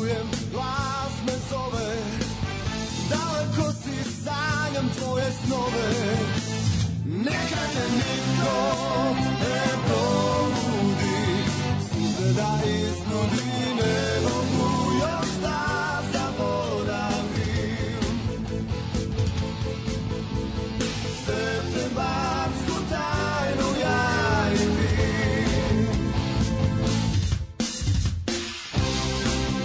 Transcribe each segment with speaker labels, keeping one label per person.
Speaker 1: čujem, glas me zove, daleko si, sanjam tvoje snove. Neka te niko ne probudi, suze da iznudi, ne mogu još da zaboravim. Septembarsku tajnu ja i ti.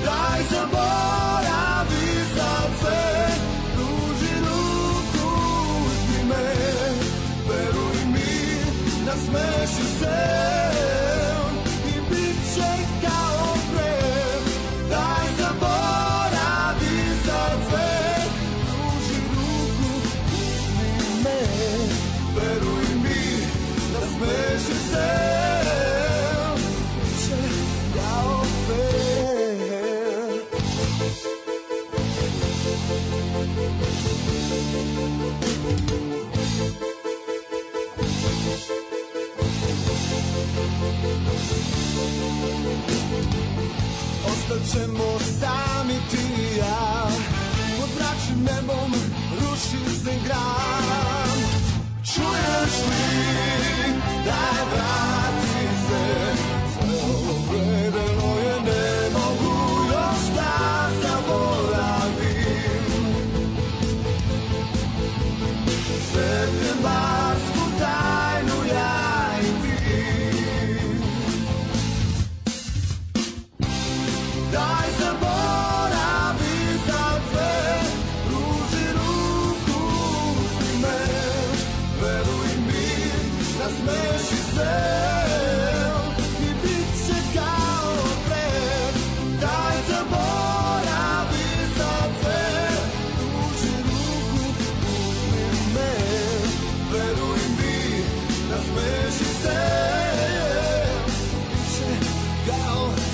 Speaker 1: Daj zaboravi sad sve, pruži ruku, uzmi me, veruj mi, nasmeši se i bit će kao pre. Daj zaboravi sad sve, pruži ruku, uzmi me, veruj mi, nasmeši se i bit će kao pre. Ostaćemo sami ti i ja, pod mračnim nebom ruši se grad. Čuješ li, daj vrati se, sve ovo predelo je, ne mogu još da zaboravim. Septembarsku tajnu ja i ti. Daj zaboravi sad sve, pruži ruku, uzmi me, veruj mi, nasmeši se i bit će kao pre. Daj zaboravi sad sve, pruži ruku, uzmi me, veruj mi, nasmeši se i bit će kao pre.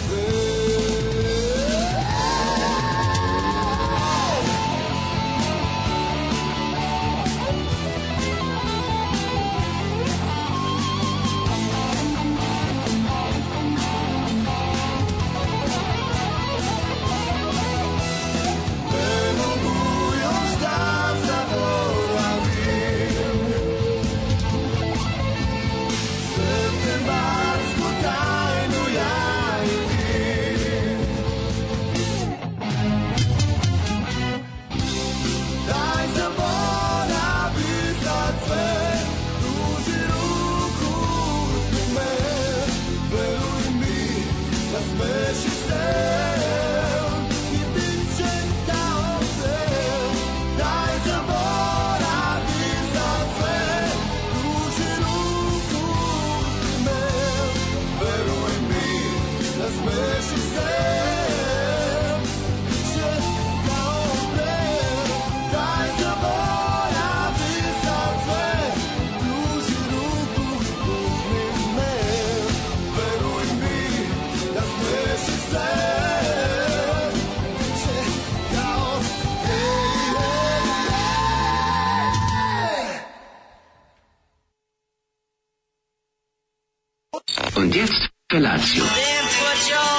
Speaker 2: Und jetzt Felatio.
Speaker 3: Then put your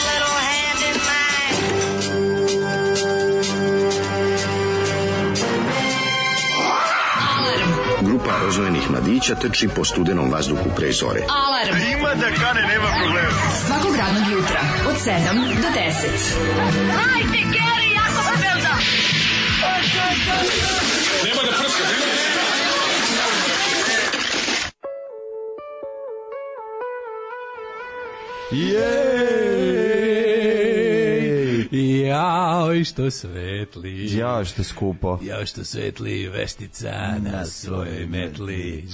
Speaker 3: little hand in mine.
Speaker 2: Grupa rozvojenih mladića trči po studenom vazduhu pre zore.
Speaker 4: Alarm.
Speaker 5: Ima da kane, nema problema.
Speaker 4: Svakog radnog jutra od 7 do 10.
Speaker 3: Hajde, Geri, jako se velda.
Speaker 5: Nema da prska,
Speaker 6: Jej! Jao, što svetli.
Speaker 7: Jao, što skupo.
Speaker 6: Jao, što svetli Vestica na svojoj metli.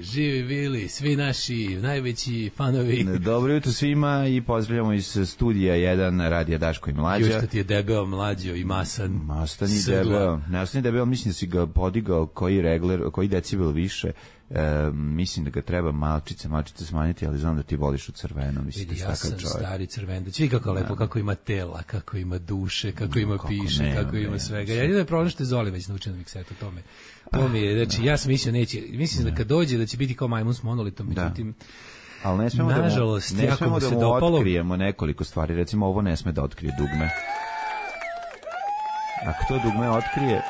Speaker 6: Živi bili, svi naši najveći fanovi.
Speaker 7: Dobro jutro svima i pozdravljamo iz studija 1 Radija Daško i Mlađa.
Speaker 6: Još što ti je debeo, mlađo i masan.
Speaker 7: Mastan i debeo. Ne ostani debeo, mislim da si ga podigao koji decibel više. Mislim da ga treba malčice smanjiti, ali znam da ti voliš u crveno. Mislim,
Speaker 6: vidi, ja sam stari crven, da vidi kako lepo, kako ima tela, kako ima duše, kako ima piše, kako ima svega. Jedino je problem što je Zoli već naučen na miksetu tome. To mi je, znači, ja sam mislio neće, mislim da kad dođe da će biti kao majmun s monolitom, međutim,
Speaker 7: Ali ne smemo
Speaker 6: nažalost,
Speaker 7: ne
Speaker 6: jako
Speaker 7: smemo
Speaker 6: mu
Speaker 7: da
Speaker 6: se
Speaker 7: mu
Speaker 6: dopalo.
Speaker 7: otkrijemo nekoliko stvari. Recimo, ovo ne sme da otkrije dugme. Ako to dugme otkrije...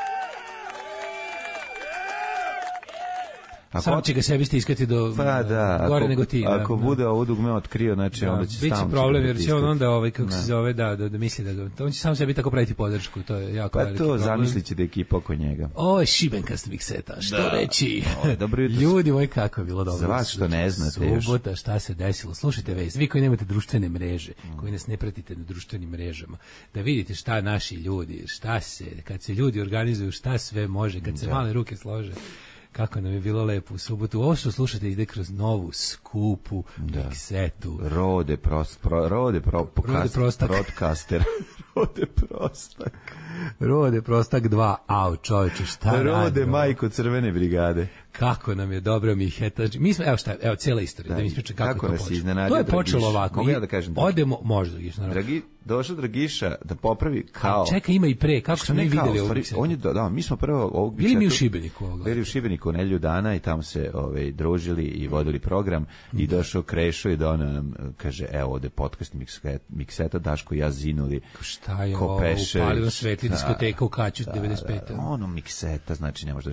Speaker 6: Sam će ga sebi stiskati do gore nego ti.
Speaker 7: Ako bude ovo dugme otkrio, znači onda će stalno...
Speaker 6: Biće problem, jer će on onda, kako se zove, da misli da ga... On će sam sebi tako praviti podršku, to je jako veliki problem.
Speaker 7: Pa to zamislit će da je ekipa oko njega.
Speaker 6: Ovo je šibenkast mikseta, što reći?
Speaker 7: Dobro jutro.
Speaker 6: Ljudi moji, kako je bilo dobro.
Speaker 7: Za vas što ne znate još.
Speaker 6: Subota, šta se desilo? Slušajte već, vi koji nemate društvene mreže, koji nas ne pratite na društvenim mrežama, da vidite šta naši ljudi, šta se, kad se ljudi organizuju, šta sve može, kad se male ruke slože. Kako nam je bilo lepo u subotu. Ovo što slušate ide kroz novu, skupu miksetu.
Speaker 7: Rode Prostak.
Speaker 6: Rode Prostak 2. Au, čovječe, šta radi?
Speaker 7: Rode majko Crvene brigade.
Speaker 6: Kako nam je dobro Miheta. Mi smo, evo cijela istorija, da mi ispričam kako je to počelo. To je počelo ovako.
Speaker 7: Mogu ja da kažem?
Speaker 6: Odemo, može Dragiš, naravno.
Speaker 7: Došao Dragiša da popravi kao...
Speaker 6: Čekaj, ima i pre, kako smo mi videli ovog miksetu?
Speaker 7: Da, mi smo prvo ovog miksetu...
Speaker 6: Bili mi u Šibeniku.
Speaker 7: Bili u Šibeniku nedelju dana i tamo se družili i vodili program i došao Krešo i da nam kaže, evo ovde podcast mikseta, Daško i ja zinuli.
Speaker 6: Šta je ovo, upalila svetli diskoteka u Kaću 95.
Speaker 7: Ono mikseta, znači ne možda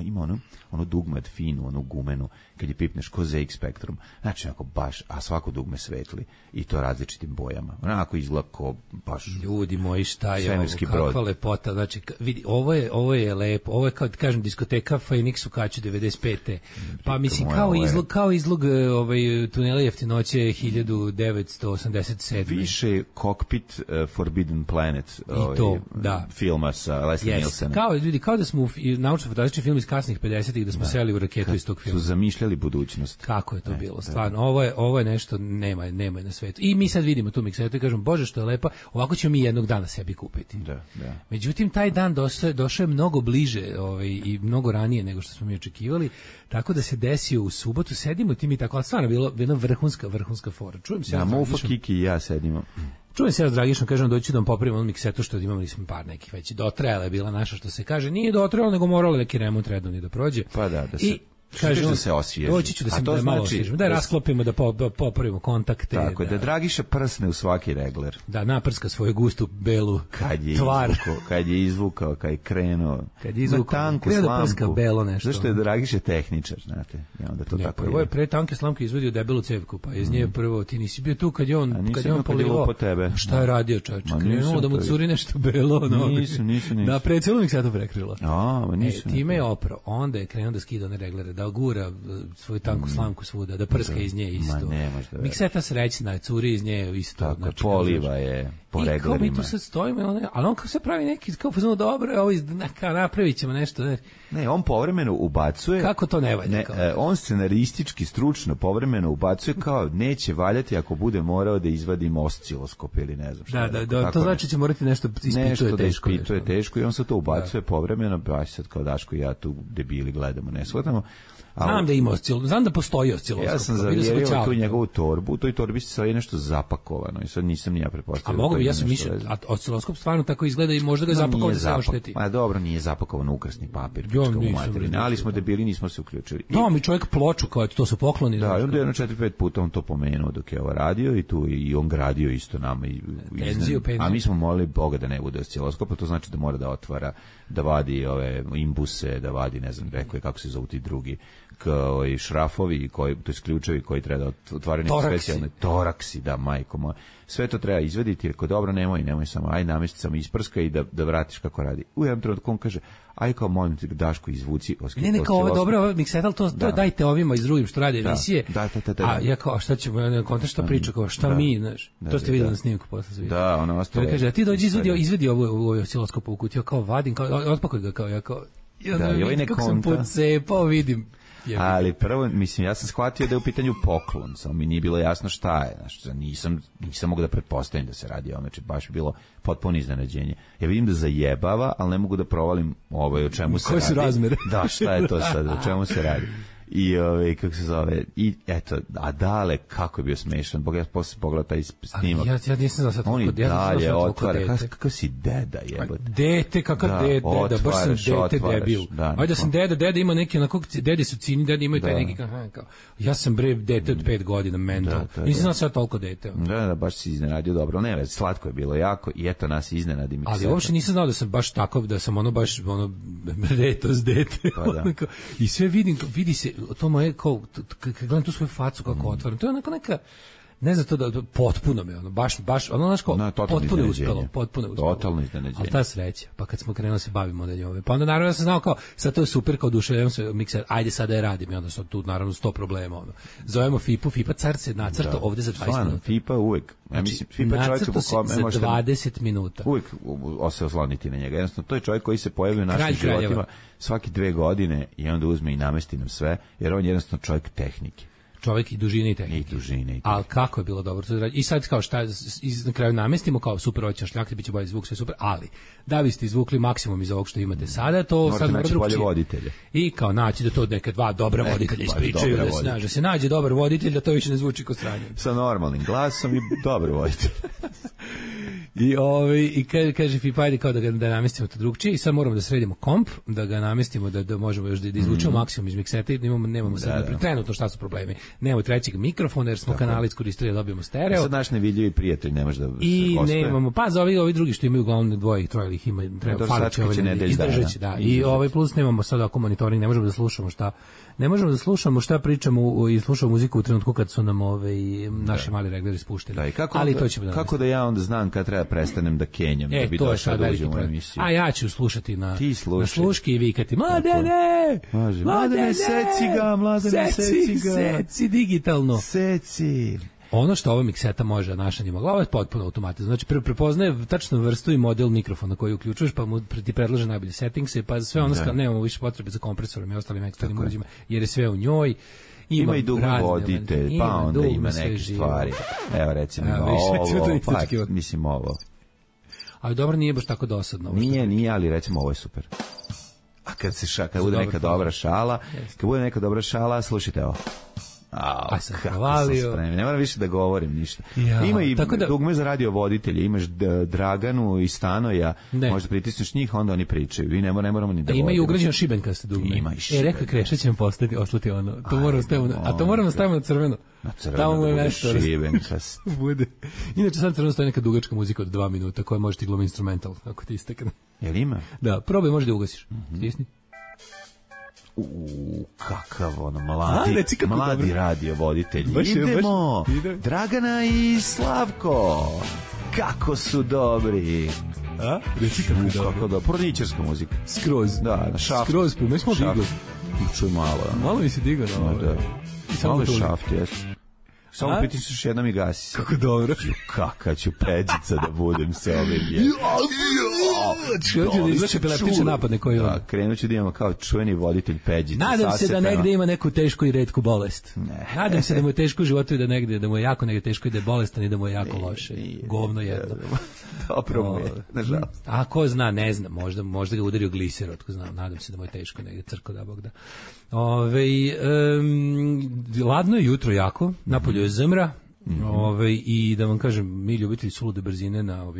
Speaker 7: ima ono dugme od finu, onu gumenu, kad je pipneš ko ZX Spectrum, znači onako baš, a svako dugme svetli i to različitim bojama, onako izgleda ko baš...
Speaker 6: Ljudi moji, šta je ovo, kakva lepota, znači, vidi, ovo je lepo, ovo je kao da kažem diskoteka Phoenix u Kaću 95. Pa mislim, kao izlog tunela Jeftinoće 1987.
Speaker 7: Više kokpit Forbidden Planet filma sa Leslie Nielsenom.
Speaker 6: Kao da smo u naučno-fantastični film iz kasnih 50-ih, da smo seli u raketu iz tog filma.
Speaker 7: Su zamišljali budućnost.
Speaker 6: Kako je to bilo, stvarno. Ovo je nešto, nema na svetu. I mi sad vidimo tu miksetu i kažemo, Bože, što je lepa, ovako ćemo mi jednog dana sebi kupiti. Međutim, taj dan došao je mnogo bliže i mnogo ranije nego što smo mi očekivali, tako da se desio u subotu, sedimo ti mi tako, ali stvarno bilo jedna vrhunska fora. Čujem se.
Speaker 7: Mufa, Kiki i ja sedimo.
Speaker 6: Čujem se ja s Dragišom, kažem, doći da vam popravimo ono miksetu što imali smo par nekih već. Dotrajala je bila naša, što se kaže, nije dotrajala, nego morala neki remont redovni da prođe.
Speaker 7: Pa da se...
Speaker 6: Kažem,
Speaker 7: da se osvježi.
Speaker 6: Doći ću da malo osvježimo, da rasklopimo, da popravimo kontakte.
Speaker 7: Tako, da Dragiša prsne u svaki regler.
Speaker 6: Da naprska svoju gustu belu tvar.
Speaker 7: Kad je izvukao, kad je krenuo.
Speaker 6: Kad je izvukao,
Speaker 7: tanku slamku.
Speaker 6: Belo nešto.
Speaker 7: Zašto je Dragiša tehničar, znate? I onda to tako
Speaker 6: ovo je pre tanke slamke izvadio debelu cevku, pa iz nje prvo, ti nisi bio tu kad je on polivao. Šta je radio, čovječ? Krenulo da mu curi nešto belo.
Speaker 7: Nisam.
Speaker 6: Da, pre celu mi se to prekrilo.
Speaker 7: Nisam.
Speaker 6: Time je oprao, onda je krenuo da skida one reglere, da gura svoju tanku slamku svuda, da prska iz nje isto. Mikseta srećna, curi iz nje isto.
Speaker 7: Tako, znači, poliva je po reglerima. I kao
Speaker 6: mi tu sad stojimo, ali on kao se pravi neki, kao fazonu, dobro, ovo napravit ćemo nešto.
Speaker 7: Ne, on povremeno ubacuje...
Speaker 6: Kako to ne valja?
Speaker 7: On scenaristički, stručno povremeno ubacuje kao neće valjati ako bude morao da izvadim osciloskop ili ne znam šta.
Speaker 6: Da, to znači će morati nešto
Speaker 7: ispituje teško i on se to ubacuje povremeno, baš sad kao Daško i ja tu debili gledamo, ne shvatamo.
Speaker 6: Znam da ima znam da postoji osciloskop.
Speaker 7: Ja sam zavjerio tu njegovu torbu, u toj torbi se sve nešto zapakovano i sad nisam ni ja pretpostavio.
Speaker 6: A mogu bi, ja sam mislio, a osciloskop stvarno tako izgleda i možda ga zapakovano da se ošteti.
Speaker 7: Ma dobro, nije zapakovano ukrasni papir. Ali smo debili, nismo se uključili.
Speaker 6: No, mi čovjek ploču, kao to su pokloni.
Speaker 7: Da, i onda jedno 4-5 puta on to pomenuo dok je ovo radio i tu i on gradio isto nama. A mi smo molili Boga da ne bude osciloskopa, to znači da mora da otvara, da vadi ove imbuse, da vadi, ne znam, rekao je kako se zovu ti drugi šrafovi, to je ključevi koji treba da otvaraju neke specijalne toraksi, da, majko moja. Sve to treba izvediti, jer ako dobro, nemoj samo, aj namesti samo isprska i da vratiš kako radi. U jednom trenutku on kaže, aj kao molim ti Daško izvuci osciloskop. Ne, kao ovo dobro, miksetal, to dajte ovima iz drugim što radi emisije. A ja kao, šta ćemo, kontra šta priča, kao šta mi, znaš, to ste vidjeli na snimku posle svi. Da, ono ostalo.
Speaker 6: Kaže, a ti dođi izvedi ovo osciloskop u kutiju, kao vadim, otpakuj ga, kao ja kao, kako sam pocepao, vidim.
Speaker 7: Ali prvo, mislim, ja sam shvatio da je u pitanju poklon, samo mi nije bilo jasno šta je, znači, nisam mogao da pretpostavim da se radi o, znači, baš bilo potpuno iznenađenje. Ja vidim da zajebava, ali ne mogu da provalim o čemu se radi.
Speaker 6: Koje su razmere?
Speaker 7: Da, šta je to sad, o čemu se radi. I kako se zove, i eto, a Dale kako je bio smešan, bog ja posle pogledao taj snimak.
Speaker 6: Ja nisam znao sad
Speaker 7: on i dalje otvara, kakav si deda jebote.
Speaker 6: Dete, kakav deda, baš sam dete debil. Ajde da sam deda ima neki onako, dedi su cini, dedi imaju taj neki kao, ja sam bre dete od 5 godina, mental. Nisam znao sad toliko dete.
Speaker 7: Da, baš si iznenadio dobro, ne već, slatko je bilo jako i eto nas iznenadi mi.
Speaker 6: Ali uopšte nisam znao da sam baš takav, da sam baš retos dete. I sve vidi se to moje kao kad gledam tu svoju facu kako otvaram, to je onako neka, ne znam to da potpuno me baš ono znaš kao potpuno je uspelo.
Speaker 7: Totalno iznenađenje.
Speaker 6: Ali ta sreća, pa kad smo krenuli se bavimo da njome. Pa onda naravno ja sam znao kao sad to je super, kao oduševljavam se mikser, ajde sad da je radim i onda sam tu naravno 100 problema Zovemo FIFA car se nacrta ovde za 20 minuta.
Speaker 7: FIFA uvek. Ja mislim FIFA čovjek po kome
Speaker 6: za 20 minuta.
Speaker 7: Uvek se osloniti na njega. Jednostavno to je čovjek koji se pojavi u našim životima svaki 2 godine i onda uzme i namesti nam sve, jer on je jednostavno čovjek tehnike.
Speaker 6: Čovjek i dužine i tehnike. Ali kako je bilo dobro. I sad kao šta, na kraju namestimo kao super, hoće šljakti, bit će bolji zvuk, sve super, ali da biste izvukli maksimum iz ovog što imate sada, to sad mora drugčije. I kao naći da to neka 2 dobra voditelja ispričaju, da se nađe dobar voditelj, da to više ne zvuči kao sranje.
Speaker 7: Sa normalnim glasom i dobar voditelj.
Speaker 6: I kaže Fipa, ajde kao da namestimo to drugčije i sad moramo da sredimo komp, da ga namestimo da možemo još da izvučemo maksimum iz mikseta i nemamo sad trenutno šta su problemi. Nemamo trećeg mikrofona jer smo kanale iskoristili da dobijemo stereo.
Speaker 7: Sad naš nevidljivi prijatelj ne može da
Speaker 6: i nemamo, pa za ovi drugi što imaju uglavnom 2 i 3 ih ima, treba falići izdržaći, da. I plus nemamo sad ako monitoring, ne možemo da slušamo šta pričamo i slušamo muziku u trenutku kad su nam naši mali regleri spušteni. Ali to ćemo
Speaker 7: kako da ja onda znam kad treba prestanem da kenjam, da bi došao da uđem u emisiju.
Speaker 6: A ja ću slušati na sluški i vikati Mladene, seci digitalno.
Speaker 7: Seci.
Speaker 6: Ono što ova mikseta može, naša nije mogla, ovo je potpuno automatizno. Znači, prepoznaje tačno vrstu i model mikrofona koji uključuješ, pa mu ti predlaže najbolje settingse, pa sve ono nemamo više potrebe za kompresorom i ostalim eksternim uređajima, jer je sve u njoj.
Speaker 7: Ima i dugo voditelj, pa onda ima neke stvari. Evo recimo ovo, mislim ovo.
Speaker 6: Ali dobro, nije baš tako dosadno.
Speaker 7: Nije, ali recimo ovo je super. A kad bude neka dobra šala, slušajte ovo.
Speaker 6: Sam hvalio.
Speaker 7: Ne moram više da govorim ništa. Ima i dugme za radio voditelje, imaš Draganu i Stanoja, možda pritisneš njih, onda oni pričaju. I ne moramo ni da govorimo.
Speaker 6: Ima i ugrađeno šibenkaste dugme. Rekao Kreša će vam oslati ono. To moramo stavimo na crveno.
Speaker 7: Na crveno bude šibenkast.
Speaker 6: Bude. Inače sad crveno stoji neka dugačka muzika od 2 minuta koja može ti glumi instrumental, ako ti istekne.
Speaker 7: Jel ima?
Speaker 6: Da, probaj, može da ugasiš. Stisni.
Speaker 7: Kakav ono mladi radio voditelj. Idemo, Dragana i Slavko, kako su dobri. Kako da, porničarska muzika.
Speaker 6: Skroz.
Speaker 7: Da, na šaft.
Speaker 6: Skroz, mi smo digli.
Speaker 7: Čuj malo.
Speaker 6: Malo mi se digao na ovo.
Speaker 7: Malo je šaft, jesu. Samo pritisneš jednom i gasi se.
Speaker 6: Kako dobro.
Speaker 7: Kaka ću peđica da budem se ovim.
Speaker 6: Krenut ću da izvrši epileptične napadne koji on.
Speaker 7: Krenut ću da imamo kao čuveni voditelj peđica.
Speaker 6: Nadam se da negde ima neku tešku i retku bolest. Nadam se da mu je teško u životu i da mu je jako negde teško i da je bolestan i da mu je jako loše. Govno jedno.
Speaker 7: Dobro mu je, nažalost.
Speaker 6: A ko zna, ne znam, možda ga udario gliser, otko znam, nadam se da mu je teško negde, crko da Bog da. Ladno je jutro jako, napolju je zmra, i da vam kažem, mi ljubitelji sulude brzine na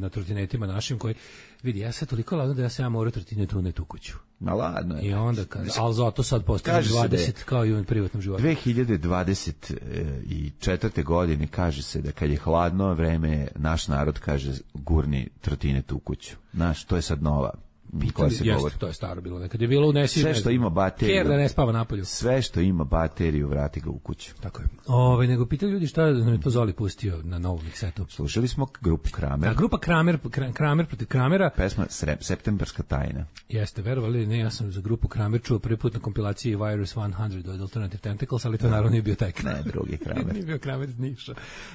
Speaker 6: trotinetima našim koji, vidi, ja sad toliko ladno da ja sam morao trotinetu unetu u kuću.
Speaker 7: Ma ladno je.
Speaker 6: I onda kaže, ali zato sad postavim 20 kao i u privatnom životu.
Speaker 7: 2024. godine kaže se da kad je hladno vreme, naš narod kaže gurni trotinetu u kuću. Znaš, to je sad nova.
Speaker 6: To je staro bilo, nekad je bilo unesi
Speaker 7: sve što ima bateriju,
Speaker 6: da ne spava napolju.
Speaker 7: Sve što ima bateriju vrati ga u kuću.
Speaker 6: Tako je. Nego pitali ljudi šta nam je to Zoli pustio na novom miksetu.
Speaker 7: Slušali smo grupu Kramer.
Speaker 6: Da, grupa Kramer protiv Kramera.
Speaker 7: Pesma Septemberska tajna.
Speaker 6: Jeste, verovali, ne, ja sam za grupu Kramer čuo prvi put na kompilaciji Virus 100 od Alternative Tentacles, ali to naravno nije bio taj Kramer.
Speaker 7: Ne, drugi Kramer.
Speaker 6: Nije bio Kramer iz Niša.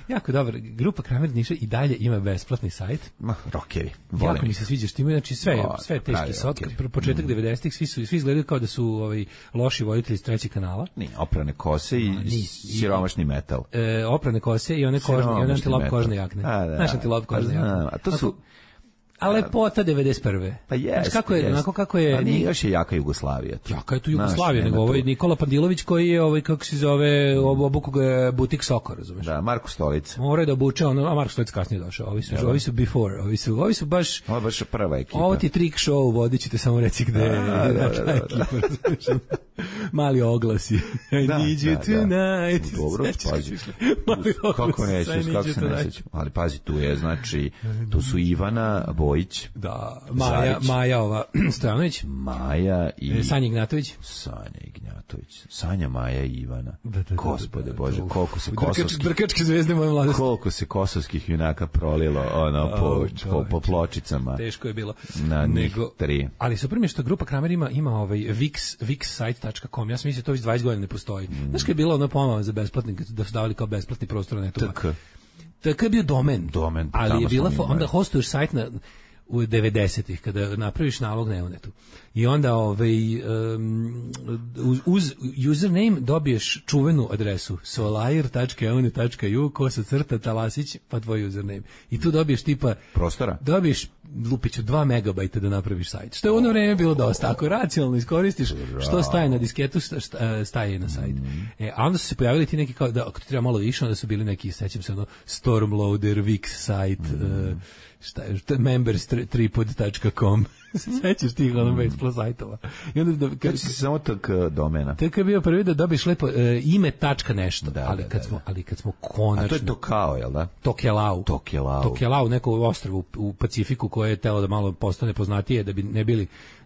Speaker 6: Jako dobro, grupa Kramer iz Niša i dalje ima besplatni sajt.
Speaker 7: Rockeri.
Speaker 6: Jako mi se sviđa što imaju, znači sve teški sotke, početak 90-ih, svi izgledaju kao da su loši voditelji iz trećeg kanala.
Speaker 7: Nije, oprane kose i siromašni metal.
Speaker 6: Oprane kose i one antilop kožne jakne. Znaš antilop kožne jakne.
Speaker 7: A to su...
Speaker 6: A lepota 91.
Speaker 7: Pa jeste.
Speaker 6: Kako je...
Speaker 7: Pa nije još je jaka Jugoslavija.
Speaker 6: Jaka je tu Jugoslavija, nego ovaj Nikola Pandilović koji je kako se zove, obuku ga butik Soko, razumeš?
Speaker 7: Da, Marko Stolica.
Speaker 6: Mora da obuče, a Marko Stolica kasnije došao. Ovi su before, ovi su baš...
Speaker 7: Ovo je baš prva ekipa.
Speaker 6: Ovo ti trick show, vodit ću te samo reci gde je ekipa, mali oglasi. I need you tonight.
Speaker 7: Dobro, pazi. Kako nećeš, kako se ne sjećam. Ali pazi, tu je, znači, tu su Ivana Bojić.
Speaker 6: Da, Maja ova Stojanović.
Speaker 7: Maja i...
Speaker 6: Sanja Ignjatović.
Speaker 7: Sanja, Maja i Ivana. Gospode Bože, koliko se kosovskih...
Speaker 6: Brkačke zvezde moje mladosti.
Speaker 7: Koliko se kosovskih junaka prolilo po pločicama.
Speaker 6: Teško je bilo.
Speaker 7: Na njih 3.
Speaker 6: Ali super mi je što grupa Kramer ima ovaj vixsite.com. Ja sam mislio to već 20 godina ne postoji. Znaš kad je bilo ono pomalo za besplatni, da su davali kao besplatni prostor na netu. TK je bio domen. Ali je bila, onda hostuješ sajt u 90-ih, kada napraviš nalog na Neonetu. I onda uz username dobiješ čuvenu adresu solair.eonet.ju /Talasić pa tvoj username. I tu dobiješ tipa...
Speaker 7: prostora?
Speaker 6: Dobiješ lupiću 2 megabajta da napraviš sajt. Što je u ono vreme bilo dosta. Ako racionalno iskoristiš što staje na disketu, staje i na sajt. A onda su se pojavili ti neki kao, da ako ti treba malo više, onda su bili neki, sećam se ono, Stormloader, Wix site, members3pod.com. Sećaš tih ono besplatnih sajtova. I onda
Speaker 7: kad si samo tak domena.
Speaker 6: Tako je bio prvi da dobiš lepo ime tačka nešto, ali kad smo konačno.
Speaker 7: A to je Tokao, jel da?
Speaker 6: Tokelau, neko ostrvo u Pacifiku koje je telo da malo postane poznatije, da bi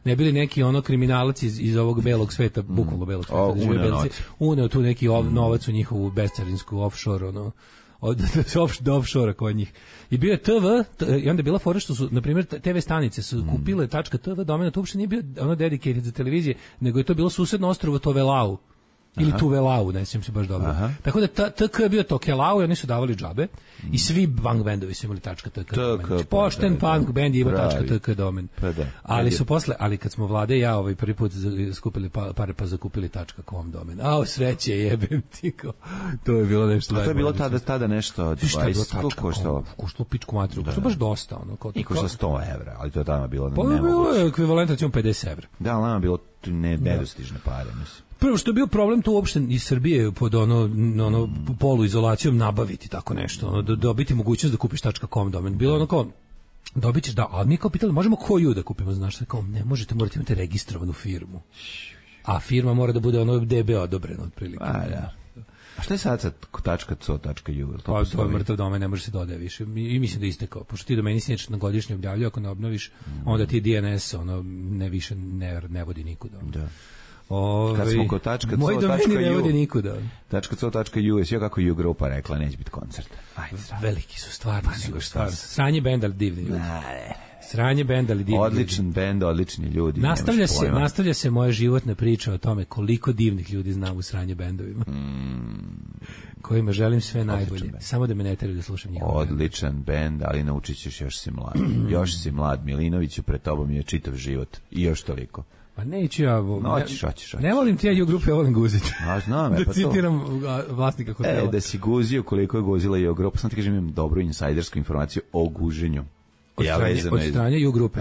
Speaker 6: ne bili neki ono kriminalac iz ovog belog sveta, bukvalno belog sveta, uneo tu neki novac u njihovu bescarinsku offshore, ono, do offshore kod njih. I bio je TV, i onda je bila fora što su, na primjer, TV stanice su kupile .tv domena, to uopšte nije bio ono dedicated za televizije, nego je to bilo susedno ostrvo Tovelau. Ili Tuvelau, ne sjećam se baš dobro. Tako da TK je bio Tokelau i oni su davali džabe i svi punk bendovi su imali .tk domen. Pošten punk bend je imao .tk domen. Ali su posle, ali kad smo Vlade i ja prvi put skupili pare pa zakupili .com domen. Sreće jebem ti ko. To je bilo nešto.
Speaker 7: A to je bilo tada nešto 20 koštalo.
Speaker 6: Koštalo pičku matru. To je baš dosta.
Speaker 7: I koštalo 100 evra, ali to je tada bilo
Speaker 6: nemoguće. Pa bilo je ekvivalent recimo 50 evra.
Speaker 7: Da, ali nama bilo nedostižne pare, mislim.
Speaker 6: Prvo što je bio problem tu uopšte iz Srbije pod ono poluizolacijom nabaviti tako nešto, dobiti mogućnost da kupiš .com domen. Bilo ono kao dobit ćeš ali mi kao pitali možemo koju da kupimo, znaš, kao ne možete, morate imati registrovanu firmu. A firma mora da bude ono DB odobrena otprilike.
Speaker 7: A šta je sad .co.ju?
Speaker 6: Pa to je mrtav domen, ne može se dodaje više. I mislim da istekao, pošto ti domeni si na godišnje objavljaju, ako ne obnoviš, onda ti DNS više ne vodi nikuda.
Speaker 7: Da. Kad smo kod
Speaker 6: moj domeni ne vodi nikuda.
Speaker 7: .co.ju je sve kako ju grupa rekla, neće biti koncert.
Speaker 6: Veliki su stvarno. Sranje bend, ali divni ljudi. Sranje bend, ali divni ljudi.
Speaker 7: Odličan bend, odlični ljudi.
Speaker 6: Nastavlja se moja životna priča o tome koliko divnih ljudi znam u sranje bendovima. Kojima želim sve najbolje. Samo da me ne teraju da slušam njihov bend.
Speaker 7: Odličan bend, ali naučit ćeš, još si mlad. Još si mlad, Milinoviću, pred tobom je čitav život. I još toliko.
Speaker 6: Pa neću ja...
Speaker 7: Hoćeš.
Speaker 6: Ne volim ti ja grupe, ja volim guziti.
Speaker 7: Znam,
Speaker 6: da citiram vlasnika hotela.
Speaker 7: Da si guzio koliko je guzila i grupa. Sam ti kažem, imam dobru insajdersku informaciju o guženju.
Speaker 6: Od strane ju grupe.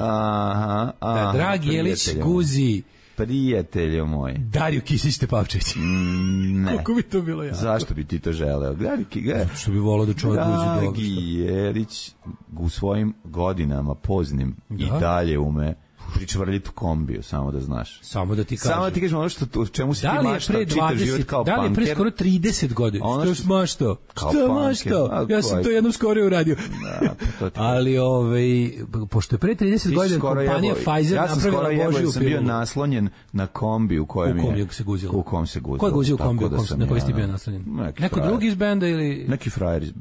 Speaker 6: Dragi Jelić guzi...
Speaker 7: Prijatelju moj.
Speaker 6: Dariju Kisić-Tepavčević.
Speaker 7: Ne.
Speaker 6: Kako bi to bilo ja?
Speaker 7: Zašto bi ti to želeo?
Speaker 6: Što bi volao da čovjek guzi dobro.
Speaker 7: Dragi Jelić u svojim godinama poznim i dalje ume pričvrljiti u kombiju, samo da znaš.
Speaker 6: Samo da ti kažem.
Speaker 7: Samo da ti kažem ono što čemu si ti maštao čitav život kao punker.
Speaker 6: Da li je pre skoro 30 godina? Što si maštao? Što maštao? Ja sam to jednom skoro uradio. Ali pošto je pre 30 godina kompanija Pfizer napravila Božiju pilu.
Speaker 7: Ja sam bio naslonjen na kombi u kojem
Speaker 6: se guzilo.
Speaker 7: U kom se guzilo.
Speaker 6: Ko je guzio kombi na koji si bio naslonjen? Neko drugi iz benda ili...
Speaker 7: Neki frajer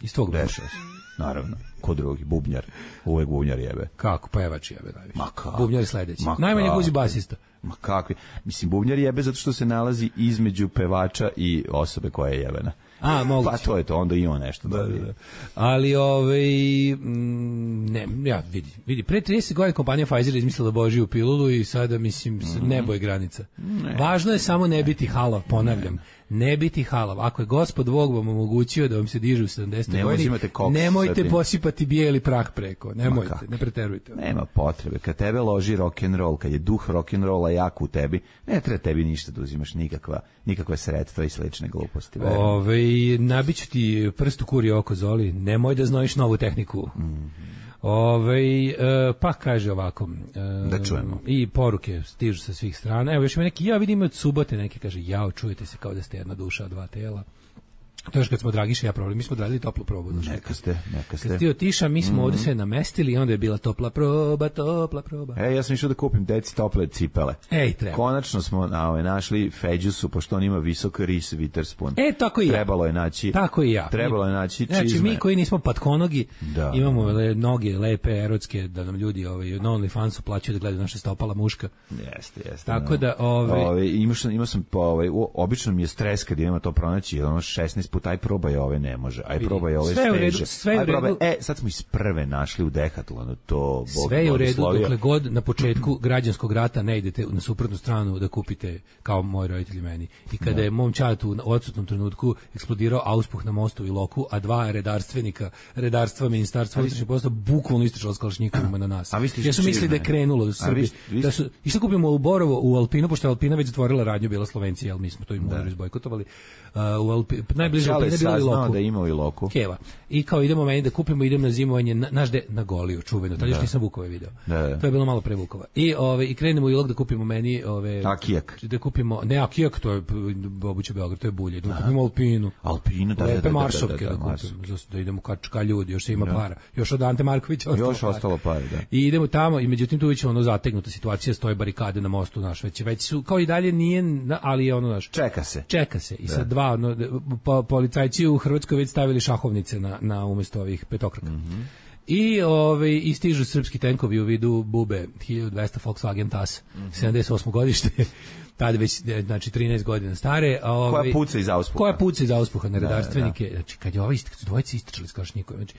Speaker 6: iz tvog benda.
Speaker 7: Naravno. Ko drugi, bubnjar. Uvek bubnjar jebe.
Speaker 6: Kako? Pevač jebe najviše. Bubnjar je sledeći. Najmanje guzi basista.
Speaker 7: Ma kakvi? Mislim, bubnjar jebe zato što se nalazi između pevača i osobe koja je jebena.
Speaker 6: Moguće.
Speaker 7: Pa to je to, onda i on nešto dobije.
Speaker 6: Ali, vidi, pre 30 godina kompanija Pfizer izmislila Božiju pilulu i sada, mislim, nebo je granica. Važno je samo ne biti halav, ponavljam. ne biti halav. Ako je Gospod Bog vam omogućio da vam se diže u 70. godini, nemojte posipati bijeli prah preko. Nemojte, ne preterujte.
Speaker 7: Nema potrebe. Kad tebe loži rock'n'roll, kad je duh rock'n'rolla jak u tebi, ne treba tebi ništa da uzimaš nikakve sredstva i slične gluposti.
Speaker 6: Nabiću ti prst u kuri oko, Zoli, nemoj da znojiš novu tehniku. Pa kaže ovako,
Speaker 7: da čujemo.
Speaker 6: I poruke stižu sa svih strana. Evo još ima neki, ja vidim od subote neki, kaže, jao, čujete se kao da ste jedna duša od dva tela. To još kad smo Dragiša ja probali, mi smo odradili toplu probu.
Speaker 7: Neka ste.
Speaker 6: Kad ti otiša, mi smo ovdje sve namestili i onda je bila topla proba.
Speaker 7: Ja sam išao da kupim deci tople cipele.
Speaker 6: Treba.
Speaker 7: Konačno smo našli Feđusu, pošto on ima visok Reese Witherspoon.
Speaker 6: Tako i ja.
Speaker 7: Trebalo je naći.
Speaker 6: Tako i ja.
Speaker 7: Trebalo je naći čizme.
Speaker 6: Znači, mi koji nismo patkonogi, imamo noge lepe, erotske, da nam ljudi na OnlyFansu plaćaju da gledaju naše stopala muška.
Speaker 7: Jeste.
Speaker 6: Tako da,
Speaker 7: imao sam, obično mi je stres kad idemo to pronaći, 16 puta, aj probaj ove ne može, aj probaj ove steže.
Speaker 6: Sve u redu.
Speaker 7: Sad smo iz prve našli u Decathlonu to.
Speaker 6: Sve je u redu, dokle god na početku građanskog rata ne idete na suprotnu stranu da kupite kao moji roditelji meni. I kada je mom čatu u odsutnom trenutku eksplodirao auspuh na mostu u Iloku, a dva redarstva ministarstva unutrašnjih poslova bukvalno istrčalo s kalašnjikovima na nas. Ja su mislili da je krenulo u Srbiji. Išli kupimo u Borovo, u Alpinu, pošto je Alpina već zatvorila radnju, bila Slovencija, ali mi smo to i morali izbojkotovali. Najbliže Alpine je bilo Iloku.
Speaker 7: Da ima u Iloku.
Speaker 6: Keva. I kao idemo meni da kupimo, idem na zimovanje na Goliju, čuveno. Tad još nisam Vukove video. To je bilo malo pre Vukova. I krenemo u Ilok da kupimo meni
Speaker 7: Akijak.
Speaker 6: Da kupimo, ne Akijak, to je obuće Beograd, to je bulje. Da kupimo Alpinu.
Speaker 7: Lepe
Speaker 6: maršovke da kupimo. Da idemo ka ljudi, još se ima para. Još od Ante Markovića
Speaker 7: ostalo para, da.
Speaker 6: I idemo tamo i međutim tu već zategnuta situacija, stoje barikade na mostu naš, već su kao i dalje nije, ali je naš. Čeka se. I sad dva policajci u Hrvatskoj već stavili šahovnice na umjesto ovih petokraka. I stižu srpski tenkovi u vidu Bube 1200 Volkswagen TAS 78. godište. Tada već, znači 13 godina stare.
Speaker 7: Koja puca iz auspuha
Speaker 6: na redarstvenike. Znači kad su dvojice istrčali s kalašnjikovima. Znači,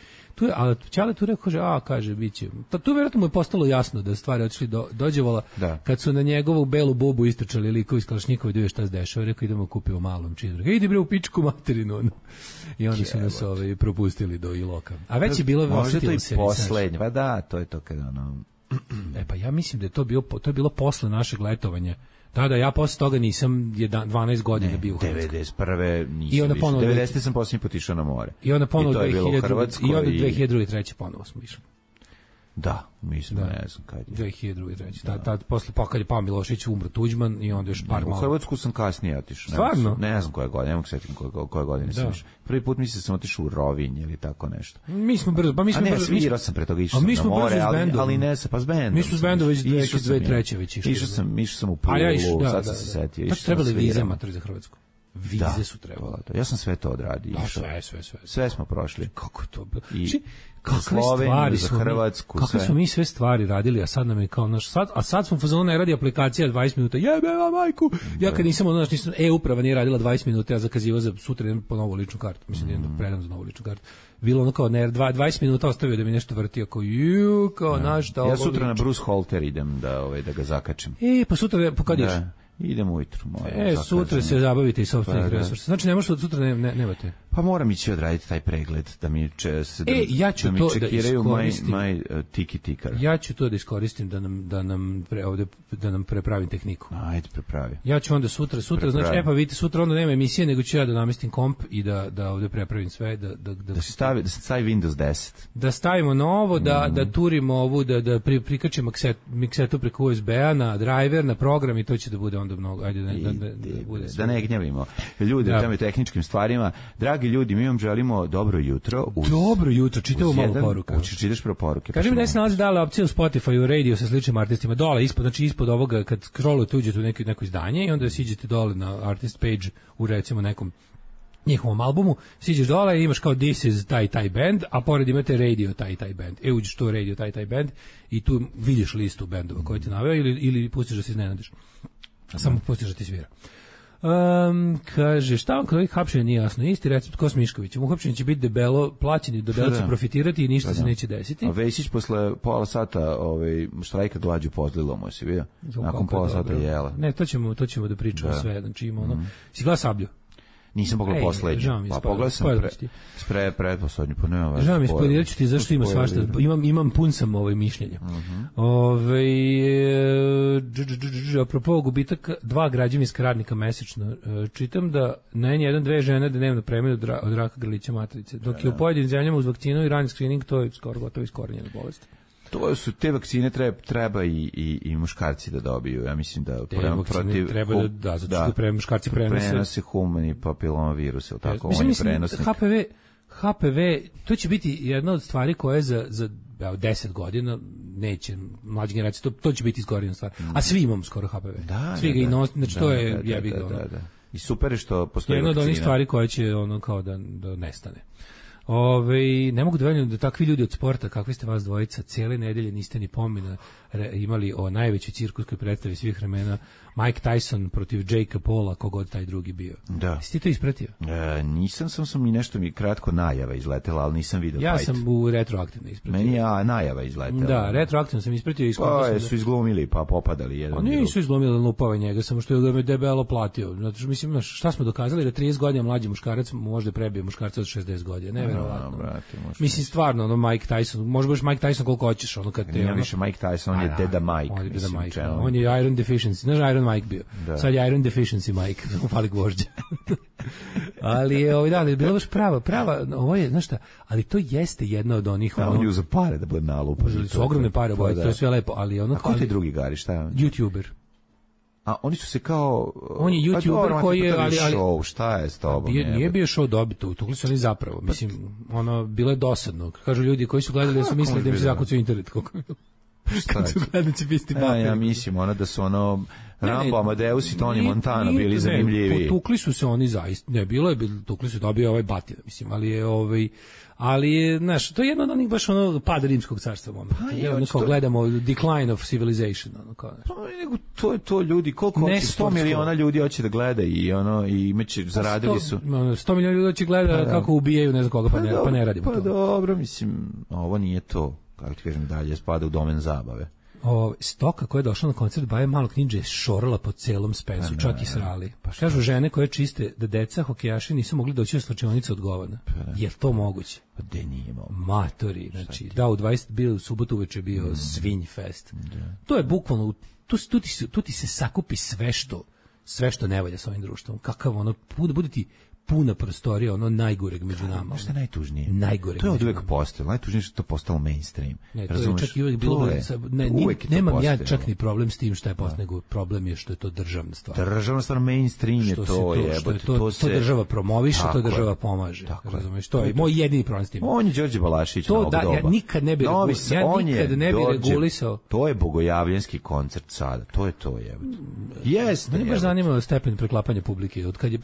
Speaker 6: ali Čale tu rekao, kaže, bit će. Tu vjerojatno mu je postalo jasno da stvari otišli dođevala. Kad su na njegovu belu bubu istrčali likovi iz kalašnjikova i da šta se dešava, rekao idemo kupimo malom čizru. Idi bre u pičku materinu. I onda su nas propustili do Iloka. A već je bilo
Speaker 7: možda to i poslednje. Pa da, to je to kada
Speaker 6: pa ja mislim da je to bilo posle našeg letovanja. Da, ja posle toga nisam 12 godina bio u Hrvatskoj.
Speaker 7: 91. nisam više. 90. sam posljednji put išao na more.
Speaker 6: I onda ponovo 2002-2003. ponovo smo išli.
Speaker 7: Da, mislim, ne znam kad je.
Speaker 6: 2002-2003. Tad posle kad je pao Milošević, umro Tuđman i onda još par malo.
Speaker 7: U Hrvatsku sam kasnije otišao.
Speaker 6: Stvarno?
Speaker 7: Ne znam koje godine, ne mogu setiti koje godine sam išao. Prvi put mislim sam otišao u Rovinj ili tako nešto.
Speaker 6: Mi smo brzo,
Speaker 7: svirao sam pre toga išao na more, ali ne sa, pa s bendom.
Speaker 6: Mi smo s bendom već 2003. već išli.
Speaker 7: Išao sam u Pulu, sad sam se setio.
Speaker 6: Tad su trebali vize matori za Hrvatsku. Vize su trebali.
Speaker 7: Ja sam sve to odradio. Sve smo prošli.
Speaker 6: Kako to bilo?
Speaker 7: Kakve stvari za Hrvatsku,
Speaker 6: kakve smo mi sve stvari radili, a sad nam je kao naš sad smo fazonu ne radi aplikacija 20 minuta. Jebeva majku. Ja kad nisam e-uprava nije radila 20 minuta, ja zakazivao za sutra idem po novu ličnu kartu. Mislim idem da predam za novu ličnu kartu. Bilo ono kao 20 minuta ostavio da mi nešto vrti kao našta.
Speaker 7: Ja sutra na Bruce Holter idem da ga zakačem.
Speaker 6: Pa sutra kad ideš?
Speaker 7: Idem ujutru.
Speaker 6: Sutra se zabavite i sopstvenih resursa. Znači ne možete od sutra nemate.
Speaker 7: Pa moram ići odraditi taj pregled da mi
Speaker 6: ja ću to da iskoristim.
Speaker 7: Tiki tikar.
Speaker 6: Ja ću to da iskoristim da nam prepravim tehniku.
Speaker 7: Ajde, prepravi.
Speaker 6: Ja ću onda sutra znači pa vidite sutra onda nema emisije nego ću ja da namestim komp i da ovde prepravim sve
Speaker 7: da se stavi Windows 10.
Speaker 6: Da stavimo novo, da turimo ovu da prikačimo miksetu preko USB-a na driver, na program i to će da bude onda mnogo. Ajde
Speaker 7: da ne gnjavimo ljude u tome tehničkim stvarima. Dragi ljudi, mi vam želimo dobro jutro.
Speaker 6: Dobro jutro, čitamo malo poruka.
Speaker 7: Čitaš prvo poruke.
Speaker 6: Kaži mi da se nalazi dala opcija u Spotify, u radio sa sličnim artistima. Dole, ispod ovoga, kad scrollujete, uđete u neko izdanje i onda siđete dole na artist page u recimo nekom njihovom albumu, siđeš dole i imaš kao This is taj band, a pored imate radio taj band. Uđeš to radio taj band i tu vidiš listu bendova koje ti naveo ili pustiš da se iznenadiš. Samo pustiš da ti svira. Kaže, šta vam kod ovih hapšenja nije jasno? Isti recept ko s Miškovićem. Uhapšenje će biti debelo, plaćeni, debelo će profitirati i ništa se neće desiti.
Speaker 7: A Vesić posle pola sata štrajka glađu pozlilo mu se, vidio? Nakon pola sata jela.
Speaker 6: Ne, to ćemo da pričamo sve. Znači ima si gleda Sablju?
Speaker 7: Nisam pogledao poslednji. Pa pogledao sam pretposlednji, pa nema važno.
Speaker 6: Žao mi, spoilerirat ću ti zašto ima svašta. Imam pun sam mišljenja. Apropo gubitak 2 građevinska radnika mesečno, čitam da na N1 2 žene dnevno premiju od raka grlića matrice, dok je u pojedinim zemljama uz vakcinu i rani screening to je skoro gotovo iskorenjena bolest.
Speaker 7: To su te vakcine treba i muškarci da dobiju. Ja mislim da protiv
Speaker 6: treba da zato što muškarci
Speaker 7: prenose humani papiloma-virus, ili tako, on je prenosnik.
Speaker 6: HPV, to će biti jedna od stvari koje za 10 godina neće mlađe generacije, to će biti izgorena stvar. A svi imamo skoro HPV. Svi ga i nos, znači to je jebi ga.
Speaker 7: I super je što postoji
Speaker 6: jedna od onih stvari koje će ono kao da nestane. Ne mogu da verujem da takvi ljudi od sporta, kakvi ste vas dvojica, cijele nedelje niste ni pomena imali o najvećoj cirkuskoj predstavi svih vremena, Mike Tyson protiv Jakea Paula, kogod taj drugi bio.
Speaker 7: Da.
Speaker 6: Jesi ti to ispratio?
Speaker 7: Nisam, sam i nešto mi kratko najava izletela, ali nisam vidio
Speaker 6: ja fight. Ja sam u retroaktivno ispratio.
Speaker 7: Meni najava izletela.
Speaker 6: Da, retroaktivno sam ispratio.
Speaker 7: Su izglumili, pa popadali jedan.
Speaker 6: Nisu izglumili lupava njega, samo što je debelo platio. Zato što mislim, šta smo dokazali da 30 godina mlađi muškarac može prebije muškarca od 60 godina. Neverovatno. Mislim, stvarno, Mike Tyson, može baš Mike Tyson koliko hoćeš, kad te...
Speaker 7: Nije više Mike Tyson, on je Deda Mike.
Speaker 6: On je Iron Deficiency, znaš Iron Mike bio. Da. Sad je Iron Deficiency Mike, fali gvožđa. Ali je bilo baš prava, ovo je, znaš šta, ali to jeste jedna od onih...
Speaker 7: on je uzeo pare da bude nalupa.
Speaker 6: Su ogromne pare, to je sve lepo, ali ono...
Speaker 7: A ko ti drugi gari, šta je on?
Speaker 6: YouTuber.
Speaker 7: A oni su se kao...
Speaker 6: On je YouTuber koji je...
Speaker 7: Ali show, šta je s tobom?
Speaker 6: Nije bio show dobito, tukli su oni zapravo. Mislim, bilo je dosadno. Kažu ljudi koji su gledali da su mislili da im se zakucaju internet. Kad su glednici pisti papir.
Speaker 7: Ja mislim, da su Rambo, Amadeus i Tony Montana bili zanimljivi.
Speaker 6: Tukli su se oni zaista, tukli su dobio ovaj batina, mislim, ali je, znaš, to je jedno od onih baš pad rimskog carstva momenta. Gledamo decline of civilization.
Speaker 7: To ljudi, koliko 100 miliona ljudi hoće da gleda i imaće, zaradili su.
Speaker 6: 100 miliona ljudi hoće gleda kako ubijaju ne znam koga, pa ne radimo to.
Speaker 7: Pa dobro, mislim, ovo nije to, kako ti kažem, dalje spada u domen zabave.
Speaker 6: Stoka koja je došla na koncert Baje Malog Ninja je šorala po celom Spensu, čak i srali. Kažu žene koje čiste da deca hokejaši nisu mogli doći u slačionicu od govana. Je to moguće?
Speaker 7: Pa de nije imao.
Speaker 6: Matori, znači, da, u 20 bio u subotu uveče bio Svinj fest. To je bukvalno, tu ti se sakupi sve što ne valja s ovim društvom. Kakav bude ti puna prostorija, najgoreg među nama.
Speaker 7: Šta je najtužnije?
Speaker 6: Najgoreg.
Speaker 7: To je od uvek postalo. Najtužnije što je to postalo mainstream.
Speaker 6: Ne, to je čak i uvek bilo... Nemam ja čak ni problem s tim što je postalo, nego problem je što je to državna stvar.
Speaker 7: Državna stvar, mainstream je to.
Speaker 6: To država promoviše, to država pomaže. Razumeš, to je moj jedini problem s tim.
Speaker 7: On je Đorđe Balašić novog doba.
Speaker 6: Ja nikad ne bi regulisao.
Speaker 7: To je bogojavljanski koncert sada. To je to, jebote. Jeste.
Speaker 6: Mene baš zanima stepen preklapanja publike. Od kad je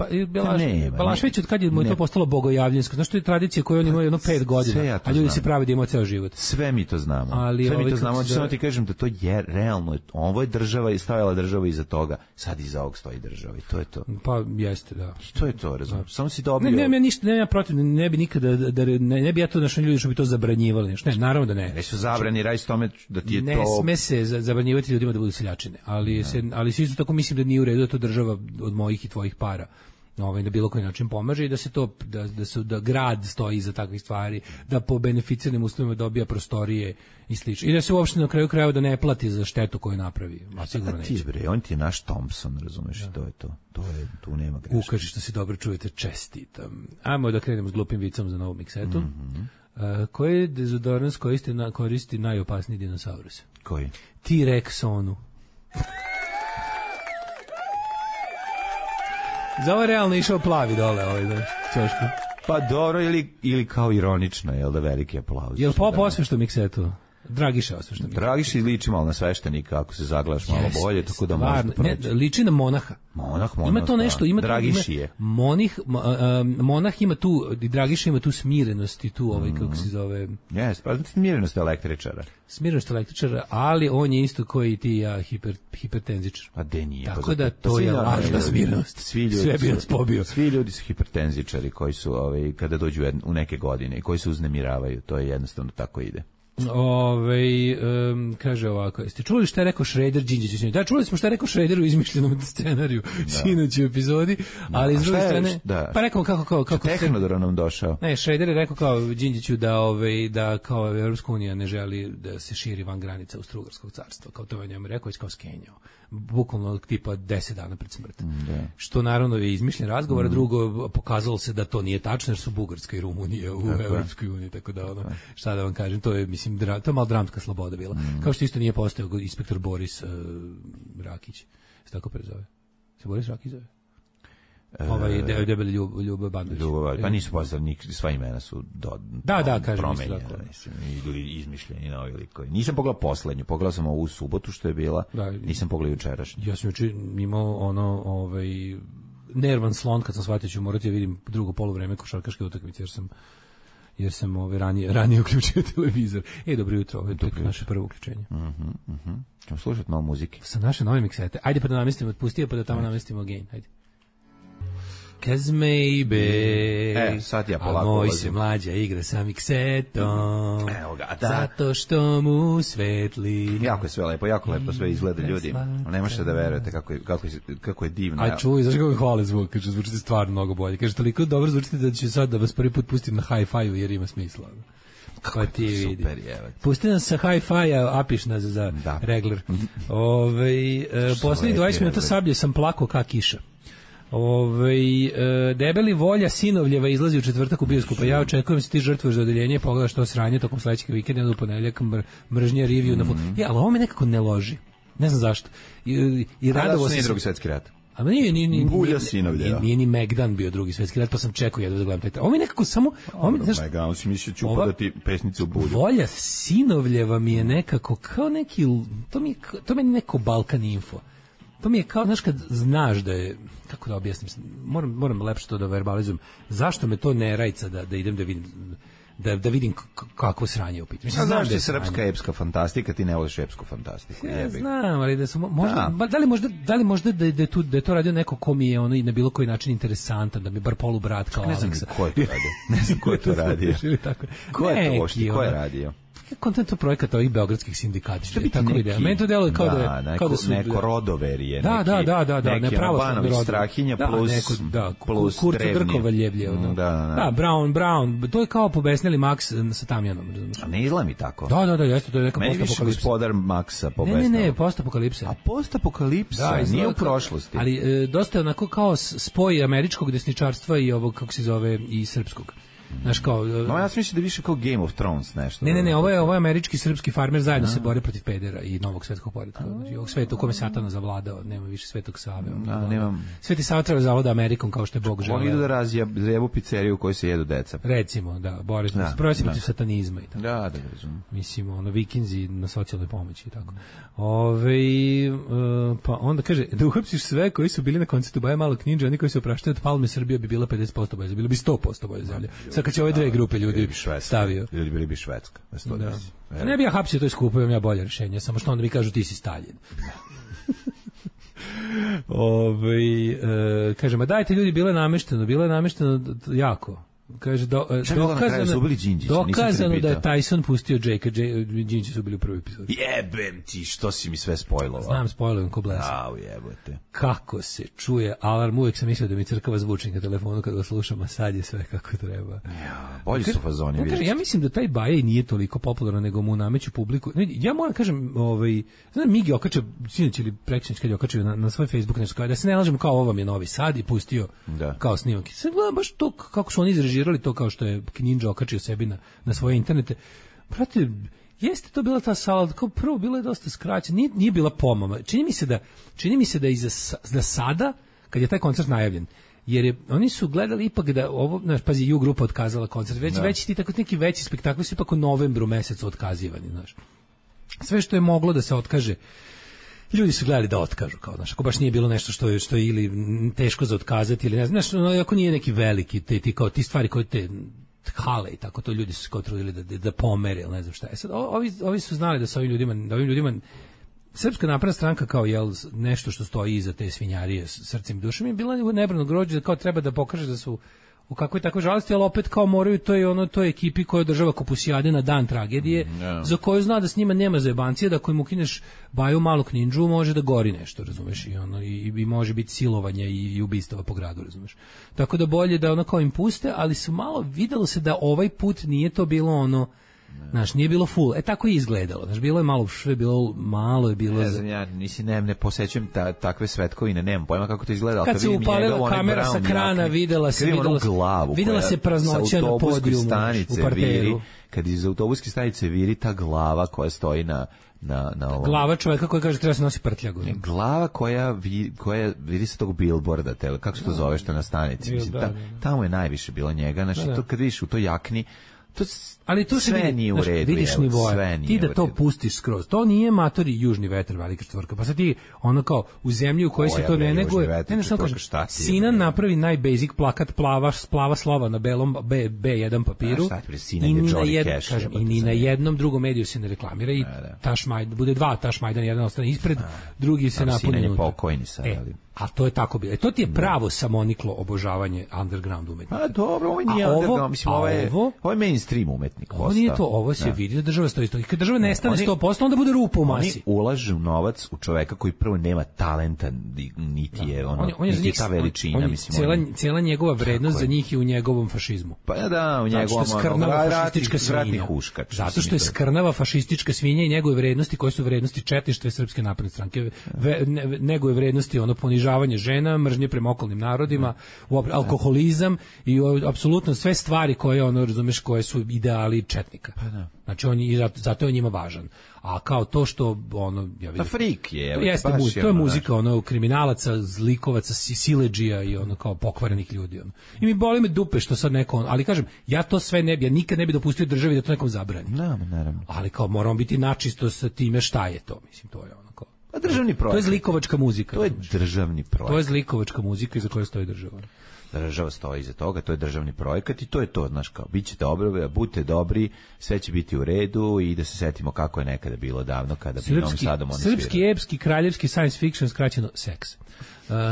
Speaker 6: Balašević, od kad je mu to postalo bogojavljansko. Znaš, to je tradicija koju oni imaju 5 godina, a ljudi se pravi da imaju ceo život.
Speaker 7: Sve mi to znamo. Sve mi to znamo. Samo ti kažem da to je realno. Ovo je država i stavila država iza toga. Sad iza ovog stoji država i to je to.
Speaker 6: Pa jeste, da.
Speaker 7: I to je to, razumiješ. Samo si dobio...
Speaker 6: Ne, ništa, ne protiv, ne bi nikada, ne bi ja to našli ljudi što bi to zabranjivali. Ne, naravno da ne.
Speaker 7: Ne su zabrani, radi s tome da ti je to...
Speaker 6: Ne sme se zabranjivati ljudima da budu seljačine, ali se isto tako mislim da nije u redu da to država od mojih i tvojih para na bilo koji način pomaže i da se to da grad stoji iza takvih stvari, da po beneficiranim uslovima dobija prostorije i slično. I da se uopšte na kraju krajeva da ne plati za štetu koju napravi. A sigurno neće.
Speaker 7: On ti je naš Thompson, razumeš, to je to. Tu nema greške.
Speaker 6: Ukaži što se dobro čujete, čestitam. Ajmo da krenemo s glupim vicom za novu miksetu. Koji je dezodorans koristi najopasniji dinosaurus?
Speaker 7: Koji?
Speaker 6: T-Rex onu. Za ovo realno išao plavi dole ćošku.
Speaker 7: Pa dobro, ili kao ironično, jel da, veliki aplauz.
Speaker 6: Jel pop osvešta miksetu? Dragiša osvešta miksetu.
Speaker 7: Dragiša liči malo na sveštenika, ako se zagledaš malo bolje, tako da možda proći.
Speaker 6: Ne, liči na monaha.
Speaker 7: Monah,
Speaker 6: ima to nešto,
Speaker 7: Dragiši je.
Speaker 6: Monah ima tu, Dragiša ima tu smirenost i tu kako se zove...
Speaker 7: Pa smirenost električara.
Speaker 6: Smirenost električara, ali on je isto koji ti ja hipertenzičar.
Speaker 7: Pa de nije.
Speaker 6: Tako da to je lažna smirenost. Sve bi nas pobio.
Speaker 7: Svi ljudi su hipertenzičari koji su, kada dođu u neke godine i koji se uznemiravaju. To je jednostavno tako ide.
Speaker 6: Kaže ovako, jeste čuli šta je rekao Šreder Đinđiću? Da, čuli smo šta je rekao Šreder u izmišljenom scenariju sinoć u epizodi, ali s druge strane, pa rekao kako
Speaker 7: Tehnodor nam došao.
Speaker 6: Ne, Šreder je rekao kao Đinđiću da kao Evropska unija ne želi da se širi van granica Austrougarskog carstva, kao to je njemu rekao, kao skenjao. Bukvalno tipa 10 dana pred smrt. Što naravno je izmišljen razgovor, a drugo pokazalo se da to nije tačno, jer su Bugarska i Rumunija u Evropskoj uniji, tako da šta da vam kažem, to je mislim to je malo dramska sloboda bila. Kao što isto nije postojao inspektor Boris Rakić. Se tako prezove? Se Boris Rakić zove? Debeli Ljubo Bandović.
Speaker 7: Pa nisu postavljeni, sva imena su
Speaker 6: kažem
Speaker 7: ili izmišljeni novi likovi. Nisam pogledao poslednju, pogledao sam ovu subotu što je bila, nisam pogledao jučerašnju.
Speaker 6: Ja sam juče imao nervan slon kad sam shvatio ću morati da vidim drugo poluvreme košarkaške utakmice jer sam ranije uključio televizor. Dobro jutro, ovo je naše prvo uključenje.
Speaker 7: Ćemo slušati malo muzike.
Speaker 6: Sa naše nove miksete. Ajde pa da namestimo, otpustio pa da tamo namestimo again. Ajde. Cause maybe
Speaker 7: sad ja polako
Speaker 6: moj se mlađa igra sa miksetom. Evo ga, zato što mu svetli.
Speaker 7: Jako je sve lepo, sve izgleda ljudi. Ne možete da verujete kako je divno.
Speaker 6: A čuj, znaš kako mi hvale zvuk, kaže, zvučite stvarno mnogo bolje. Kaže, toliko dobro zvučite da ću sad da vas prvi put pustim na hi-fi-u jer ima smisla.
Speaker 7: Kako ti vidi.
Speaker 6: Pusti nas sa hi-fi-a, apišna za regler. Poslednjih 20 minuta Sablje sam plako ka kiša. Debeli Volja Sinovljeva izlazi u četvrtak u bioskopu. Ja očekujem se ti žrtvuješ za odeljenje, pogledaš to sranje tokom sledećeg vikenda u ponedeljak, mržnja review na ali ovo me nekako ne loži. Ne znam zašto. I radovo se
Speaker 7: Drugi svetski rat.
Speaker 6: A nije
Speaker 7: Bulja Sinovljeva.
Speaker 6: Nije ni Megdan bio Drugi svetski rat, pa sam čekao jedva da gledam taj. Ovo mi nekako samo
Speaker 7: Megdan si mislio ću upadati pesnicu u Bulju.
Speaker 6: Volja Sinovljeva mi je nekako kao neki to meni neko Balkan info. To mi je kao, znaš, kad znaš da je, kako da objasnim, moram lepše to da verbalizujem, zašto me to ne rajca da idem da vidim, da vidim kako sranje u pitanju.
Speaker 7: A znaš da je srpska epska fantastika, ti ne voliš epsku fantastiku.
Speaker 6: Ja znam, ali da su možda, da li možda da je to radio neko ko mi je ono i na bilo koji način interesantan, da mi bar polubrat kao Aleksa.
Speaker 7: Ne znam ko je to radio. Ne znam ko je to radio. Ko je to ošti, ko je radio?
Speaker 6: Kontent projekata ovih beogradskih sindikata. Što bi tako ideja? Meni to deluje kao da su
Speaker 7: neko rodoverije,
Speaker 6: neki
Speaker 7: Albanović Strahinja plus
Speaker 6: Kurcu Grkova Ljevlje. Brown, to je kao pobesnili Max sa Tamjanom.
Speaker 7: A ne izgleda mi tako.
Speaker 6: Da, jeste, to je neka postapokalipsa.
Speaker 7: Gospodar Maxa pobesnili.
Speaker 6: Ne, postapokalipsa.
Speaker 7: A postapokalipsa, nije u prošlosti.
Speaker 6: Ali dosta je onako kao spoj američkog desničarstva i ovog, kako se zove, i srpskog. Znaš kao,
Speaker 7: ja sam mislio da više kao Game of Thrones nešto.
Speaker 6: Ne, ovo je američki srpski farmer zajedno se bore protiv pedera i novog svetskog poretka. Znači, ovog sveta u kome Satana zavladao, nema više Svetog Save. Sveti Sava treba zavlada Amerikom kao što je Bog želeo.
Speaker 7: Oni idu da razjebu pizzeriju u kojoj se jedu deca.
Speaker 6: Recimo, bore se protiv satanizma i tako.
Speaker 7: Da, razumem.
Speaker 6: Mislim, vikinzi na socijalnoj pomoći i tako. Pa onda kaže, da uhapsiš sve koji su bili na koncertu Baja Malog Ninja, oni koji se opraštaju od Palme, Srbija bi bila 50% bolje, bilo bi 100% bolje zemlje. Kad će ove dve grupe ljudi stavio.
Speaker 7: Ljudi bili bi Švedska.
Speaker 6: Ne bi ja hapsio, to je skupo, imam ja bolje rješenje, samo što onda mi kažu ti si Stalin. Kaže, ma dajte ljudi, bilo je namešteno jako. Kaže, dokazano da je Tyson pustio Jake, Đinđići su bili u prvoj epizodi.
Speaker 7: Jebem ti, što si mi sve spojlovao.
Speaker 6: Znam, spojlujem ko blesa.
Speaker 7: Jebote.
Speaker 6: Kako se čuje alarm, uvijek sam mislio da mi crkava zvučnik na telefonu kad ga slušam, a sad je sve kako treba.
Speaker 7: Bolji su fazoni.
Speaker 6: Ja mislim da taj Baja nije toliko popularan, nego mu nameću publiku. Ja moram kažem, znam, Migi okačio, sinoć ili prekšnić kad je okačio na svoj Facebook nešto, da se ne lažemo kao ovo vam je Novi Sad i pustio kao snimak. Sad gledam baš to kako su oni izrežirali to kao što je Ninja okačio sebi na svoje internete. Prate, jeste to bila ta sala, kao prvo bilo je dosta skraćeno, nije bila pomama. Čini mi se da za sada, kad je taj koncert najavljen, jer oni su gledali ipak da ovo, pazi, U grupa otkazala koncert, već ti tako neki veći spektakli su ipak u novembru mesecu otkazivani, znaš. Sve što je moglo da se otkaže, ljudi su gledali da otkažu, kao, znaš, ako baš nije bilo nešto što je ili teško za otkazati, ili ne znam, znaš, ako nije neki veliki, ti stvari koje te hale i tako, to ljudi su se trudili da pomere, ili ne znam šta je. Sad, ovi su znali da sa ovim ljudima Srpska napredna stranka kao nešto što stoji iza te svinjarije srcem i dušom je bila nebrano grođe, kao treba da pokaže da su u kakvoj takvoj žalosti, ali opet kao moraju to je ekipi koja održava kupusijade na dan tragedije, za koju zna da s njima nema zajebancije, da ako im ukineš Baju Malog Nindžu može da gori nešto, razumeš, i može biti silovanje i ubistava po gradu, razumeš. Tako da bolje da kao im puste, ali su malo videlo se da ovaj put nije to bilo znaš, nije bilo full. Tako je izgledalo. Znaš, bilo je malo je bilo.
Speaker 7: Ne znam, ja ne posećujem takve svetkovine, nemam pojma kako to izgleda.
Speaker 6: Kad se upalila kamera sa krana, videla se praznoća na podijumu u parteru.
Speaker 7: Kad iz autobuske stanice viri ta glava koja stoji na ovom.
Speaker 6: Glava čovjeka koji kaže treba se nosi prtljagu.
Speaker 7: Glava koja vidi se tog billboarda, kako se to zove što na stanici. Mislim, tamo je najviše bilo njega. Znači, to kad vidiš u toj jakni, ali to sve nije u redu,
Speaker 6: vidiš nivoje. Ti da to pustiš skroz. To nije matori južni vetar, velika četvorka. Pa sad ti kao u zemlji u kojoj se to ne neguje. Sinan napravi najbasic plakat plava slova na belom B1 papiru. I ni na jednom drugom mediju se ne reklamira i bude dva Tašmajdan, jedan ostane ispred, drugi se napuni unutra.
Speaker 7: Pokojni sad,
Speaker 6: a to je tako bilo. To ti je pravo samoniklo obožavanje underground umetnika.
Speaker 7: A dobro, ovo nije underground, mislim, ovo je mainstream umetnik.
Speaker 6: Ovo nije to, ovo se vidi da država stoji. I kad država nestane 100%, onda bude rupa u masi.
Speaker 7: Oni ulažu novac u čoveka koji prvo nema talenta, niti je niti ta veličina.
Speaker 6: Cijela njegova vrednost za njih je u njegovom fašizmu.
Speaker 7: Pa u njegovom ratni huškač.
Speaker 6: Zato što je skrnava fašistička svinja i njegove vrednosti koje su vrednosti četništva Srpske napredne stranke. Njegove vrednosti ponižavanje žena, mržnje prema okolnim narodima, alkoholizam i apsolutno sve stvari koje razumeš, koje su ideali četnika. Znači zato je njima važan. A kao to što ja vidim.
Speaker 7: Frik je.
Speaker 6: Jeste to je muzika kriminalaca, zlikovaca, siledžija i kao pokvarenih ljudi. I mi boli me dupe što sad neko, ali kažem, ja to sve ja nikad ne bi dopustio državi da to nekom zabrani.
Speaker 7: Naravno.
Speaker 6: Ali kao moramo biti načisto sa time šta je to, mislim, to je
Speaker 7: državni projekt.
Speaker 6: To je zlikovačka muzika.
Speaker 7: To je državni projekt.
Speaker 6: To je zlikovačka muzika iza koje stoji država.
Speaker 7: Država stoji iza toga, to je državni projekat i to je to, znaš, kao, bit će dobro, budite dobri, sve će biti u redu i da se setimo kako je nekada bilo davno kada bi Novom Sadom oni svirali.
Speaker 6: Srpski, epski, kraljevski science fiction, skraćeno seks.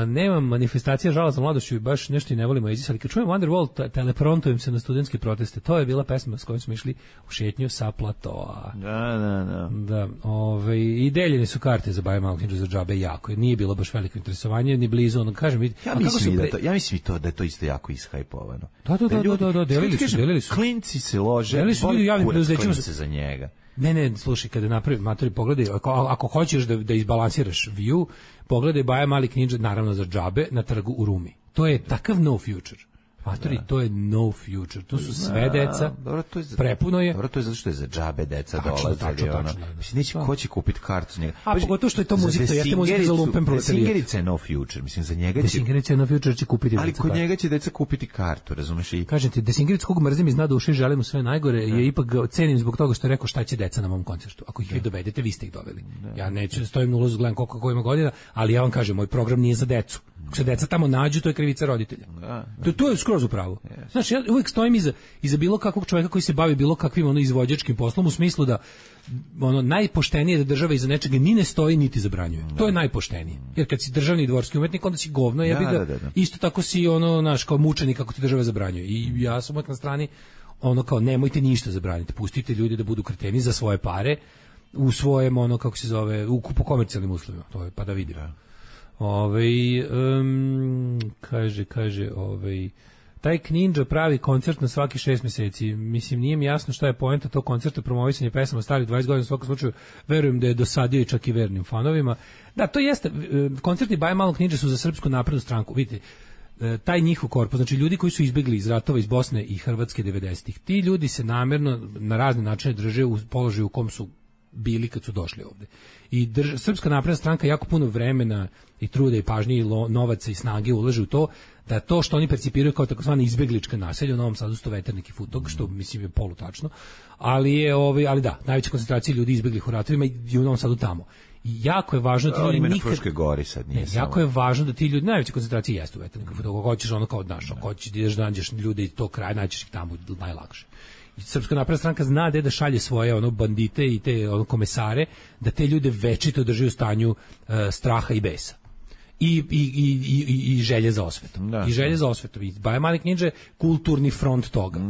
Speaker 6: Nemam manifestacija žala za mladošću i baš nešto i ne volimo jezik, ali kad čujem Wonderwall, teleprontujem se na studentske proteste. To je bila pesma s kojom smo išli u šetnju sa platoa. Da, i deljene su karte za Baju Malog Nindžu za džabe jako. Nije bilo baš veliko interesovanje, ni blizu. Kažem,
Speaker 7: ja mislim i to da je to isto jako ishajpovano.
Speaker 6: Da, delili su.
Speaker 7: Klinci se lože,
Speaker 6: delili su ljudi u javnim preduzećima
Speaker 7: za njega.
Speaker 6: Ne, slušaj, kada napravi matori, pogledaj, ako hoćeš da izbalansiraš view, pogledaj Baja Malog Nindža, naravno za džabe, na trgu u Rumi. To je takav no future. Matori, to je no future. To su sve deca. Prepuno je.
Speaker 7: Dobro, to je zato što je za džabe deca dolaze. Mislim, neće ko će kupiti kartu za njega.
Speaker 6: A pogotovo što je to muzika, to jeste muzika za lumpen proletarijat.
Speaker 7: Singerica je no future. Mislim, za njega će...
Speaker 6: Singerica je no future, će kupiti deca kartu.
Speaker 7: Ali kod njega će deca kupiti kartu, razumeš?
Speaker 6: Kažem ti, Singerica kog mrzim iz dna duše i želim mu sve najgore, je ipak cenim zbog toga što je rekao šta će deca na mom koncertu. Ako ih vi dovedete, vi ste ih doveli. Ja neću stojim na ulazu, gledam koliko ima godina, ali ja vam kažem, moj program nije za decu. Ako se deca tamo nađu, to je krivica roditelja. To je skroz u pravu. Znači, ja uvijek stojim iza bilo kakvog čovjeka koji se bavi bilo kakvim izvođačkim poslom, u smislu da najpoštenije da država iza nečega ni ne stoji niti zabranjuje. To je najpoštenije. Jer kad si državni dvorski umetnik, onda si govno, isto tako si kao mučenik kako ti država zabranjuje. I ja sam uvijek na strani kao nemojte ništa zabraniti, pustite ljude da budu kreteni za svoje pare u svojem kako se zove, po komercijalnim uslovima. To je pa da vidimo. Kaže, taj Knindža pravi koncert na svaki 6 mjeseci. Mislim, nije mi jasno šta je poenta tog koncerta, promovisanje pesama starih 20 godina, u svakom slučaju verujem da je dosadio i čak i vernim fanovima. Da, to jeste, koncerti Baje Malog Nindže su za Srpsku naprednu stranku. Vidite, taj njihov korpus, znači ljudi koji su izbjegli iz ratova iz Bosne i Hrvatske 90-ih, ti ljudi se namjerno na razne načine drže u položaju u kom su bili kad su došli ovde. I Srpska napredna stranka jako puno vremena i truda i pažnje i novaca i snage ulaže u to da to što oni percipiraju kao takozvani izbeglička naselja u Novom Sadu su Veternik i Futog, što mislim je polutačno, ali da, najveća koncentracija ljudi izbeglih u ratovima i u Novom Sadu tamo. I jako je važno da ti ljudi nikad...
Speaker 7: Gori sad nije
Speaker 6: jako je važno da ti ljudi, najveća koncentracija jeste u Veterniku i Futog, ako hoćeš kao naš, ako hoćeš da nađeš ljude iz tog kraja, naćeš ih tamo najlakše. Srpska napredna stranka zna da šalje svoje bandite i te komesare, da te ljude večito drži u stanju straha i besa. i želje za osvetom. I želje za osvetom. I Baja Mali Knidža je kulturni front toga.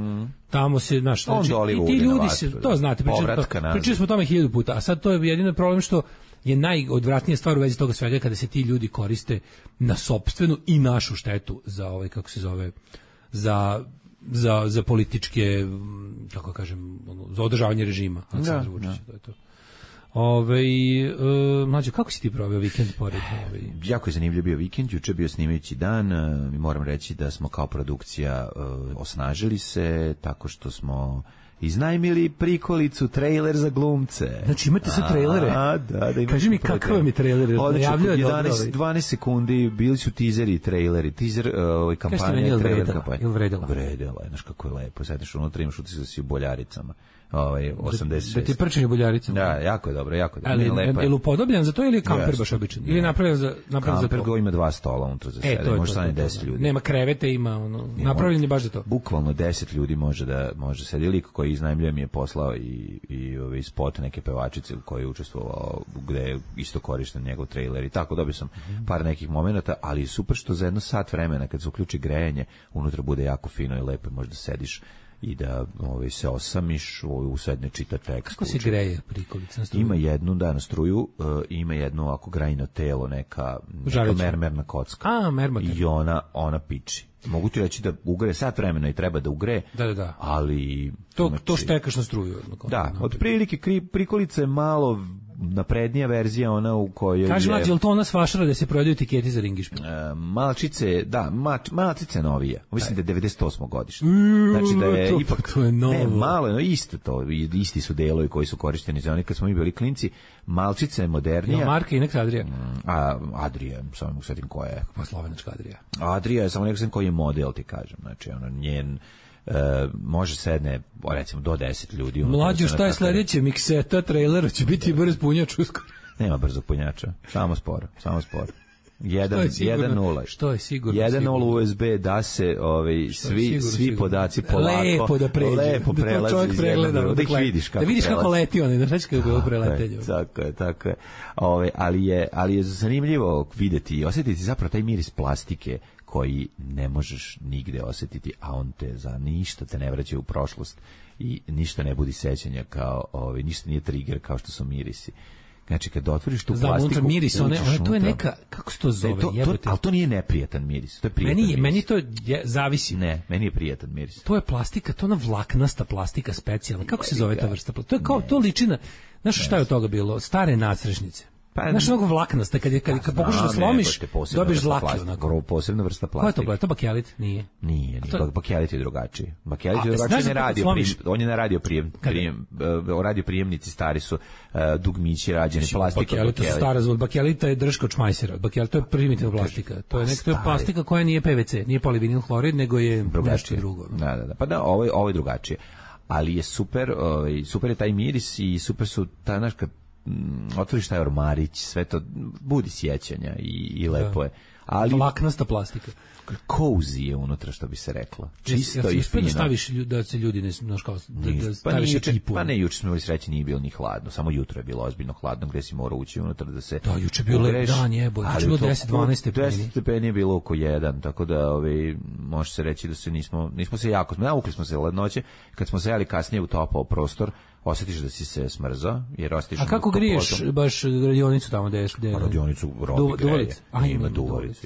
Speaker 6: Tamo se, znaš, znači, i ti ljudi se, to znate, pričali smo o tome 1000 puta, a sad to je jedino problem što je najodvratnija stvar u vezi toga svega kada se ti ljudi koriste na sopstvenu i našu štetu za ovaj, kako se zove, za političke, kako kažem, za održavanje režima. Aleksandra Vučića, to je to. Mlađe, kako si ti proveo vikend pored?
Speaker 7: Jako je zanimljiv bio vikend, juče bio snimajući dan, moram reći da smo kao produkcija osnažili se tako što smo iznajmili prikolicu, trailer za glumce.
Speaker 6: Znači imate sad trailere?
Speaker 7: Da.
Speaker 6: Kaži mi kakav mi trailer?
Speaker 7: 12 sekundi, bili su tizeri i traileri. Tizer kampanja, trailer kampanja.
Speaker 6: Vredela?
Speaker 7: Vredela, znaš kako je lepo. Sedneš unutra, imaš utisak da si u Boljaricama. 86.
Speaker 6: Da ti prčenje Boljaricama.
Speaker 7: Da, jako je dobro.
Speaker 6: Ali je li upodobljen za to ili je kamper baš običan? Ili je napravljen za to?
Speaker 7: Kamper go ima 2 stola unutra za sebe, može stane 10 ljudi.
Speaker 6: Nema krevete, ima napravljen je baš za to.
Speaker 7: Bukvalno 10 ljudi može sedi. Lik koji iznajmljuje mi je poslao i spot neke pevačice u kojoj je učestvovao, gde je isto korišten njegov trailer i tako. Dobio sam par nekih momenata, ali super što za jedno sat vremena kad se uključi grejanje, unutra bude jako fino i lepo, možda sediš i da se osamiš, usedne čita tekst.
Speaker 6: Kako se greje prikolica na struju?
Speaker 7: Ima jednu na struju, ima jedno ovako grajno telo, neka mermerna kocka.
Speaker 6: Mermoter.
Speaker 7: I ona piči. Mogu ti reći da ugre sat vremena i treba da ugre,
Speaker 6: da.
Speaker 7: ali...
Speaker 6: To štekaš na struju.
Speaker 7: Da, otprilike prikolica je malo naprednija verzija, ona u kojoj
Speaker 6: Kaži mlađe, je li to ona s Vašara da se prodaju etiketi za ringišpil?
Speaker 7: Malčice, da, malčice novija. Mislim da je 98. godište. Znači da je ipak...
Speaker 6: To je novo.
Speaker 7: Ne, malo je, isto to. Isti su delovi koji su korišteni za oni kad smo mi bili klinci. Malčica je modernija.
Speaker 6: Je marka i neka Adrija?
Speaker 7: Adrija, samo mogu svetim koja je.
Speaker 6: Pa slovenačka Adrija.
Speaker 7: Adrija je samo nekako koji je model, ti kažem. Znači, njen... može sedne, recimo, do 10 ljudi.
Speaker 6: Mlađo, šta je sledeće? Mikseta, trailera, će biti brz punjač uskoro.
Speaker 7: Nema brzog punjača, samo sporo. 1.0.
Speaker 6: Što je sigurno?
Speaker 7: 1.0 USB da se svi podaci polako lepo prelaze iz jednog, da ih vidiš kako
Speaker 6: prelazi. Da vidiš kako leti onaj, znaš kako je bilo preletenje.
Speaker 7: Tako je. Ali je zanimljivo videti i osjetiti zapravo taj miris plastike koji ne možeš nigde osjetiti, a on te za ništa te ne vraća u prošlost i ništa ne budi sećanja kao, ništa nije trigger kao što su mirisi. Znači, kad otvoriš tu plastiku...
Speaker 6: unutra miris, to je neka, kako se to zove?
Speaker 7: Ali to nije neprijatan miris, to je prijatan miris.
Speaker 6: Meni to zavisi.
Speaker 7: Ne, meni je prijatan miris.
Speaker 6: To je plastika, to je ona vlaknasta plastika specijalna. Kako se zove ta vrsta plastika? To je kao, to liči na... Znaš šta je od toga bilo? Stare nacrešnice. Znaš, mnogo vlaknasta, kad pokušaš da slomiš, dobiješ zlake.
Speaker 7: Posebna vrsta plastike.
Speaker 6: Ko je to bakelit? Nije.
Speaker 7: Bakelit je drugačiji. Bakelit je drugačiji, on je na radio prijemnici stari su dugmići rađeni plastike.
Speaker 6: Bakelita su stara zvod, bakelita je drška od šmajsera, to je primitivna plastika. To je plastika koja nije PVC, nije polivinil hlorid, nego je nešto drugo.
Speaker 7: Da. Pa da, ovo je drugačije. Ali je super je taj miris i super su ta naška otvoriš taj ormarić, sve to budi sjećanja i lepo je. Ali
Speaker 6: vlaknasta plastika.
Speaker 7: Cozy je unutra, što bi se reklo. Čisto i fino.
Speaker 6: Da staviš da se ljudi ne znaš kao da staviš ekipu.
Speaker 7: Pa ne, juče smo bili srećni, nije bilo ni hladno, samo jutro je bilo ozbiljno hladno, gde si morao ući unutra da se...
Speaker 6: Da, juče je bilo lep dan, jebote. Juče je bilo 10-12 stepeni.
Speaker 7: 10 stepeni je bilo oko 1, tako da može se reći da se nismo se jako... Navukli smo se lednoće, kad smo se jeli kasnije utopao prostor, osjetiš da si se smrzao, jer osjetiš...
Speaker 6: A kako griješ baš radionicu tamo gde je?
Speaker 7: Radionicu robi greje.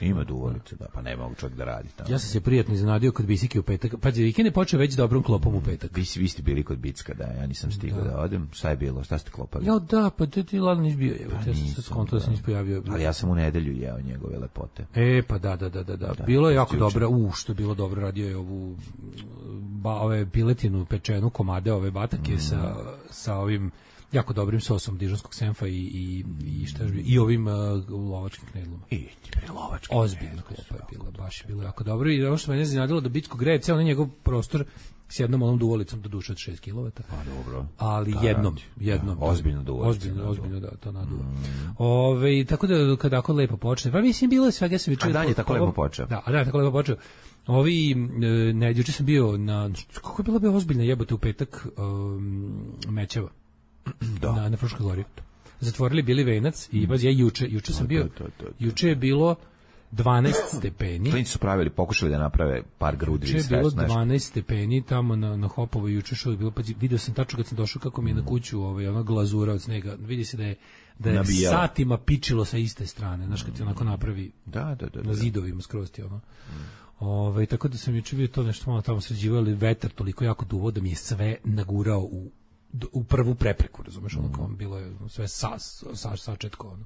Speaker 7: Ima duvalicu, da, pa ne mogu čovjek da radi tamo.
Speaker 6: Ja sam se prijatno iznenadio kod Bisike u petak. Pa vikend je počeo već dobrom klopom u petak.
Speaker 7: Vi ste bili kod Bicka, da, ja nisam stigao da odem. Šta je bilo? Šta ste klopali?
Speaker 6: Ja, da, pa ti ladno nisi bio. Ja sam se skontao da se nisi pojavio.
Speaker 7: Ali ja sam u nedelju jeo njegove lepote.
Speaker 6: Pa da. Bilo je jako dobro. Što je bilo dobro, radio je ovu ove piletinu pečenu komade, ove batake sa ovim jako dobrim sosom dižonskog senfa i šta je ovim lovačkim knedlom. Ozbiljno klopa je bila, baš je bilo jako dobro. I ono što me ne iznenadilo da Bicko greje ceo njegov prostor s jednom onom duvalicom do duše od 6 kW.
Speaker 7: Pa dobro.
Speaker 6: Ali jednom.
Speaker 7: Ozbiljno duvalica.
Speaker 6: Ozbiljno da, to naduva. Tako da kada ako lepo počne. Pa mislim bilo je svega se viče.
Speaker 7: A dan je tako lepo počeo.
Speaker 6: Da, tako lepo počeo. Juče sam bio na, kako je bila ozbiljna jebote u petak Mećeva. Na Fruškoj gori. Zatvorili bili Venac i ja juče sam bio. Juče je bilo 12 stepeni.
Speaker 7: Klinci su pokušali da naprave par grudi.
Speaker 6: Juče je bilo 12 stepeni tamo na Hopovo, juče što je bilo, pa vidio sam tačno kad sam došao kako mi je na kuću ona glazura od snega. Vidi se da je satima pičilo sa iste strane, znaš kad ti onako napravi na zidovima skroz ti ono. Tako da sam juče vidio to nešto malo tamo sređivali, vetar toliko jako duvo da mi je sve nagurao u prvu prepreku, razumeš, ono kao bilo je sve sačetko, ono.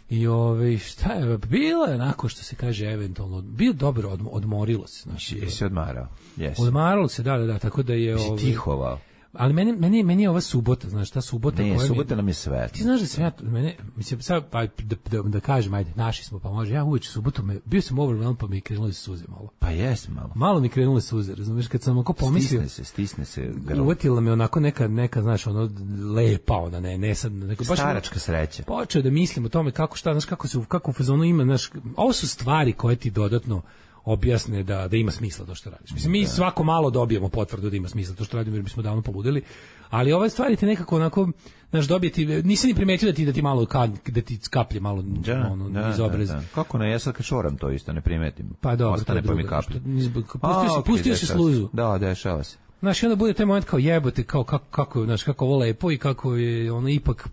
Speaker 6: I šta je, bilo je onako što se kaže eventualno, bio dobro, odmorilo se. Znači,
Speaker 7: jesi odmarao? Yes.
Speaker 6: Odmaralo se, da, tako da je...
Speaker 7: Si tihovao?
Speaker 6: Ali meni je ova subota, znaš, ta subota...
Speaker 7: Ne, subota nam je sve.
Speaker 6: Ti znaš da sam ja, mislim, sad, da kažem, ajde, naši smo, pa može, ja uveč u subotu, bio sam overwhelmed, pa mi je krenule suze malo.
Speaker 7: Pa jes malo.
Speaker 6: Malo mi krenule suze, razumiješ, kad sam onako pomislio...
Speaker 7: Stisne se grlo.
Speaker 6: Uvatila me onako neka, znaš, ono, lepa, ona, ne sad...
Speaker 7: Staračka sreća.
Speaker 6: Počeo da mislim o tome kako šta, znaš, kako u fazonu ima, znaš, ovo su stvari koje ti dodatno objasne da ima smisla to što radiš. Mislim, mi svako malo dobijemo potvrdu da ima smisla to što radimo, jer bismo davno poludeli, ali ove stvari te nekako onako, znaš, dobijeti, nisam ni primetio da ti malo, da ti skaplje malo iz obraza.
Speaker 7: Kako ne, ja sad kad šoram to isto, ne primetim.
Speaker 6: Pa dobro,
Speaker 7: ostane pa mi kaplje.
Speaker 6: Pustio si sluzu.
Speaker 7: Da, dešava se.
Speaker 6: Znaš, i onda bude taj moment kao jebote, kao kako, znaš, kako ovo lepo i kako je, ono, ipak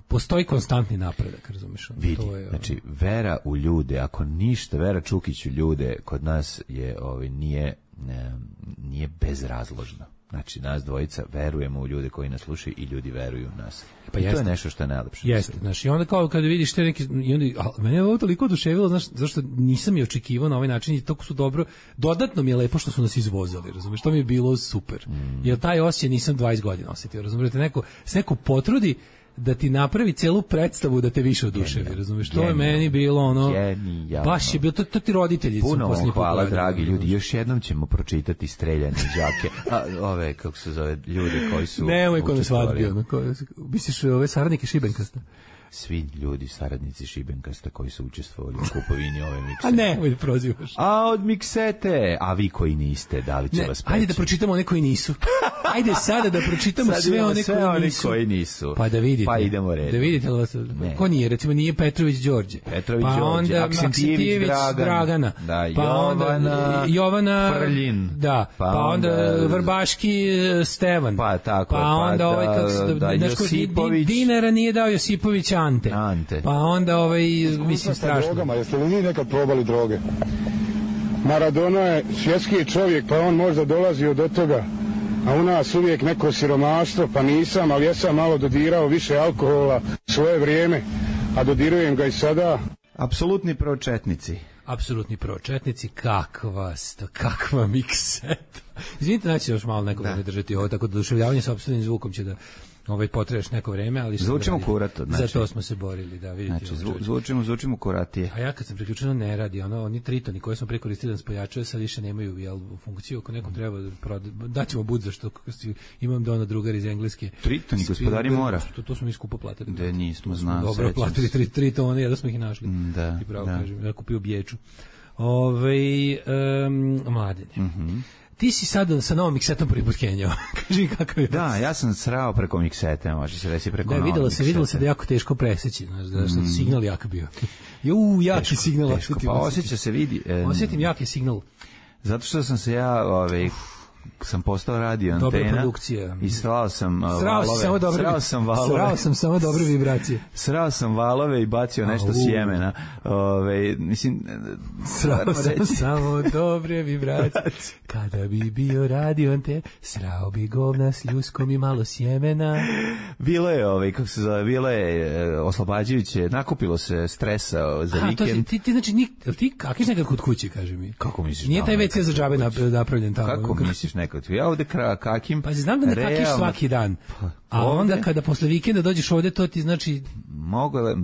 Speaker 6: postoji konstantni napredak, razumiješ?
Speaker 7: Vidi, znači, vera u ljude, ako ništa, Vera Čukić u ljude, kod nas je, nije bezrazložna. Znači, nas dvojica verujemo u ljude koji nas slušaju i ljudi veruju u nas. Pa to je nešto što je najlepše.
Speaker 6: Jeste, znači, i onda kao kada vidiš te neki, mene je ovo toliko oduševilo, znaš, zašto nisam je očekivao na ovaj način i toliko su dobro, dodatno mi je lepo što su nas izvozali, razumiješ, to mi je bilo super. Jer taj osjećaj nisam 20 godina osjetio, razumiješ, neko potrudi da ti napravi celu predstavu da te više oduševi, razumiješ? To je meni bilo ono, baš je bilo, to ti roditelji su
Speaker 7: puno vam hvala, dragi ljudi, još jednom ćemo pročitati Streljane đake, ove, kako se zove, ljudi koji su
Speaker 6: nemoj ko na svadbi, misliš ove saradnike Šibenkasta?
Speaker 7: Svi ljudi, saradnici Šibenkasta koji su učestvovali u kupovini ove mikse.
Speaker 6: A nemoj da prozivaš.
Speaker 7: A od miksete, a vi koji niste, da li će vas peći?
Speaker 6: Ajde da pročitamo one koji nisu. Ajde sada da pročitamo sve one koji nisu. Pa da vidite.
Speaker 7: Pa idemo redom.
Speaker 6: Da vidite li vas, ko nije, recimo nije Petrović Đorđe.
Speaker 7: Pa onda
Speaker 6: Aksentijević Dragana.
Speaker 7: Da,
Speaker 6: pa onda Jovana
Speaker 7: Frljin.
Speaker 6: Da, pa onda Vrbaški Stevan.
Speaker 7: Pa tako.
Speaker 6: Pa onda ovaj,
Speaker 7: Josipović.
Speaker 6: Dinara nije dao Josipović Ante. Pa onda mislim strašno.
Speaker 8: Drogama, jeste li vi nekad probali droge? Maradona je svjetski čovjek, pa on možda dolazio do toga, a u nas uvijek neko siromaštvo, pa nisam, ali ja sam malo dodirao više alkohola svoje vrijeme, a dodirujem ga i sada.
Speaker 7: Apsolutni pročetnici.
Speaker 6: Apsolutni pročetnici, kakva mikseta. Izvinite, znači još malo neko da ne držati ovo, tako da oduševljavanje sa opstavljenim zvukom će da potrebaš neko vreme, ali
Speaker 7: zvučimo kurato,
Speaker 6: znači. Zato smo se borili, da vidite.
Speaker 7: Znači, zvučimo kuratije.
Speaker 6: A ja kad sam priključeno ne radi, oni tritoni koje smo prekoristili da spojačaju, sad više nemaju funkciju, ako nekom treba daćemo bud za što imam da drugar iz Engleske.
Speaker 7: Tritoni, gospodari mora.
Speaker 6: To smo mi skupo platili.
Speaker 7: Da nismo znali.
Speaker 6: Dobro platili tritone, ja da smo ih našli.
Speaker 7: Da.
Speaker 6: I pravo kažem, ja kupio bječu. Mladene. Ti si sad sa novom miksetom prvi put kenjao. Kaži kakav je.
Speaker 7: Da, ja sam srao preko miksete, može se reći preko novog miksete.
Speaker 6: Videlo se da je jako teško preseći, znaš, što signal jak bio. Jaki signal.
Speaker 7: Teško, pa osjeća se, vidi.
Speaker 6: Osjetim jaki signal.
Speaker 7: Zato što sam se ja, sam postao radio antena.
Speaker 6: Dobra produkcija.
Speaker 7: I srao sam
Speaker 6: samo dobre vibracije.
Speaker 7: Srao sam valove i bacio nešto sjemena. Mislim,
Speaker 6: srao sam samo dobre vibracije. Kada bi bio radio antena, srao bi govna s ljuskom i malo sjemena.
Speaker 7: Bilo je, kako se zove, bilo je oslobađajuće, nakupilo se stresa za vikend.
Speaker 6: Ti znači, ti kakiš nekad kod kuće, kaže mi.
Speaker 7: Kako misliš?
Speaker 6: Nije taj WC za džabe napravljen tamo.
Speaker 7: Kako misliš nekad? Ja ovde kakim.
Speaker 6: Pa znam da ne kakiš svaki dan. A onda kada posle vikenda dođeš ovde, to ti znači...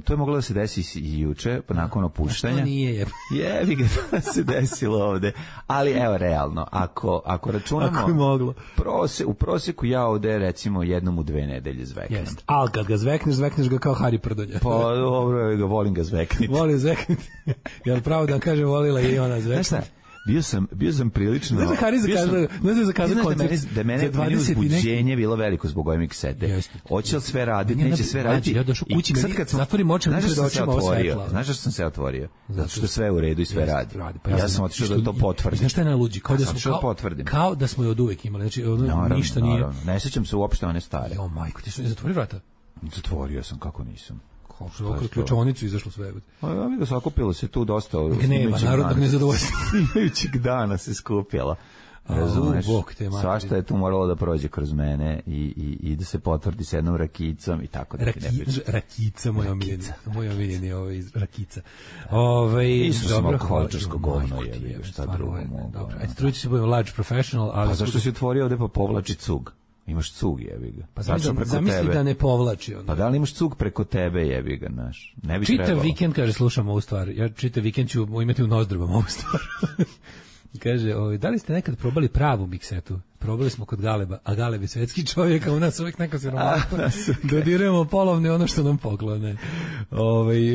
Speaker 7: To je moglo da se desi i juče, nakon opuštanja.
Speaker 6: To nije
Speaker 7: jebi ga, to se desilo ovde. Ali evo, realno, ako računamo...
Speaker 6: Ako je moglo.
Speaker 7: U prosjeku ja ovde, recimo, jednom u 2 nedelje zveknem.
Speaker 6: Jest, ali kad ga zvekneš ga kao Hari Prdonja.
Speaker 7: Pa dobro, volim ga zvekniti.
Speaker 6: Volim zvekniti. Jel pravo da kažem, volila i ona zvekniti?
Speaker 7: Bio sam prilično...
Speaker 6: Znaš da Hari zakazao koncert
Speaker 7: da meni uzbuđenje bilo veliko zbog ove miksete. Hoće li sve raditi, neće sve raditi.
Speaker 6: Ja došao kući, zatvorim oči, pred očima ovo svetla.
Speaker 7: Znaš što sam se otvorio? Zato što sve u redu i sve radi. Ja sam otišao da to potvrdim.
Speaker 6: Znaš šta je najluđi? Kao da smo je od uvek imali. Znači, ništa nije...
Speaker 7: Ne sjećam se uopšte one stare.
Speaker 6: Jo, majko, ti su zatvorio vrata?
Speaker 7: Zatvorio sam, kako nisam.
Speaker 6: Kroz ključonicu izašlo sve.
Speaker 7: Ja vidio, sakupilo se tu dosta.
Speaker 6: Gneva, narodnog nezadovoljstva.
Speaker 7: Imajućeg dana se skupjala. Razumeš, svašta je tu moralo da prođe kroz mene i da se potvrdi s jednom rakicom i tako da ti ne pričam.
Speaker 6: Rakica, moj omiljeni rakica.
Speaker 7: Isto sam alkoholičarsko govno je, šta drugo mogu.
Speaker 6: Ajde, trudit ću se budem large professional, ali...
Speaker 7: A zašto si otvorio ovde pa povlači cug? Imaš cug, jebi ga.
Speaker 6: Pa zamisli da ne povlači onda.
Speaker 7: Pa da li imaš cug preko tebe, jebi ga, naš? Ne bi trebalo.
Speaker 6: Čitav vikend, kaže, slušam ovu stvar. Ja čitav vikend ću imati u nozdrbama ovu stvar. Kaže, da li ste nekad probali pravu miksetu? Probali smo kod Galeba, a Galeb je svetski čovjek, a u nas uvijek neka siromaštvo. Dodirujemo polovne ono što nam poklone.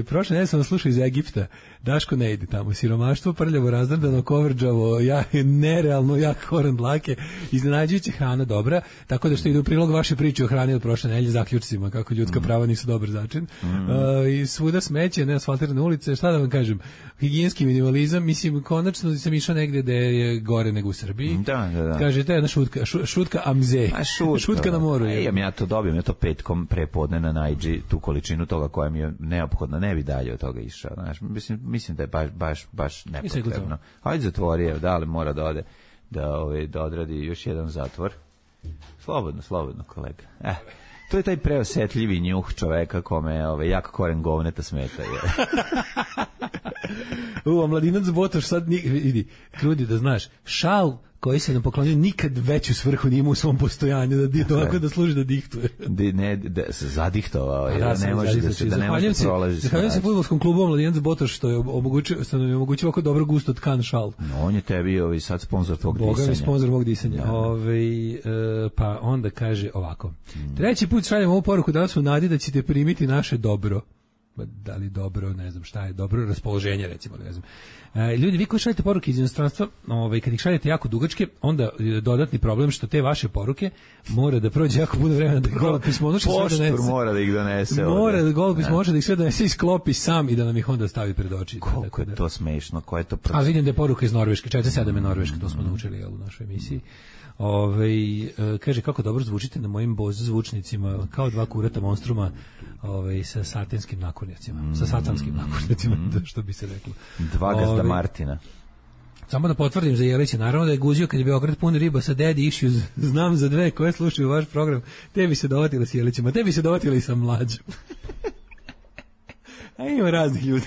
Speaker 6: Prošle nedelje sam slušao iz Egipta. Daško ne ide tamo. Siromaštvo, prljavo, razdrdano, kovrđavo, nerealno jak koren dlake, iznenađujuća hrana dobra, tako da što ide u prilog vaše priče o hrani od prošle nedelje, zaključcima kako ljudska prava nisu dobar začin. I svuda smeće, neasfaltirane ulice, šta da vam kažem, higijenski minimalizam, mislim, konačno sam išao negde da je gore nego u Srbiji.
Speaker 7: Da.
Speaker 6: Kaže, to je jedna šutka amze. Šutka na moru.
Speaker 7: Ja to dobijem, ja to petkom prepodne na Najdži, tu količinu toga koja mi je neophodna, ne bi dalje od toga išao. Znaš, mislim da je baš nepotrebno. Hajde zatvori, da li mora da ode, da odradi još jedan zatvor. Slobodno, kolega. To je taj preosetljivi njuh čoveka kome jak koren govneta smeta.
Speaker 6: Mladinac Botoš sad vidi, trudi da znaš, šal koji se nam poklonio nikad veću svrhu nije imao u svom postojanju, da služi da dihtuje.
Speaker 7: Se zadihtovao, ne može da se prolazi.
Speaker 6: Zahvaljujem se fudbalskom klubu Mladinac Botoš što nam je omogućio ovako dobro gusto tkan šal.
Speaker 7: On je tebi sad sponsor tvog disanja.
Speaker 6: Boga mi sponsor mog disanja. Pa onda kaže ovako. Treći put šaljem ovu poruku danas u nadi da ćete primiti naše dobro. Da li dobro, ne znam šta je, dobro raspoloženje recimo, ne znam. Ljudi, vi koji šaljete poruke iz inostranstva, kad ih šaljete jako dugačke, onda dodatni problem što te vaše poruke mora da prođe jako puno vremena da golopis može sve donese.
Speaker 7: Poštur mora da ih donese.
Speaker 6: Mora da golopis može da ih sve donese i sklopi sam i da nam ih onda stavi pred oči.
Speaker 7: Koliko je to smešno, ko je to proces?
Speaker 6: A vidim da je poruka iz Norveške, 47 je Norveška, to smo naučili u našoj emisiji. Kaže kako dobro zvučite na mojim Bose zvučnicima kao dva kurata monstruma sa satanskim nakornjacima, sa satanskim nakornjacima, što bi se reklo.
Speaker 7: Dva gazda Martina.
Speaker 6: Samo da potvrdim za Jelića, naravno da je guzio kad je Beograd pun riba sa Daddy Issues, znam za dve koje slušaju vaš program, te bi se dovatili s Jelićima, te bi se dovatili i sa Mlađom. A ima raznih ljudi.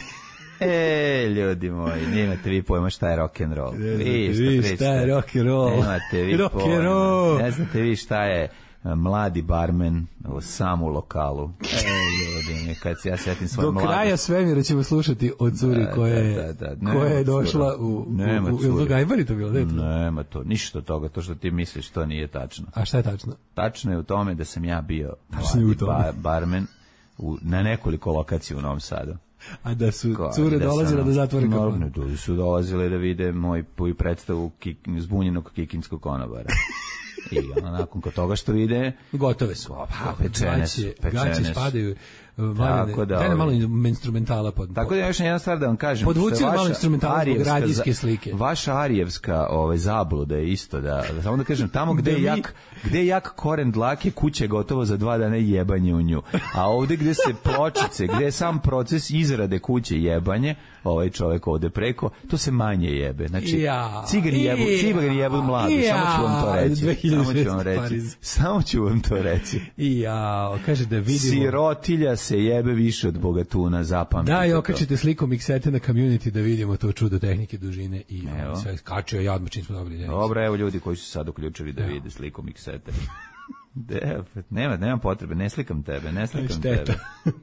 Speaker 7: Ljudi moji, nemate vi pojma šta je rock'n'roll.
Speaker 6: Vi šta je rock'n'roll.
Speaker 7: Nemate vi pojma. Ne znate vi šta je mladi barmen sam u lokalu. Ljudi, kad se ja setim svoj mladi.
Speaker 6: Do kraja svemira ćemo slušati od curi koja je došla u Gajbari to bilo?
Speaker 7: Nema to, ništa od toga, to što ti misliš, to nije tačno.
Speaker 6: A šta je tačno?
Speaker 7: Tačno je u tome da sam ja bio mladi barmen na nekoliko lokacija u Novom Sadu.
Speaker 6: A da su cure dolazile da zatvore kafanu?
Speaker 7: Da su dolazile da vide moju predstavu zbunjenog kikinskog konobara. I nakon toga što vide...
Speaker 6: Gotove su. Gaće spadaju. Daj nam malo instrumentala.
Speaker 7: Tako da još jedna stvar da vam kažem.
Speaker 6: Podvuci malo instrumentala zbog radijske slike.
Speaker 7: Vaša arijevska zabluda je isto da... Samo da kažem, tamo gde je jak koren dlake, kuća je gotovo za 2 dana jebanje u nju. A ovde gde se pločice, gde je sam proces izrade kuće jebanje, ovaj čovek ovde preko, to se manje jebe. Znači, cigani jebu mladu. Samo ću vam to reći.
Speaker 6: Kaže da vidimo...
Speaker 7: Sirotilja se jebe više od bogatuna, zapamtite.
Speaker 6: Da, i okačite sliku miksete na community da vidimo to čudo tehnike dužine i sve kačio ja odmah čim smo dobili.
Speaker 7: Dobro, evo ljudi koji su sad uključili da vide sliku miksete. Nema potrebe, ne slikam tebe.
Speaker 6: Šteta,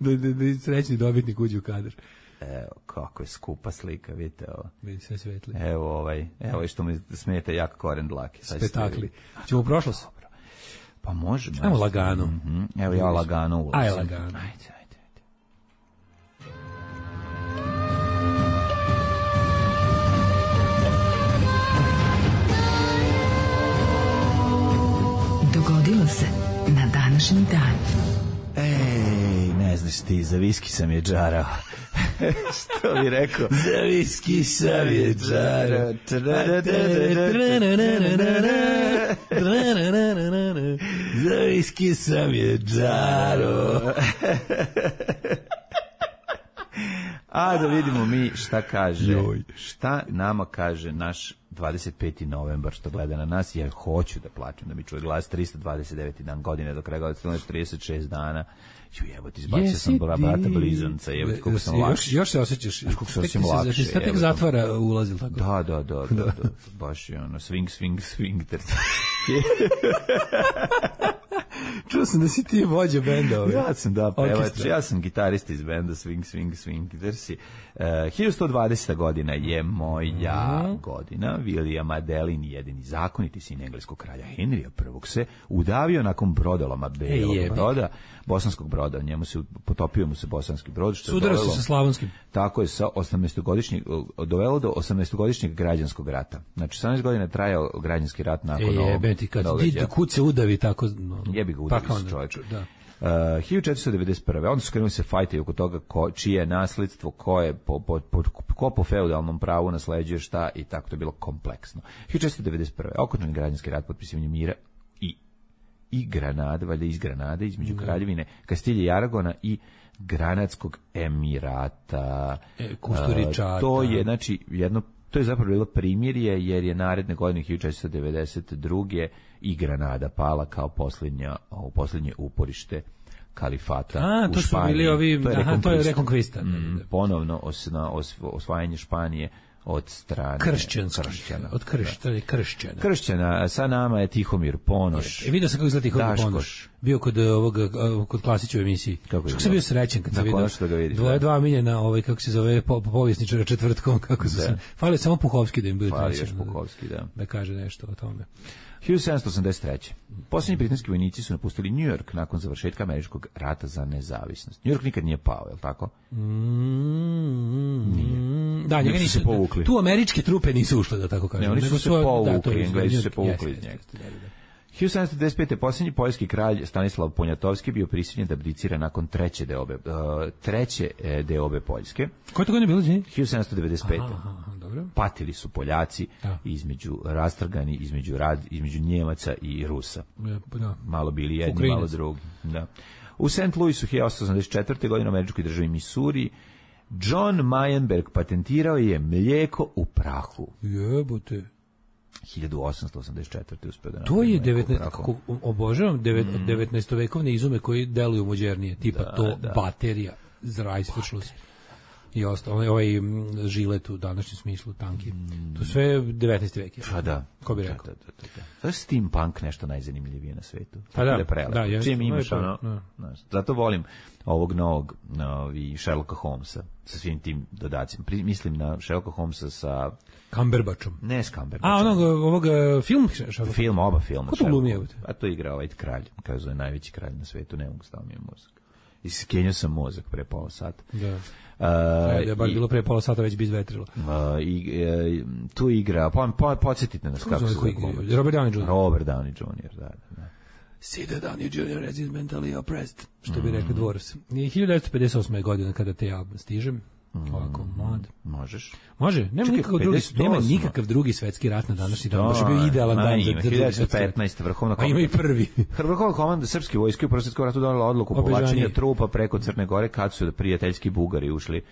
Speaker 6: da srećni dobitnik uđe u kadar.
Speaker 7: Evo, kako je skupa slika, vidite ovo.
Speaker 6: Vidi sve svetli.
Speaker 7: Evo što mi smeta jak koren dlake.
Speaker 6: Spektakli. Ćemo u prošlost?
Speaker 7: Pa možemo.
Speaker 6: Ajmo lagano.
Speaker 7: Evo ja lagano ulazim.
Speaker 6: Ajde lagano.
Speaker 7: Ajde.
Speaker 4: savršeni dan.
Speaker 7: Ej, ne znaš ti, za viski sam je džarao. Što bi rekao?
Speaker 6: Za viski sam je džarao. Za viski sam je džarao.
Speaker 7: A da vidimo mi šta kaže. Šta nama kaže naš 25. novembar što gleda na nas. Ja hoću da plačem, da mi čuje glas. 329. dan godine do kraja godine, 36 dana. Jebote, izbacio sam brata blizanca, jebote, koliko sam lakše.
Speaker 6: Još se osjećaš,
Speaker 7: koliko se osjećam lakše.
Speaker 6: Šta tek zatvara ulaz, ili tako?
Speaker 7: Da. Baš je ono, swing.
Speaker 6: Čuo sam da si ti vođa benda ovaj.
Speaker 7: Ja sam pevač, ja sam gitarista iz benda Swing, Dersi. 1120. godina je moja godina. William Adelin, jedini zakoniti sin engleskog kralja Henrija I, se udavio nakon brodoloma belog broda, bosanskog broda. Njemu se potopio mu se bosanski brod, što je
Speaker 6: dovelo sa slavonskim.
Speaker 7: Tako je, sa 18-godišnjeg dovelo do 18-godišnjeg građanskog rata. Znači 18 godina je trajao građanski rat nakon ovog događaja.
Speaker 6: Kud se udavi tako,
Speaker 7: jebi ga udavi se čovjek. Da. 1491. Onda su krenuli se fajtaju oko toga čije je nasledstvo, ko po feudalnom pravu nasleđuje šta i tako, to je bilo kompleksno. 1491. okončan građanski rat potpisivanjem mira i Granade, valjda iz Granade, između kraljevine Kastilje i Aragona i Granadskog emirata.
Speaker 6: Kusturičata.
Speaker 7: To je, znači, to je zapravo bilo primirje, jer je naredne godine 1492. i Granada pala kao posljednje uporište kalifata u Španiji.
Speaker 6: To su bili ovi, to je rekonkvista.
Speaker 7: Ponovno osvajanje Španije od strane kršćana.
Speaker 6: Od
Speaker 7: kršćana. Sa nama je Tihomir Ponoš.
Speaker 6: Vidio sam kako izgleda Tihomir Ponoš. Bio kod Klasića u emisiji. Kako sam bio srećen kad sam vidio. Dva miljena, kako se zove, povjesničara četvrtkom, kako su se. Falio samo Puhovski da im bude da kaže nešto o tome.
Speaker 7: 1783. Posljednji britanski vojnici su napustili New York nakon završetka američkog rata za nezavisnost. New York nikad nije pao, je li tako?
Speaker 6: Nije. Da, njega nisu povukli. Tu američke trupe nisu ušle, da tako kažem.
Speaker 7: Ne, oni su se povukli, Englezi su se povukli iz njega. 1795. posljednji poljski kralj Stanislav Poniatovski bio prisiljen da abdicira nakon treće deobe Poljske.
Speaker 6: Koje to godine bilo?
Speaker 7: 1795.
Speaker 6: Dobro.
Speaker 7: Patili su Poljaci rastrgani između Njemaca i Rusa.
Speaker 6: Da.
Speaker 7: Malo bili jedni, malo drugi. Da. U St. Louisu 1884. godine u američkoj državi Missouri John Meyerberg patentirao je mlijeko u prahu.
Speaker 6: Jebote.
Speaker 7: 1884. uspeo da
Speaker 6: to je 19. 19-vekovne izume koji deluju modernije, tipa baterija, Reißverschluss i ostalo, ovaj žilet u današnjem smislu, tanki. To sve 19. vek je.
Speaker 7: Pa da.
Speaker 6: Ko bi rekao?
Speaker 7: To je steampunk nešto najzanimljivije na svetu.
Speaker 6: Pa da.
Speaker 7: Čim imaš zato volim ovog novog Sherlocka Holmesa sa svim tim dodacima. Mislim na Sherlocka Holmesa sa
Speaker 6: Cumberbatchom.
Speaker 7: Ne s Cumberbatchom.
Speaker 6: Ovog
Speaker 7: oba filma.
Speaker 6: Ko to glumi?
Speaker 7: A to igra ovaj kralj, kao zove najveći kralj na svetu, ne mogu staviti mi mozak. Iskenio sam mozak pre pola sata.
Speaker 6: Da. Je bar bilo pre pola sata već bi izvetrilo.
Speaker 7: Tu igra, podsjetite nas kako se zove.
Speaker 6: Robert
Speaker 7: Downey Jr. Da.
Speaker 6: See that Downey Jr. is mentally oppressed, što bi rekli Dvoros. 1958. godina kada te ja stižem, ovako mlad. Može? Nema nikakav drugi svetski rat na današnji dan. Baš je bio idealan dan za drugi svetski rat.
Speaker 7: 1915. Vrhovna komanda.
Speaker 6: A ima i prvi.
Speaker 7: Vrhovna komanda srpske vojske u Prvom svetskom ratu donela odluku o povlačenju trupa preko Crne Gore kad su prijateljski Bugari ušli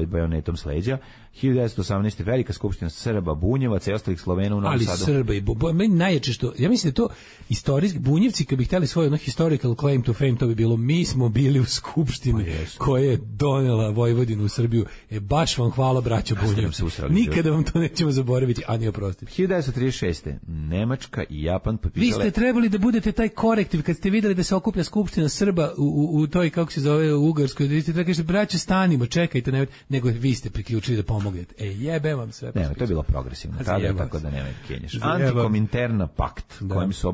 Speaker 7: bajonetom s leđa. 1918. velika skupština Srba, Bunjevaca i ostalih Slovena u Novom Sadu.
Speaker 6: Ali Srba i meni najjače što, ja mislim da to istorijski, Bunjevci kad bi htjeli svoj historical claim to fame, to bi bilo mi smo bili u skupštini koja je donela Vojvodinu u Srbiju. Baš vam hvala, braćo Bunjevci. Nikada vam to nećemo zaboraviti, a ni oprostiti.
Speaker 7: 1936. Nemačka i Japan potpisale...
Speaker 6: Vi ste trebali da budete taj korektiv kad ste vidjeli da se okuplja skupština Srba u toj, kako se zove, u Ugarskoj. Vi ste trebali kažete, braćo, stanimo, čekajte, nego vi ste priključili da pomognete. Jebe vam sve.
Speaker 7: Ne, to je bilo progresivno tada, tako da nemoj kenješ. Antikominterna pakt, kojim su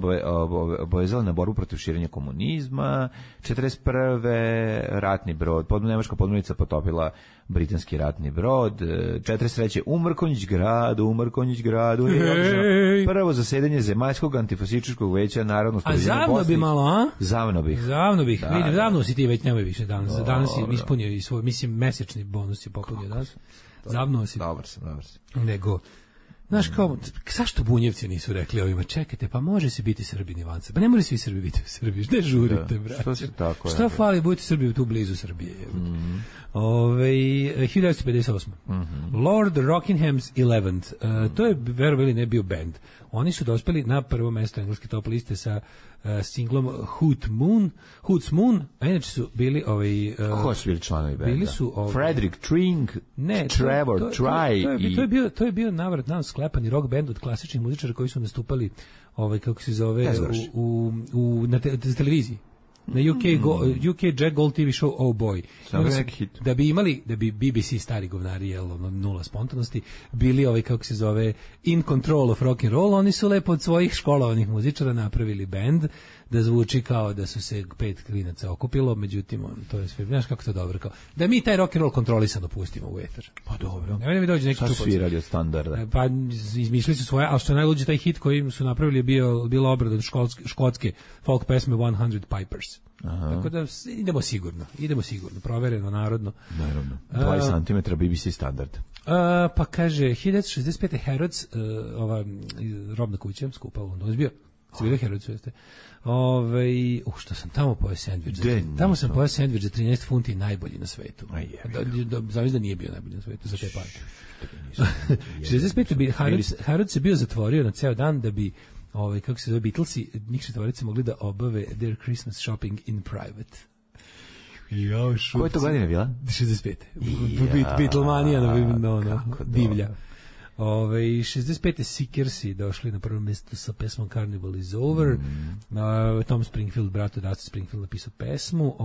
Speaker 7: obavezali na borbu protiv širenja komunizma. 41. ratni brod, nemačka podmornica potopila britanski ratni brod. 43. u Mrkonjić gradu prvo zasedanje Zemaljskog antifašističkog veća Narodnog skupština Bosne.
Speaker 6: A zavno bi malo, a?
Speaker 7: Zavno bih.
Speaker 6: Zavno si ti već, nemoj više danas. Danas si ispunio i svoj, mislim, mesečni bonus je popunio danas. Zavno si.
Speaker 7: Dobar sam.
Speaker 6: Nego, znaš kao, zašto Bunjevci nisu rekli ovima, čekajte, pa može se biti Srbin Ivanca, pa ne moraju svi Srbi biti u Srbiji, ne žurite, brate. Šta fali, budite Srbi tu blizu Srbije. 1958. Lord Rockingham's 11th, to je, verovali, ne bio band. Oni su dospeli na prvo mesto engleske top liste sa singlom Hoot's Moon, a inače su bili
Speaker 7: ko su bili članovi benda?
Speaker 6: Bili su
Speaker 7: Frederick Tring, Trevor Try.
Speaker 6: To je bio navrat nam sklepani rock band od klasičnih muzičara koji su nastupali kako se zove na televiziji. Na UK Jack Gold TV show Oh Boy. Da bi BBC stari govnari, nula spontanosti, bili kako se zove In Control of Rock and Roll, oni su lepo od svojih školovanih muzičara napravili bend da zvuči kao da su se 5 klinaca okupilo, međutim to je sve, znaš kako to dobro, kao da mi taj rock and roll kontrolisano pustimo u etar.
Speaker 7: Pa dobro.
Speaker 6: Ne mi dođe neki čupac.
Speaker 7: Šta svirali od standarda?
Speaker 6: Pa izmislili su svoje, ali što je najluđe, taj hit koji su napravili je bila obrada od škotske folk pesme 100 Pipers. Aha. Tako da idemo sigurno, provereno, narodno.
Speaker 7: Naravno. 20 cm BBC standard.
Speaker 6: Pa kaže 1965. Harrods, ova robna kuća skupa u Londonu bio. Ste bili Harrods, jeste? Što sam tamo pojeo sendvič. Tamo sam pojeo sendvič za 13 funti, najbolji na svetu. Zavis da nije bio najbolji na svetu za te pare. 65. Harrods se bio zatvorio na ceo dan da bi kako se zove, Beatlesi, njih četvorice mogli da obave their Christmas shopping in private.
Speaker 7: Koje to godine bila?
Speaker 6: 65. Beatlemanija divlja. 65. Seekersi došli na prvo mjesto sa pesmom Carnival is Over. Tom Springfield, brat od Dusty Springfield, napisao pesmu.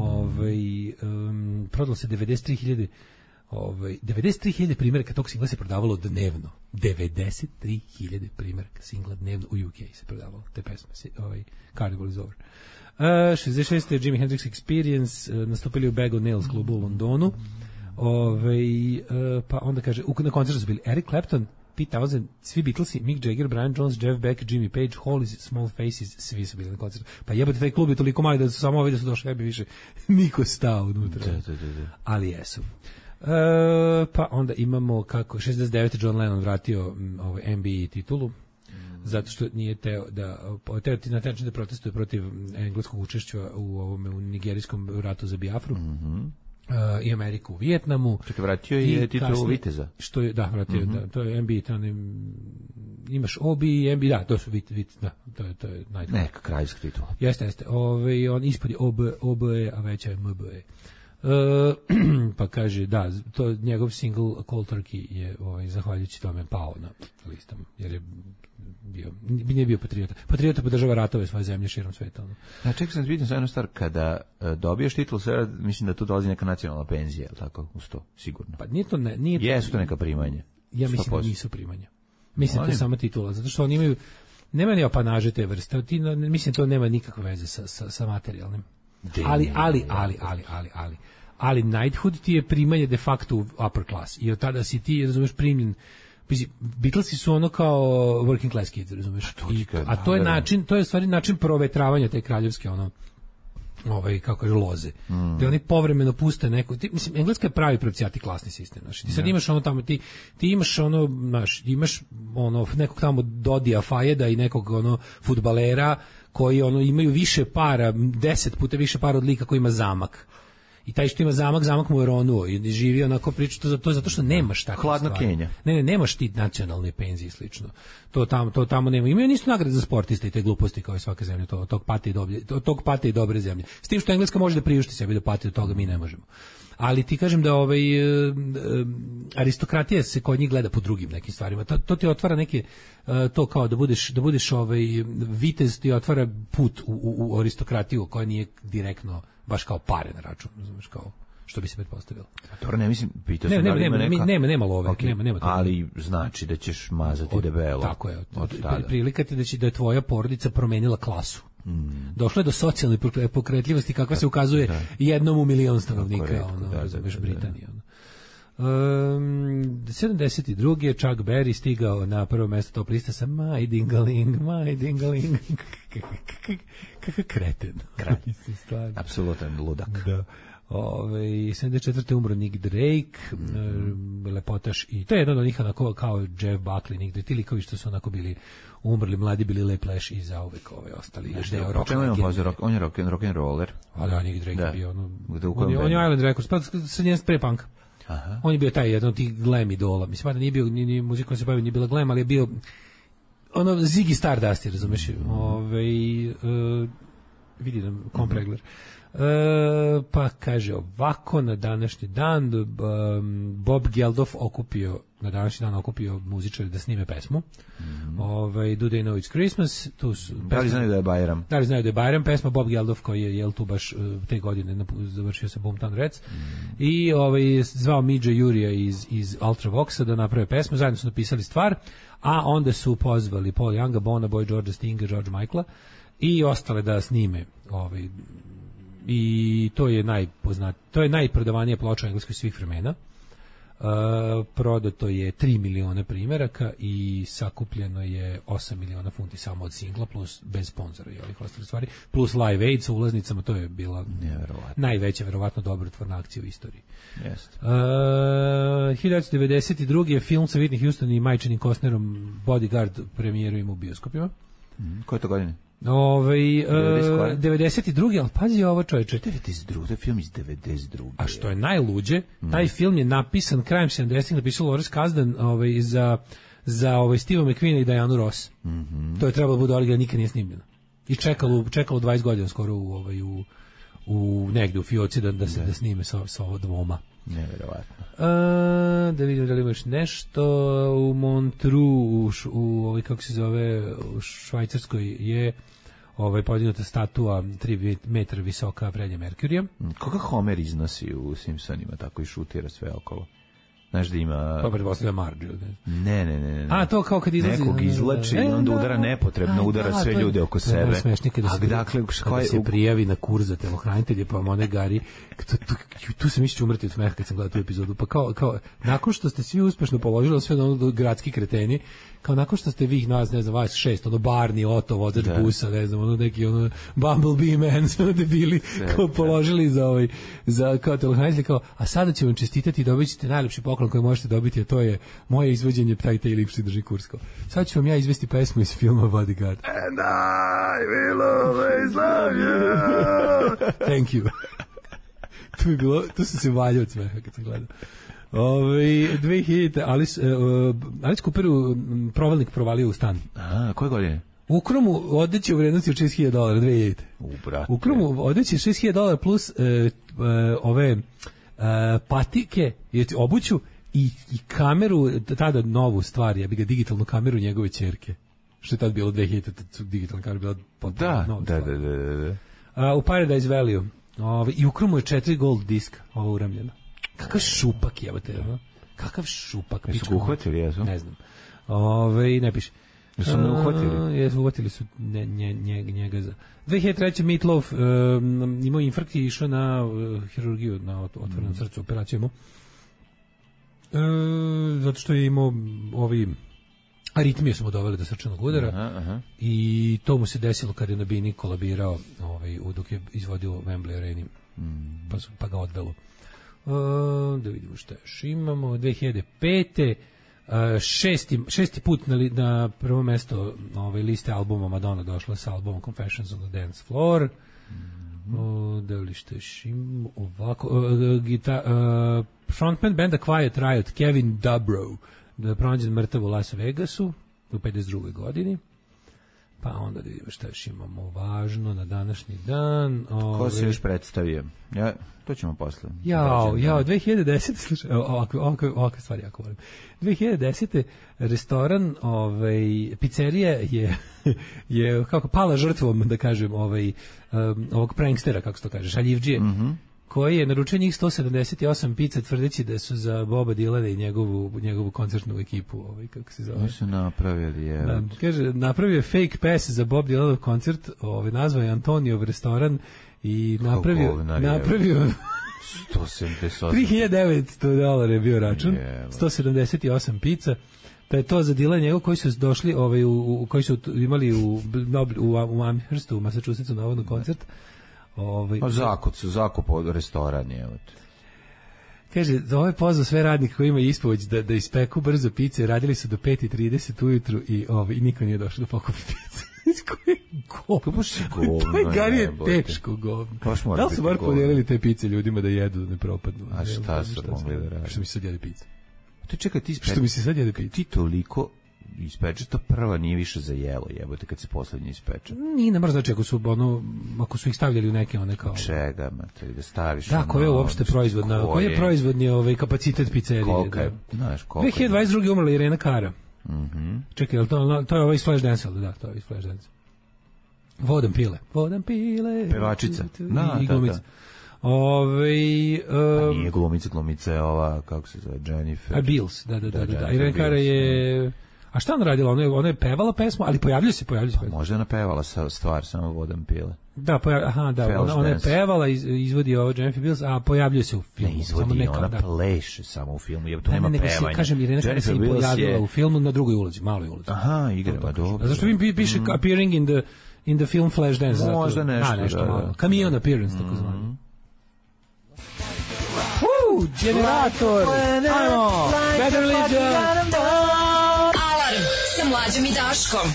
Speaker 6: Prodalo se 93.000 primjeraka tog singla se prodavalo dnevno. 93.000 primjeraka singla dnevno u UK se prodavalo te pesme. Carnival is Over. 66. Jimi Hendrix Experience, nastupili u Bag of Nails klubu u Londonu. Pa onda kaže, na koncertu su bili Eric Clapton, Pete Townshend, svi Beatlesi, Mick Jagger, Brian Jones, Jeff Beck, Jimmy Page, Hollies, Small Faces, svi su bili na koncertu. Pa jebate, taj klub je toliko mali da su samo ovi da su došli, bi više niko stao unutra.
Speaker 7: Da.
Speaker 6: Ali jesu. Pa onda imamo kako 69. John Lennon vratio NBA titulu, zato što nije teo na taj način da protestuje protiv engleskog učešća u nigerijskom ratu za Biafru. I Ameriku u Vijetnamu.
Speaker 7: Čekaj, vratio je titulu viteza.
Speaker 6: Što je, vratio, to je NBA, imaš OBI i NBA, to su to je najbolje.
Speaker 7: Neka kraljevska titula.
Speaker 6: Jeste. On ispod je OBE, a veća je MBE. Pa kaže, to njegov single Cold Turkey je zahvaljujući tome pao na listama, jer je nije bio patriota. Patriota podržava ratove svoje zemlje širom sveta.
Speaker 7: Čekaj, sam vidim za jednu stvar, kada dobiješ titul, mislim da tu dolazi neka nacionalna penzija, je li tako? Uz to, sigurno.
Speaker 6: Pa nije to, nije to.
Speaker 7: Jesu to neka primanja?
Speaker 6: Ja mislim da nisu primanja. Mislim da to je sama titula, zato što oni imaju, nema ni apanaže te vrste, mislim to nema nikakve veze sa materijalnim. Ali knighthood ti je primanje de facto u upper class, i od tada si ti, razumeš, primljen. Beatlesi su ono kao working class kids, razumeš? A to je način, to je stvari način provetravanja te kraljevske kako je loze. Da oni povremeno puste neko, mislim, Engleska je pravi pravcijati klasni sistem, znači ti sad imaš ono tamo, ti imaš imaš nekog tamo Dodija Fajeda i nekog fudbalera koji imaju više para, 10 puta više para od lika koji ima zamak. I taj što ima zamak mu je ronuo i živi onako priča, to zato što nemaš takve stvari.
Speaker 7: Hladna Kenja.
Speaker 6: Ne, nemaš ti nacionalne penzije i slično. To tamo nema. Imaju nisu nagrade za sportiste i te gluposti kao i svaka zemlja, tog pate i dobre zemlje. S tim što Engleska može da priušti sebi da pati od toga, mi ne možemo. Ali ti kažem da aristokratija se kod njih gleda po drugim nekim stvarima. To ti otvara neke, to kao da budeš vitez, ti otvara put u aristokratiju koja nije direktno baš kao pare na račun, razumeš, kao što bi se pretpostavilo.
Speaker 7: Dobro, ne mislim, pitao sam da li ima neka...
Speaker 6: Nema love, okay. nema toga.
Speaker 7: Ali znači da ćeš mazati debelo.
Speaker 6: Tako je, prilika ti da je tvoja porodica promenila klasu. Došlo je do socijalne pokretljivosti kakva se ukazuje jednom u milion stanovnika, razumeš, Britanije. 72. je Chuck Berry stigao na prvo mesto top lista sa My Dingaling. Kakav kreten.
Speaker 7: Apsolutan ludak.
Speaker 6: Da. 74. umro Nick Drake, lepotaš, i to je jedan od njih onako kao Jeff Buckley, Nick Drake, ti likovi što su onako bili umrli, mladi bili Le Flash i zauvek ostali.
Speaker 7: On je rock and roller.
Speaker 6: A da, Nick Drake je bio on je Island Records, pa sa njen pre-punk. Aha. On je bio taj jedan od tih glam idola. Mislim, da nije bio, ni muzika se bavio, nije bila glam, ali je bio ono Ziggy Stardust, razumeš? Vidi nam kompregler. Pa kaže ovako, na današnji dan Bob Geldof na današnji dan okupio muzičare da snime pesmu. Do They Know It's Christmas.
Speaker 7: Da li znaju da je Bajram?
Speaker 6: Da li znaju da je Bajram, pesma Bob Geldof koji je tu baš te godine završio sa Boomtown Rats. I zvao Midge Jurija iz Ultravoxa da naprave pesmu, zajedno su napisali stvar, a onda su pozvali Paul Younga, Bona Boy, George Stinga, George Michaela i ostale da snime i to je najprodavanija ploča u Engleskoj svih vremena. Prodato je 3 miliona primjeraka i sakupljeno je 8 miliona funti samo od singla, plus bez sponzora i ovih ostalih stvari, plus Live Aid sa ulaznicama. To je bila najveća, verovatno dobrotvorna akcija u istoriji. 1992. je film sa Whitney Houston i Majčinim Costnerom Bodyguard premijerujemo u bioskopima.
Speaker 7: Koje to godine?
Speaker 6: 92. ali pazi ovo, čovječe.
Speaker 7: 92. To je film iz 92.
Speaker 6: A što je najluđe, taj film je napisan krajem 70-ih, napisao Lawrence Kasdan za Steve McQueen i Dianu Ross. To je trebalo da bude original, nikad nije snimljeno. I čekalo 20 godina skoro u negde u fioci da snime sa ovo dvoma.
Speaker 7: Nevjerovatno.
Speaker 6: Da vidim da li imaš nešto. U Montreux, u kako se zove, u Švajcarskoj je podignuta statua 3 metra visoka Freddie Mercurya.
Speaker 7: Koga Homer iznosi u Simpsonima, tako i šutira sve okolo? Znaš da ima...
Speaker 6: Pa pretpostavlja Marge.
Speaker 7: Ne.
Speaker 6: A to kao kad izlazi...
Speaker 7: Nekog izlači i onda udara nepotrebno, udara sve ljude oko sebe.
Speaker 6: Kada se prijavi na kurs za telohranitelje, pa one gari... Tu sam mišću umrti od smeha kad sam gledao tu epizodu. Pa kao, nakon što ste svi uspešno položili sve ono gradski kreteni, kao nakon što ste vi nas, ne znam, vas 6, Barney, Otto, vozač busa, ne znam, neki Bumblebee Man, sve debili, kao položili za kao telohranitelje, kao, a sada ću vam čestitati i dobit ćete najlepši poklon koji možete dobiti, a to je moje izvođenje taj lipši drži kursko. Sad ću vam ja izvesti pesmu iz filma Bodyguard.
Speaker 7: And I will always love you.
Speaker 6: Thank you. Tu sam se valjao od smeha kad sam gledao. 2000. Alice Cooperu provalnik provalio u stan.
Speaker 7: A, koje godine?
Speaker 6: U Kromu odeće u vrednosti od $6,000, 2000. U Kromu odeće $6,000 plus ove patike, obuću i kameru, tada novu stvar, ja bi ga digitalnu kameru njegove ćerke. Što je tad bilo 2000, digitalna kamera bila potpuno nova stvar. Da. U Paradise Value. I u Kromu je 4 gold diska, ovo uramljeno. Kakav šupak jebate, no? Kakav šupak.
Speaker 7: Jesu ga uhvatili, jesu?
Speaker 6: Ne znam. Ne piše.
Speaker 7: Jesu me uhvatili?
Speaker 6: Jesu, uhvatili su njega za... 2003. Meatloaf imao infarkt i išao na hirurgiju, na otvorenom srcu, operaciju. Zato što je imao aritmije su mu doveli do srčanog udara. I to mu se desilo kad je na bini kolabirao dok je izvodio Wembley Areni. Pa ga odvelo. Da vidimo šta još imamo. 2005. Šesti put na prvo mesto liste albuma Madonna došla sa albumom Confessions on the Dance Floor. Da li šta još imamo ovako. Frontman benda Quiet Riot, Kevin Dubrow, da je pronađen mrtav u Las Vegasu u 52. godini. Pa onda da vidimo šta još imamo važno na današnji dan.
Speaker 7: Ko se još predstavio? To ćemo posle.
Speaker 6: 2010. Slušaj, ovakve stvari jako volim. 2010. restoran, pizzerija je kako pala žrtvom, da kažem, ovog prankstera, kako se to kaže, šaljivdžije, koji je naručio njih 178 pizza tvrdeći da su za Boba Dylana i njegovu koncertnu ekipu, kako se zove.
Speaker 7: Oni su napravili,
Speaker 6: kaže, napravio fake pass za Bob Dylanov koncert, nazvao je Antoniov restoran i napravio
Speaker 7: 178.
Speaker 6: $3.900 je bio račun, 178 pizza. Pa je to za Dylan njegov koji su došli, koji su imali u Amherstu, u Massachusettsu navodno koncert.
Speaker 7: Zakop restoran je.
Speaker 6: Kaže, ovo je pozvao sve radnike koji imaju ispomoć da ispeku brzo pice, radili su do 5:30 ujutru i niko nije došao da pokupi pice. Koje govno. To je garije teško govno. Da li su bar podijelili te pice ljudima da jedu, da ne propadnu?
Speaker 7: A šta su mogli da radi?
Speaker 6: Što mi se sad jede pice?
Speaker 7: Čekaj,
Speaker 6: što mi se sad jede pice?
Speaker 7: Ti toliko ispeče, to prva nije više za jelo, jebote, kad se poslednje ispeče.
Speaker 6: Nije, ne mora znači ako su ih stavljali u neke one kao...
Speaker 7: Čega, mate, da staviš...
Speaker 6: Da, koji je uopšte proizvodna, koji je proizvodni kapacitet pizzerije?
Speaker 7: Koliko je, znaš, koliko je?
Speaker 6: 2022. umrla Irena Cara. Čekaj, to je ovaj Flashdance, da, to je ovaj Flashdance. Vodan pile.
Speaker 7: Pevačica.
Speaker 6: I glumica.
Speaker 7: Nije glumica je ova, kako se zove, Jennifer.
Speaker 6: Beals, da. Irena Cara je... A šta ona radila? Ona je pevala pesmu, ali pojavljuje se.
Speaker 7: Možda je ona pevala stvar, samo Vodan pile.
Speaker 6: Da, ona je pevala, izvodi ovo Jennifer Beals, a pojavljuje se u filmu.
Speaker 7: Ne izvodi, ona pleše samo u filmu, jer tu nema pevanja.
Speaker 6: Kažem, Irena Cara se pojavila u filmu na drugoj ulici, maloj ulici.
Speaker 7: Aha, igra, dobro.
Speaker 6: Zašto mi piše appearing in the film Flashdance?
Speaker 7: Možda nešto,
Speaker 6: malo. Cameo appearance, tako zvano. Generator! Ajmo! Bad Religion!
Speaker 4: Alarm sa Mlađom i Daškom.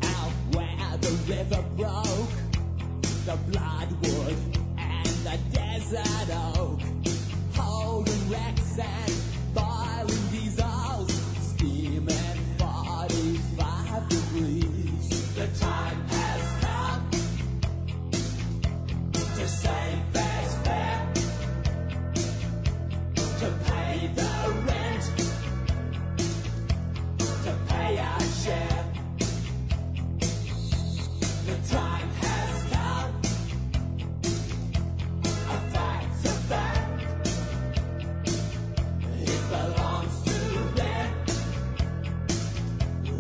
Speaker 1: Out where the river broke, the bloodwood and the desert oak, holding wrecks and boiling diesels, steaming 45 degrees. The time has come to save fast fare, to pay the rent, to pay our share. The time has come, a fact's a fact, it belongs to them,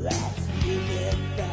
Speaker 1: let's give it back.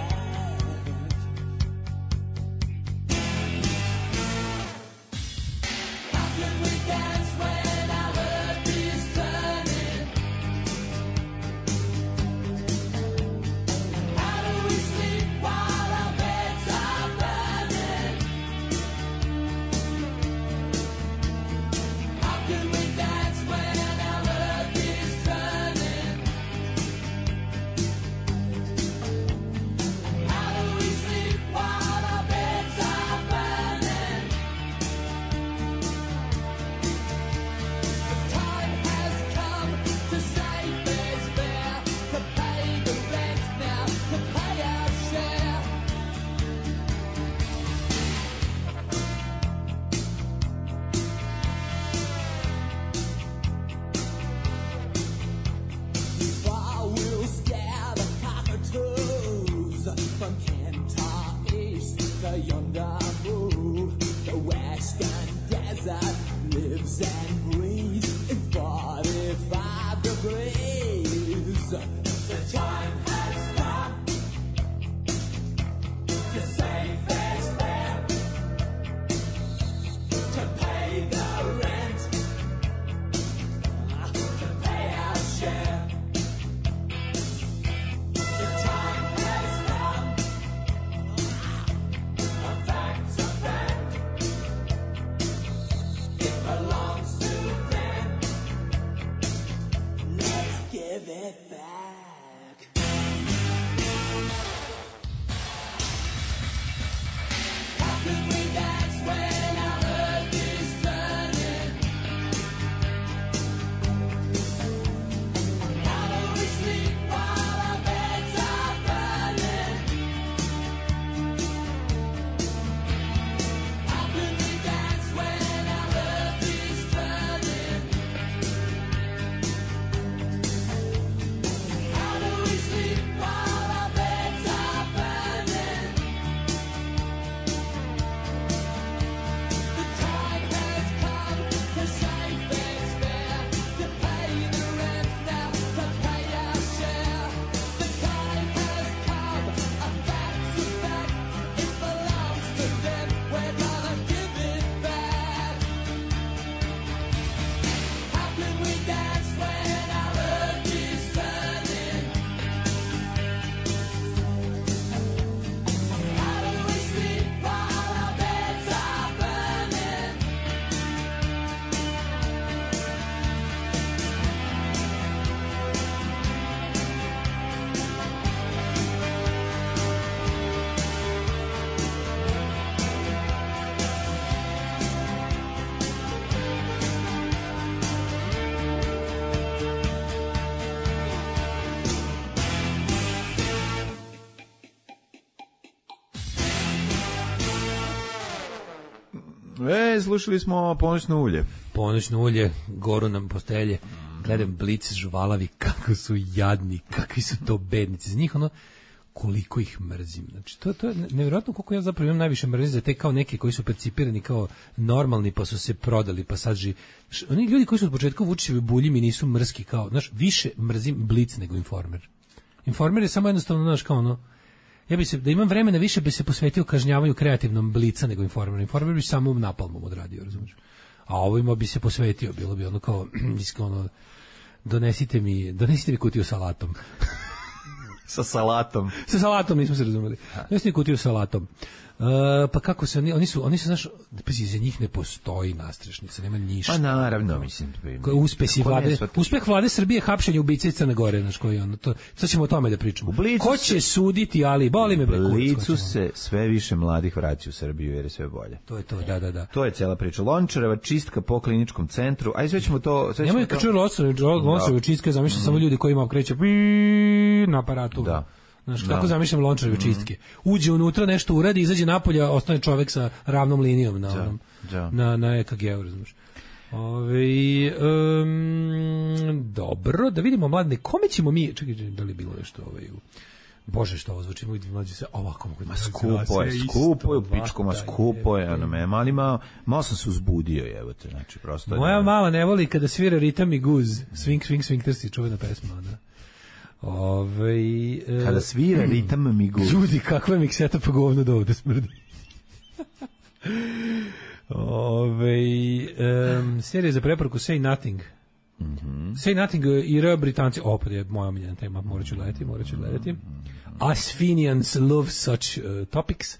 Speaker 7: Slušali smo Ponoćno ulje.
Speaker 6: Ponoćno ulje, goru nam postelje. Gledam Blic, žuvalavi, kako su jadni, kakvi su to bednici. Za njih koliko ih mrzim. Znači, to je nevjerojatno koliko ja zapravo imam najviše mrzim za te kao neke koji su percipirani kao normalni, pa su se prodali, pa sad oni ljudi koji su od početka Vučićevi bulji mi nisu mrski kao, znaš, više mrzim Blic nego Informer. Informer je samo jednostavno, znaš, kao ja bi se, da imam vremena više bi se posvetio kažnjavanju kreativnom Blica nego Informer. Informer bi samo napalmom odradio, razumiješ? A ovima bi se posvetio, bilo bi kao, donesite mi kutiju salatom.
Speaker 7: Sa salatom.
Speaker 6: Sa salatom nismo se razumeli. Donesite kutiju salatom. Pa kako se oni su znaš, za njih ne postoji nastrešnica, nema ništa.
Speaker 7: Pa naravno, mislim.
Speaker 6: Uspeh vlade Srbije hapšenje ubice iz Crne Gore, znaš koji to. Sad ćemo o tome da pričamo. Ko će suditi, ali boli me
Speaker 7: u Blicu se sve više mladih vraća u Srbiju jer je sve bolje.
Speaker 6: To je to, da.
Speaker 7: To je cela priča. Lončareva čistka po kliničkom centru. Aj sve ćemo to.
Speaker 6: Nemoj kad čuju Lončareva čistka, zamišljam samo ljudi koji kreće na aparatu. Da. Znaš, kako zamišljam Lončareve čistke. Uđe unutra, nešto uradi, izađe napolje, ostane čovek sa ravnom linijom na EKG-u, razumiješ. Dobro, da vidimo, mladine, kome ćemo mi, čekaj, da li je bilo nešto Bože, što ovo zvuči, mlađi se ovako mogu da
Speaker 7: skupo je u pičku, skupo je, malo sam se uzbudio, evo te, znači, prosto.
Speaker 6: Moja mala ne voli kada svira ritam i guz, swing, trsi, čuvena pesma, da.
Speaker 7: Kada svira ritam mi guz.
Speaker 6: Ljudi, kakva je mikseta pa govno da ovde smrdi. Serija za preporuku Say Nothing. Say Nothing i Britanci. Opet je moja omiljena tema, morat ću gledati. Us Fenians love such topics.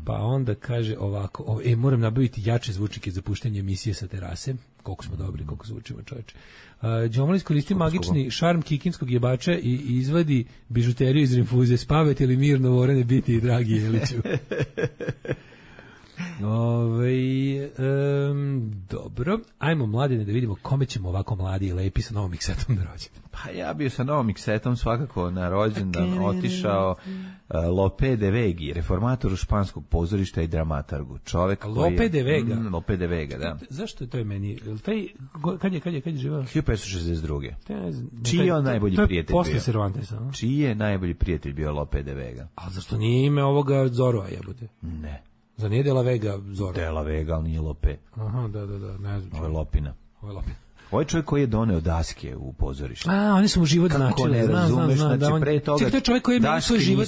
Speaker 6: Pa onda kaže ovako, moram nabaviti jače zvučnike za puštanje emisije sa terase. Koliko smo dobri, koliko zvučimo, čovječe. Džomal iskoristi magični šarm kikinskog jebača i izvadi bižuteriju iz rinfuze. Spavajte li mirno, Vorane, biti i dragi Jeliću. Dobro, ajmo mladine da vidimo kome ćemo ovako mladi i lepi sa novom miksetom na rođendan.
Speaker 7: Pa ja bio sa novom miksetom svakako na rođendan otišao Lope de Vegi, reformatoru španskog pozorišta i dramatargu. Čovek
Speaker 6: Lope de Vega?
Speaker 7: Lope de Vega, da.
Speaker 6: Zašto je to meni? Kad je živao?
Speaker 7: 1562. Čiji je on najbolji prijatelj bio?
Speaker 6: Posle Cervantesa.
Speaker 7: Čiji je najbolji prijatelj bio Lope de Vega?
Speaker 6: A zašto nije ime ovoga Zorova, jebote?
Speaker 7: Ne.
Speaker 6: Za nije De la Vega Zora?
Speaker 7: De la Vega, ali nije Lope.
Speaker 6: Aha, da, ne znam.
Speaker 7: Ovo je Lopina. Ovo je čovjek koji je doneo daske u pozorište.
Speaker 6: Oni su mu život značili.
Speaker 7: Ne razumeš, znači pre toga
Speaker 6: to je čovjek koji je menjao svoj život.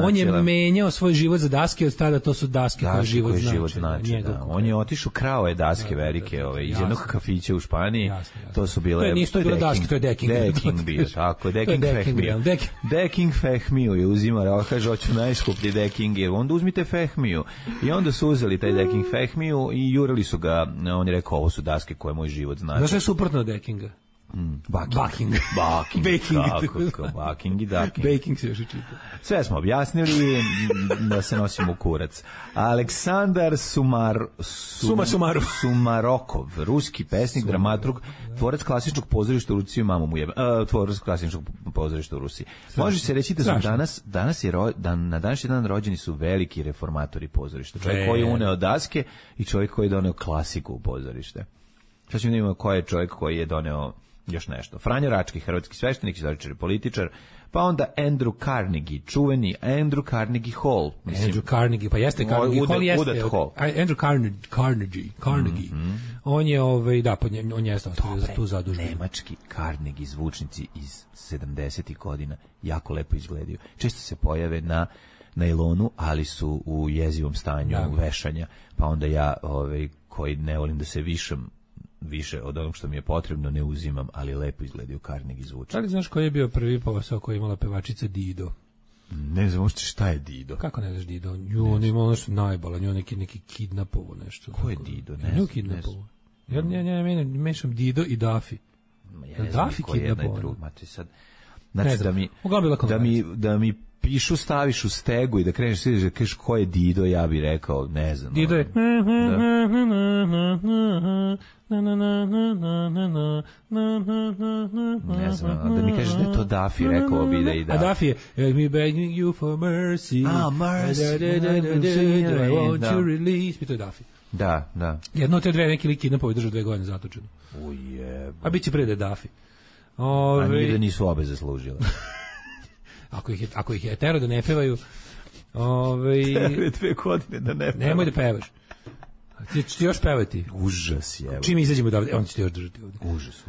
Speaker 6: On je menjao svoj život za daske, od tada to su daske koje život znači.
Speaker 7: On je otišao, krao je daske velike iz jednog kafića u Španiji. To su bile...
Speaker 6: To je bilo daske, to je deking.
Speaker 7: Deking bio, tako, deking fehmiju. Deking fehmiju je uzimao, kaže, hoću najskuplji deking, onda uzmite fehmiju. I onda su uzeli taj deking fehmiju i jurili su ga, on je rekao, ovo su daske koje moj život znači.
Speaker 6: Znaš je suprotno od dekinga? Baking
Speaker 7: i daking.
Speaker 6: Baking se još i čita.
Speaker 7: Sve smo objasnili da se nosimo u kurac. Aleksandar Sumarokov, ruski pesnik, dramaturg, tvorac klasičnog pozorišta u Rusiji, tvorac klasičnog pozorišta u Rusiji. Može se reći da su na današnji dan rođeni su veliki reformatori pozorišta. Čovjek koji je uneo daske i čovjek koji je doneo klasiku u pozorište. Sad ćemo da imamo ko je čovjek koji je doneo još nešto. Franjo Rački, hrvatski sveštenik, istoričar i političar, pa onda Andrew Carnegie, čuveni Andrew Carnegie Hall.
Speaker 6: Andrew Carnegie, pa jeste Carnegie Hall, jeste. Andrew Carnegie. On je, on je ostavio za tu zadužbinu.
Speaker 7: Nemački Carnegie zvučnici iz 70. godina jako lepo izgledaju. Često se pojave na nailonu, ali su u jezivom stanju vešanja, pa onda ja, koji ne volim da se više od onog što mi je potrebno ne uzimam, ali lepo izgledaju Carnegie zvučnici.
Speaker 6: Ali znaš koji je bio prvi posao koji je imala pevačica Dido?
Speaker 7: Ne znam uopšte šta je Dido.
Speaker 6: Kako ne znaš Dido? On je imao nešto najbala, nju neki kidnapovo nešto.
Speaker 7: Ko je Dido? Ne
Speaker 6: kidnapovo. Ja mešam Dido i Daffy.
Speaker 7: Daffy kidnapovo. Znači da mi pišu, staviš u stegu i da kreneš sviđaš da kažeš ko je Dido, ja bih rekao, ne znam.
Speaker 6: Dido je...
Speaker 7: Ne znam, da mi kažeš da je to Daffy, rekao bi da i da.
Speaker 6: A Daffy je me begging you for mercy.
Speaker 7: Mercy.
Speaker 6: I want you release. To je Daffy.
Speaker 7: Da, da.
Speaker 6: Jedno od te dve neki lik kidnapovao i držao 2 godine zatočeno.
Speaker 7: Ujeb.
Speaker 6: A biće pre Dafi.
Speaker 7: A nije da nisu obe zaslužile.
Speaker 6: Ako ih je tero da ne pevaju...
Speaker 7: Tebe 2 godine da ne pevaš.
Speaker 6: Nemoj da pevaš. Ti još pevati?
Speaker 7: Užas je.
Speaker 6: Čim izađemo davde, on će ti još držati ovdje.
Speaker 7: Užas.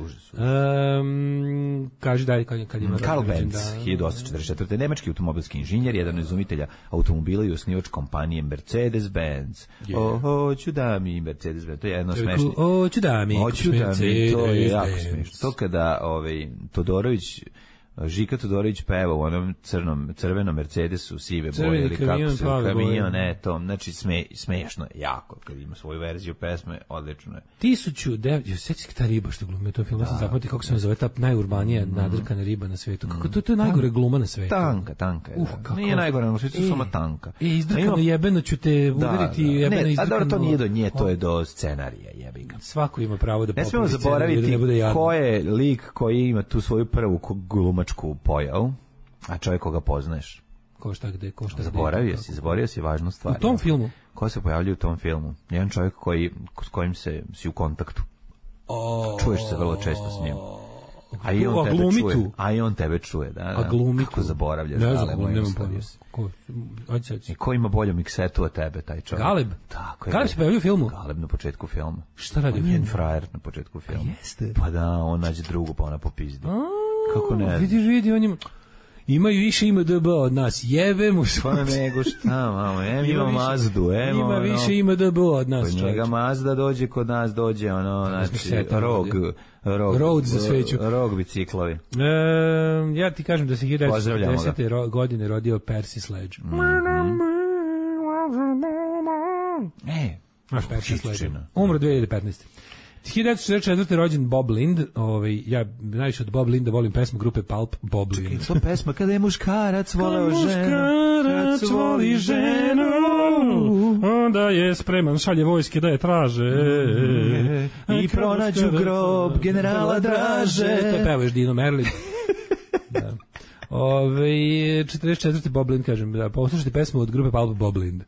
Speaker 6: Kaži dalje kad ima...
Speaker 7: Karl Benz, 1844. Nemački automobilski inženjer, jedan od izumitelja automobila i osnivač kompanije Mercedes-Benz. Hoću da mi Mercedes-Benz, to je jedno smešno.
Speaker 6: Hoću da mi Mercedes-Benz.
Speaker 7: To je jako smešno. To kada Todorović Žika Todorović peva u onom crvenom Mercedesu sive boje ili kako se kamion, to, znači smešno je jako kad ima svoju verziju pesme, odlično je.
Speaker 6: 1900, sećaš ta riba što glumi u tom filmu, ja sam zapamtio kako se zove ta najurbanija nadrkana riba na svetu. Kako to je najgore gluma na svetu.
Speaker 7: Tanka je. Nije najgore na svetu, samo tanka.
Speaker 6: Izdrkano jebeno ću te udariti, jebeno izdrkano.
Speaker 7: A dobro, to nije do nje, to je do scenarija, jebiga.
Speaker 6: Svako ima pravo da
Speaker 7: popravi scenarij. Ne smemo zaboraviti ko je lik koji ima tu svoju prvu glumačku pojavu, a čovjek koga poznaješ.
Speaker 6: Ko šta gde.
Speaker 7: Zaboravio si važnu stvar.
Speaker 6: U tom filmu?
Speaker 7: Ko se pojavljuje u tom filmu? Jedan čovjek s kojim si u kontaktu. Čuješ se vrlo često s njim. A i on tebe čuje. A i on tebe čuje, da.
Speaker 6: A glumi tu.
Speaker 7: Kako zaboravljaš?
Speaker 6: Ne znam, nemam pojma.
Speaker 7: I ko ima bolju miksetu od tebe, taj čovjek?
Speaker 6: Galeb?
Speaker 7: Tako je.
Speaker 6: Galeb se pojavio u filmu?
Speaker 7: Galeb na početku filma.
Speaker 6: Šta radi u filmu?
Speaker 7: Njen frajer na početku filma.
Speaker 6: Jeste?
Speaker 7: Pa da, on nađe drugu, pa ona popizdi. Kako ne?
Speaker 6: Vidi, on imaju više IMDb od nas, jebe mu
Speaker 7: pa nego šta, mamo, ima Mazdu,
Speaker 6: ima više IMDb od nas.
Speaker 7: Kod njega Mazda dođe, kod nas dođe, znači, Road za sveću. Rog biciklovi.
Speaker 6: Ja ti kažem da se 1910. godine rodio Percy Sledge. Naš Percy Sledge. Umro 2015. 1964. rođen Bob Lind, ja najviše od Bob Linda volim pesmu grupe Pulp, Bob Lind.
Speaker 7: Čekaj, to pesma kada je muškarac voleo ženu.
Speaker 6: Muškarac voli ženu, onda je spreman, šalje vojske da je traže.
Speaker 7: I pronađu grob generala Draže.
Speaker 6: To pevaš Dino Merlin. Da. 44. Bob Lind, kažem, da poslušajte pesmu od grupe Pulp, Bob Lind.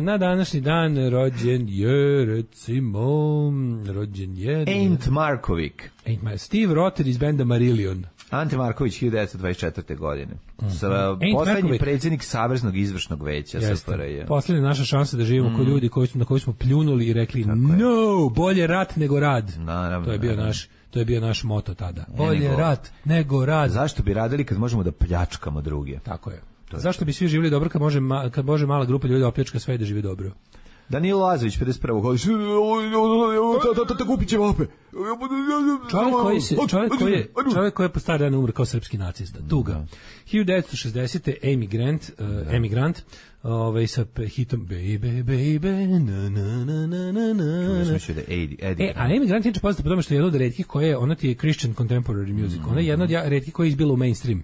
Speaker 6: Na današnji dan rođen je, recimo,
Speaker 7: Ant Markovic.
Speaker 6: Steve Rotter iz benda Marillion.
Speaker 7: Ante Marković, 1924. godine. Poslednji predsjednik Saveznog izvršnog veća SFRJ.
Speaker 6: Poslednja naša šansa da živimo kao ljudi na koji smo pljunuli i rekli no, bolje rat nego rad.
Speaker 7: Naravno,
Speaker 6: to je bio naš moto tada. Bolje rat nego rad.
Speaker 7: Zašto bi radili kad možemo da pljačkamo druge?
Speaker 6: Tako je. Zašto bi svi živjeli dobro kad može mala grupa ljudi da opljačka sve da živi dobro?
Speaker 7: Danilo Lazović, 51. godište. Kupit će vape.
Speaker 6: Čovjek koji je po stari dan umro kao srpski nacista. Tuga. 1960. Amy Grant sa hitom Baby, Baby, na na na na na na. A Amy Grant je poznata po tome što je jedna od retkih koja ona ti je Christian Contemporary Music. Ona je jedna od retkih koja je izbila u mainstream.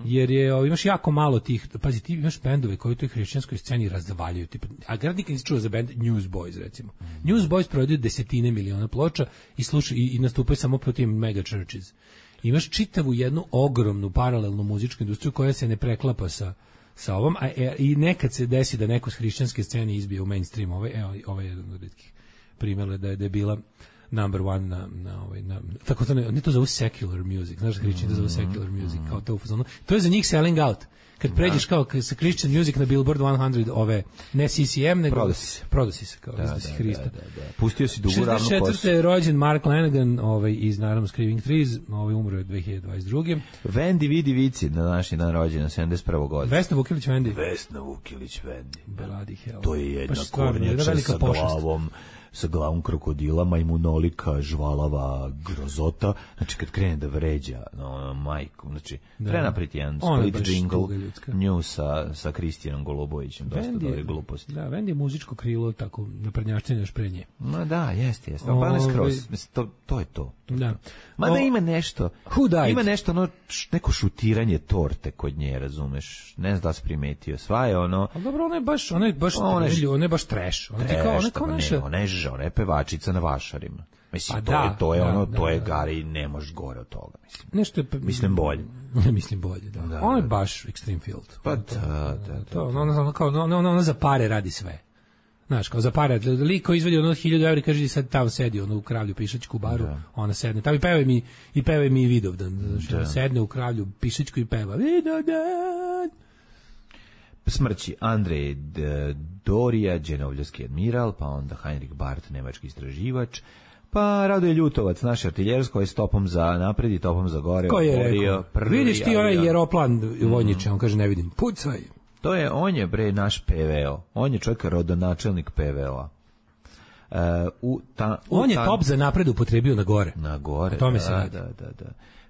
Speaker 6: Jer imaš jako malo tih, pazi, ti imaš bendove koji u toj hrišćanskoj sceni razvaljuju, a grad nikad nisi čuo za bend Newsboys, recimo. Newsboys prodaju 10 miliona ploča i nastupaju samo po tim mega churches. Imaš čitavu jednu ogromnu paralelnu muzičku industriju koja se ne preklapa sa ovom, i nekad se desi da neko s hrišćanske scene izbije u mainstream. Ovo je jedan od retkih primjera da je bila number one na tako to ne to zove secular music, znaš, hrišćani to zove secular music, kao to u fazonu. To je za njih selling out. Kad pređeš kao sa Christian music na Billboard 100, ne CCM, nego prodosi se kao da si Hrista.
Speaker 7: Pustio si dugu ravnu kosu.
Speaker 6: 64. je rođen Mark Lanigan, iz naravno Screaming Trees, umro je 2022.
Speaker 7: Vendi Vidi Vici, na današnji dan rođena, 71. godina.
Speaker 6: Vesna Vukilić Vendi.
Speaker 7: Bloody hell. To je jedna kornjača sa glavom, sa glavom krokodila, majmunolika, žvalava, grozota, znači kad krene da vređa majku, znači prenapriti jedan split jingle nju sa Kristijanom Golubovićem, dosta dobre gluposti.
Speaker 6: Da, Vendi je muzičko krilo, tako naprednjačtenje još pre nje.
Speaker 7: Ma da, jeste, pa ne skroz, to je to.
Speaker 6: Da.
Speaker 7: Mada ima nešto, neko šutiranje torte kod nje, razumeš, ne znam da si primetio, sva je ono...
Speaker 6: Ali dobro, ona je baš trash.
Speaker 7: Ona je pevačica na vašarima. Mislim, to je Gari, ne možeš gore od toga, mislim.
Speaker 6: Nešto je...
Speaker 7: Mislim bolje.
Speaker 6: Mislim bolje, da. Ona je baš Extreme Field.
Speaker 7: Pa da.
Speaker 6: Ona za pare radi sve. Znaš, kao za pare, liko izvedi ono 1000 evra i kaže sad tamo sedi ono u Kravlju Pišačku baru, ona sedne, tamo i pevaj mi Vidovdan, znači, sedne u Kravlju Pišačku i peva Vidovdan.
Speaker 7: Smrći Andrej Dorija, Đenovljski admiral, pa onda Heinrich Barth, nemački istraživač, pa Radoje Ljutovac, naš artiljersko je stopom za napred i topom za gore.
Speaker 6: Ko je rekao? Vidiš ti onaj Jeroplan vojniče, on kaže ne vidim, pucaj.
Speaker 7: On je bre naš PVO, on je čovjek rodonačelnik PVO-a.
Speaker 6: On je top za napred upotrebio na gore.
Speaker 7: Na gore, da.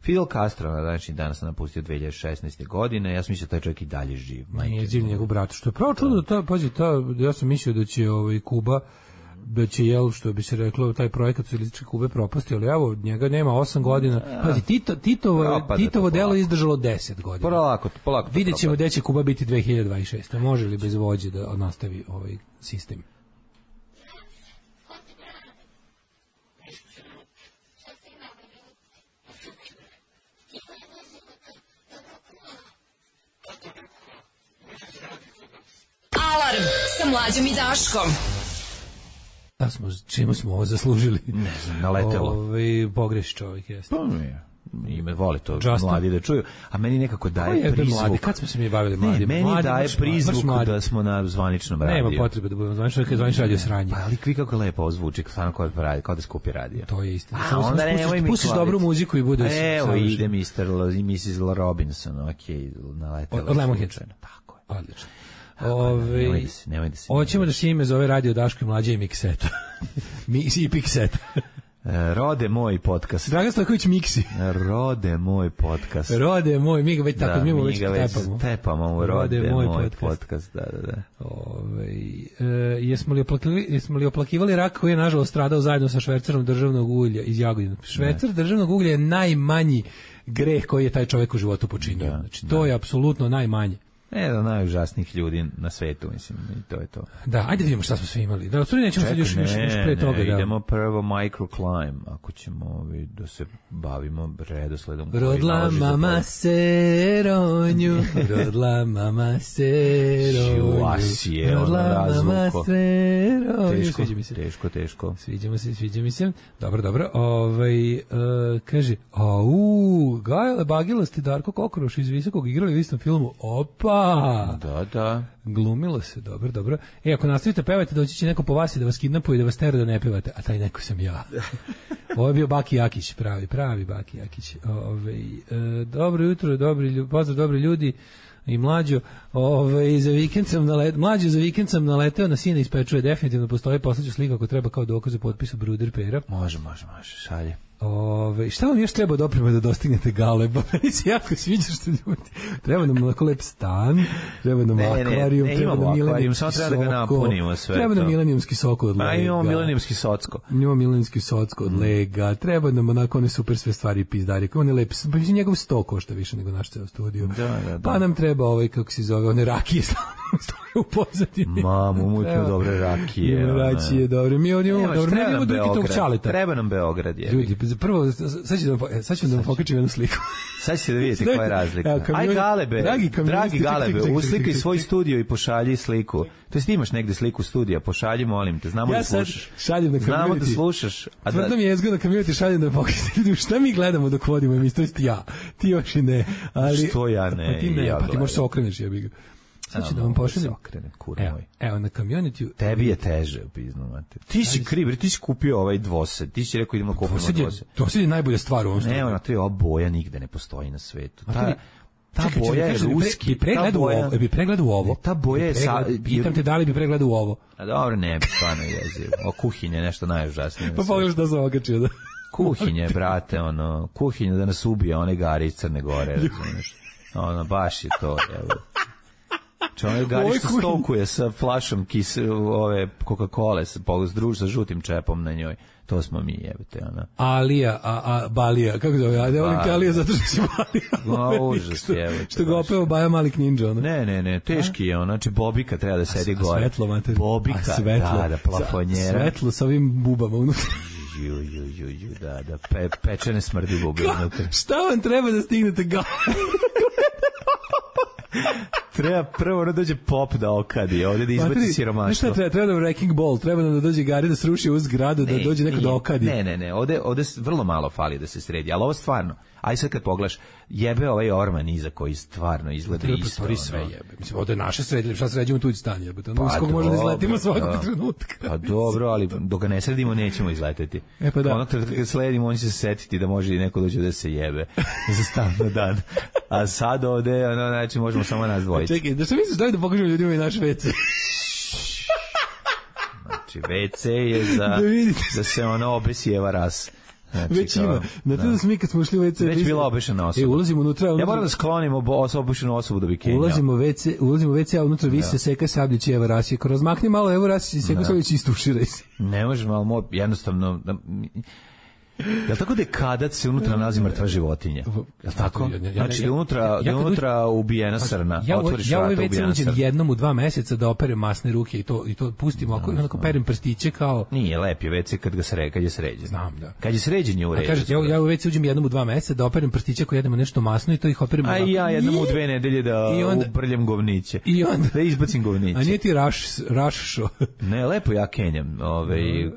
Speaker 7: Fidel Castro, znači danas se napustio 2016. godine, ja sam mislio da taj čovjek i dalje živ.
Speaker 6: Nije živ njegov brat, što je pravo čudno, ja sam mislio da će Kuba, da će, što bi se reklo, taj projekat socijalističke Kube propasti, ali evo, njega nema 8 godina. Pazi, Titovo delo izdržalo 10 godina.
Speaker 7: Polako.
Speaker 6: Vidjet ćemo gde će Kuba biti 2026. Može li bez vođe da nastavi ovaj sistem?
Speaker 4: Alarm sa Mlađom i Daškom.
Speaker 6: Čemu smo ovo zaslužili?
Speaker 7: Ne znam, naletelo.
Speaker 6: Pogreši čovjek, jeste.
Speaker 7: Pa nije. Ime voli to mladi da čuju, a meni nekako daje prizvuk.
Speaker 6: Mladi? Kad smo se mi bavili mladi?
Speaker 7: Meni daje prizvuk da smo na zvaničnom radiju.
Speaker 6: Nema potrebe da budemo zvanično, kad zvanično radio sranje.
Speaker 7: Pa ali vi kako lepo ozvuči, kao da skupi radio.
Speaker 6: To je istina.
Speaker 7: Onda nemoj mi
Speaker 6: pustiš dobru muziku i bude sve.
Speaker 7: Evo ide Mr. i Mrs. Robinson, okej, naletelo.
Speaker 6: Od Lemonheadsa.
Speaker 7: Tako je.
Speaker 6: Odlično.
Speaker 7: Nemoj da se.
Speaker 6: Hoćemo da se ime zove Radio Daško i Mlađa i Mikseta. I Pikseta.
Speaker 7: Rode moj podcast.
Speaker 6: Dragan Stojković Miksi.
Speaker 7: Rode moj podcast.
Speaker 6: Rode moj, mi ga već tako, mi ga već
Speaker 7: tepamo u Rode moj podcast. Da.
Speaker 6: Jesmo li oplakivali rak koji je nažalost stradao zajedno sa švercerom državnog ulja iz Jagodina? Švercer državnog ulja je najmanji greh koji je taj čovjek u životu počinio. Znači, to je apsolutno najmanje.
Speaker 7: Jedan od najužasnijih ljudi na svetu, mislim, i to je to.
Speaker 6: Da, ajde vidimo šta smo sve imali. Da, otvori nećemo sad još pre toga.
Speaker 7: Idemo prvo microclimb, ako ćemo da se bavimo redosledom.
Speaker 6: Rodla mama se ronju, rodla mama se ronju.
Speaker 7: Šuasije, ono razvuko. Teško.
Speaker 6: Sviđa mi se. Dobro. Kaže, Gajale Bagilasti Darko Kokoroš iz Visokog igrali u istom filmu. Opa!
Speaker 7: Da.
Speaker 6: Glumilo se, dobro. Ako nastavite pevate, doći će neko po vas i da vas kidnapuje i da vas tera da ne pevate, a taj neko sam ja. Ovo je bio Baki Jakić, pravi Baki Jakić. Dobro jutro, pozdrav dobri ljudi i Mlađo. Mlađo za vikend sam naleteo na sina ispečuje, definitivno postoji, poslaću sliku ako treba kao dokaz o potpisu Bruder Pera.
Speaker 7: Može, šalje.
Speaker 6: Šta vam još treba doprema da dostignete Galeba? Meni se jako sviđa što ljudi. Treba nam onako lep stan, treba nam akvarijum, treba nam milenijumski
Speaker 7: soko. Treba da ga napunimo sve.
Speaker 6: Treba nam milenijumski soko od Lega.
Speaker 7: Imamo milenijumski socko.
Speaker 6: Imamo milenijumski socko od Lega. Treba nam onako one super sve stvari i pizdari. On je lep, pa njegov 100 košta više nego naš ceo studio.
Speaker 7: Da.
Speaker 6: Pa nam treba kako se zove, one rakije u pozadini.
Speaker 7: Mamu, mutno dobre rakije.
Speaker 6: Rakije, dobre. Mi ovdje dobro, ne idemo drugi tog čaleta.
Speaker 7: Treba nam Beograd, je.
Speaker 6: Ljudi, prvo, sad ću da vam pokačim jednu sliku.
Speaker 7: Sad ćete da vidjeti koja je razlika. Aj Galebe, dragi Galebe, uslikaj svoj studio i pošalji sliku. To jest imaš negde sliku studija, pošalji, molim te, znamo da slušaš.
Speaker 6: Šaljem na community.
Speaker 7: Znamo da slušaš.
Speaker 6: Tvrdno mi je jezgo na community, šaljem da pokažem. Šta mi gledamo dok vodimo emisiju, to jest ja. Ti još i ne. Ali,
Speaker 7: što ja ne?
Speaker 6: Pa ti ne, pa ti možeš se okreneš, ja bih ga. Sad ću da vam pošaljem. Evo, na community.
Speaker 7: Tebi je teže, pizno, mate. Ti si kriv, ti si kupio ovaj dvosed. Ti si rekao idemo kupiti dvosed.
Speaker 6: Dvosed je najbolja stvar u ovom slučaju.
Speaker 7: Evo, na to ova boja nigde ne postoji na svetu. Ta boja je ruski.
Speaker 6: Bi pregledao ovo.
Speaker 7: Ta boja je...
Speaker 6: Pitam te da li bi pregledao ovo.
Speaker 7: A dobro, ne bi, stvarno jezio. O kuhinje, nešto najužasnije.
Speaker 6: Pa pogledaš da sam okačio, da.
Speaker 7: Kuhinje, brate, kuhinje da nas ubije, one gari iz Crne Gore, razumiješ. Baš je to, evo. Čovjek gari što stokuje sa flašom ove Coca-Cola sa žutim čepom na njoj. To smo mi, jebate,
Speaker 6: Alija, Balija, kako zove? Ja ne volim te Alija zato što si Balija.
Speaker 7: Užas, jebate.
Speaker 6: Što ga opeo Baja Malik Ninja,
Speaker 7: Ne, teški je, znači Bobika treba da sedi gore.
Speaker 6: Svetlo, mater.
Speaker 7: Bobika, da, plafonjera.
Speaker 6: Svetlo sa ovim bubama unutra.
Speaker 7: Da, pečene smrdi bube unutra.
Speaker 6: Šta vam treba da stignete ga?
Speaker 7: Treba prvo da dođe pop da okadi, ovdje da izbaci siromaštvo.
Speaker 6: Šta treba da Wrecking Ball, treba da dođe Gari da sruši u zgradu, da dođe neko da okadi.
Speaker 7: Ne, ovdje vrlo malo fali da se sredi, ali ovo stvarno, aj sad kad pogledaš, jebe ovaj orman iza koji stvarno izgleda isto.
Speaker 6: Treba sve jebe. Mislim, ovdje je naše sredili, šta sređujemo tuđi stan, jebate. Ono iz kog može da izletimo svakog trenutka.
Speaker 7: Pa dobro, ali dok ga ne sredimo, nećemo izleteti.
Speaker 6: Pa da.
Speaker 7: Onog trenutka kad sledimo, on će se setiti da može i neko dođe da se jebe za stan na dan. A sad ovde, znači, možemo samo nas dvojići.
Speaker 6: Čekaj, da što misliš da pokažemo ljudima i naš WC?
Speaker 7: Znači, WC je da se obesijeva ras. Znači,
Speaker 6: već ima. Na to da smo mi kad smo ušli u WC...
Speaker 7: Već bila obešena osoba.
Speaker 6: Ulazimo unutra...
Speaker 7: Ja moram da sklonim obušenu osobu da bi kenjao.
Speaker 6: Ulazimo u WC, a unutra visi se seka Sabljić i Eva Rasijek. Razmakni malo Evo Rasijek i seka Sabljić i istuširaj se.
Speaker 7: Ne možeš malo, jednostavno... Jel' tako dekadac se unutra nalazi mrtva životinja? Jel' tako? Znači da unutra ubijena srna, otvoriš vrata, ubijena srna. Ja ovaj WC
Speaker 6: jednom u 2 meseca da operem masne ruke i to pustimo, onako perem prstiće kao...
Speaker 7: Nije lep je WC kad je sređen.
Speaker 6: Znam, da.
Speaker 7: Kad je sređen je u redu.
Speaker 6: Kažete, ja u WC uđem jednom u 2 meseca da operem prstiće ako jedemo nešto masno i to ih operem...
Speaker 7: A ja jednom u 2 nedelje da ubrljam govniće. Da izbacim govniće.
Speaker 6: A nije ti raššo?
Speaker 7: Ne, lepo ja kenjam,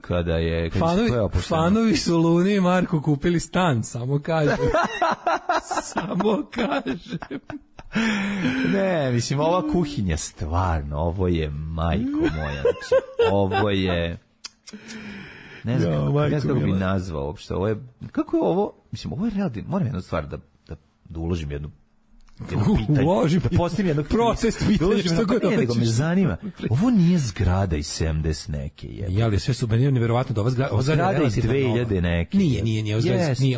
Speaker 7: kada je...
Speaker 6: Fanovi su Luni i Marko kupili stan, samo kažem. Samo kažem.
Speaker 7: Ne, mislim, ova kuhinja stvarno, ovo je majko moja, znači, ovo je... Ne znam kako bi nazvao uopšte, ovo je... Kako je ovo? Mislim, ovo je realno, moram jednu stvar da uložim jedno pitanje, da postavim jedno
Speaker 6: protest pitanje, što god hoćeš.
Speaker 7: Nego me zanima, ovo nije zgrada iz 70 neke.
Speaker 6: Ja li sve su meni nevjerovatno da ova
Speaker 7: zgrada iz 2000 neke.
Speaker 6: Nije,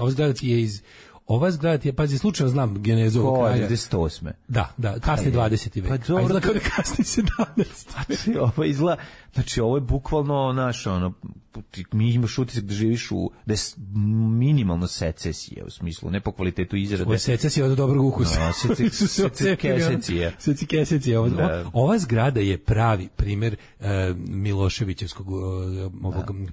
Speaker 6: ova zgrada je iz... Ova zgrada je, pazi, slučajno znam genezu ovog kraja.
Speaker 7: 98.
Speaker 6: Da, kasni 20. vek.
Speaker 7: Pa dobro.
Speaker 6: A izgleda kao da kasni 17.
Speaker 7: Ovo izgleda, znači ovo je bukvalno mi imaš utisak da živiš da je minimalno secesija, u smislu, ne po kvalitetu izrade.
Speaker 6: Ovo je secesija od dobrog ukusa. Secesija. Ova zgrada je pravi primjer Miloševićevskog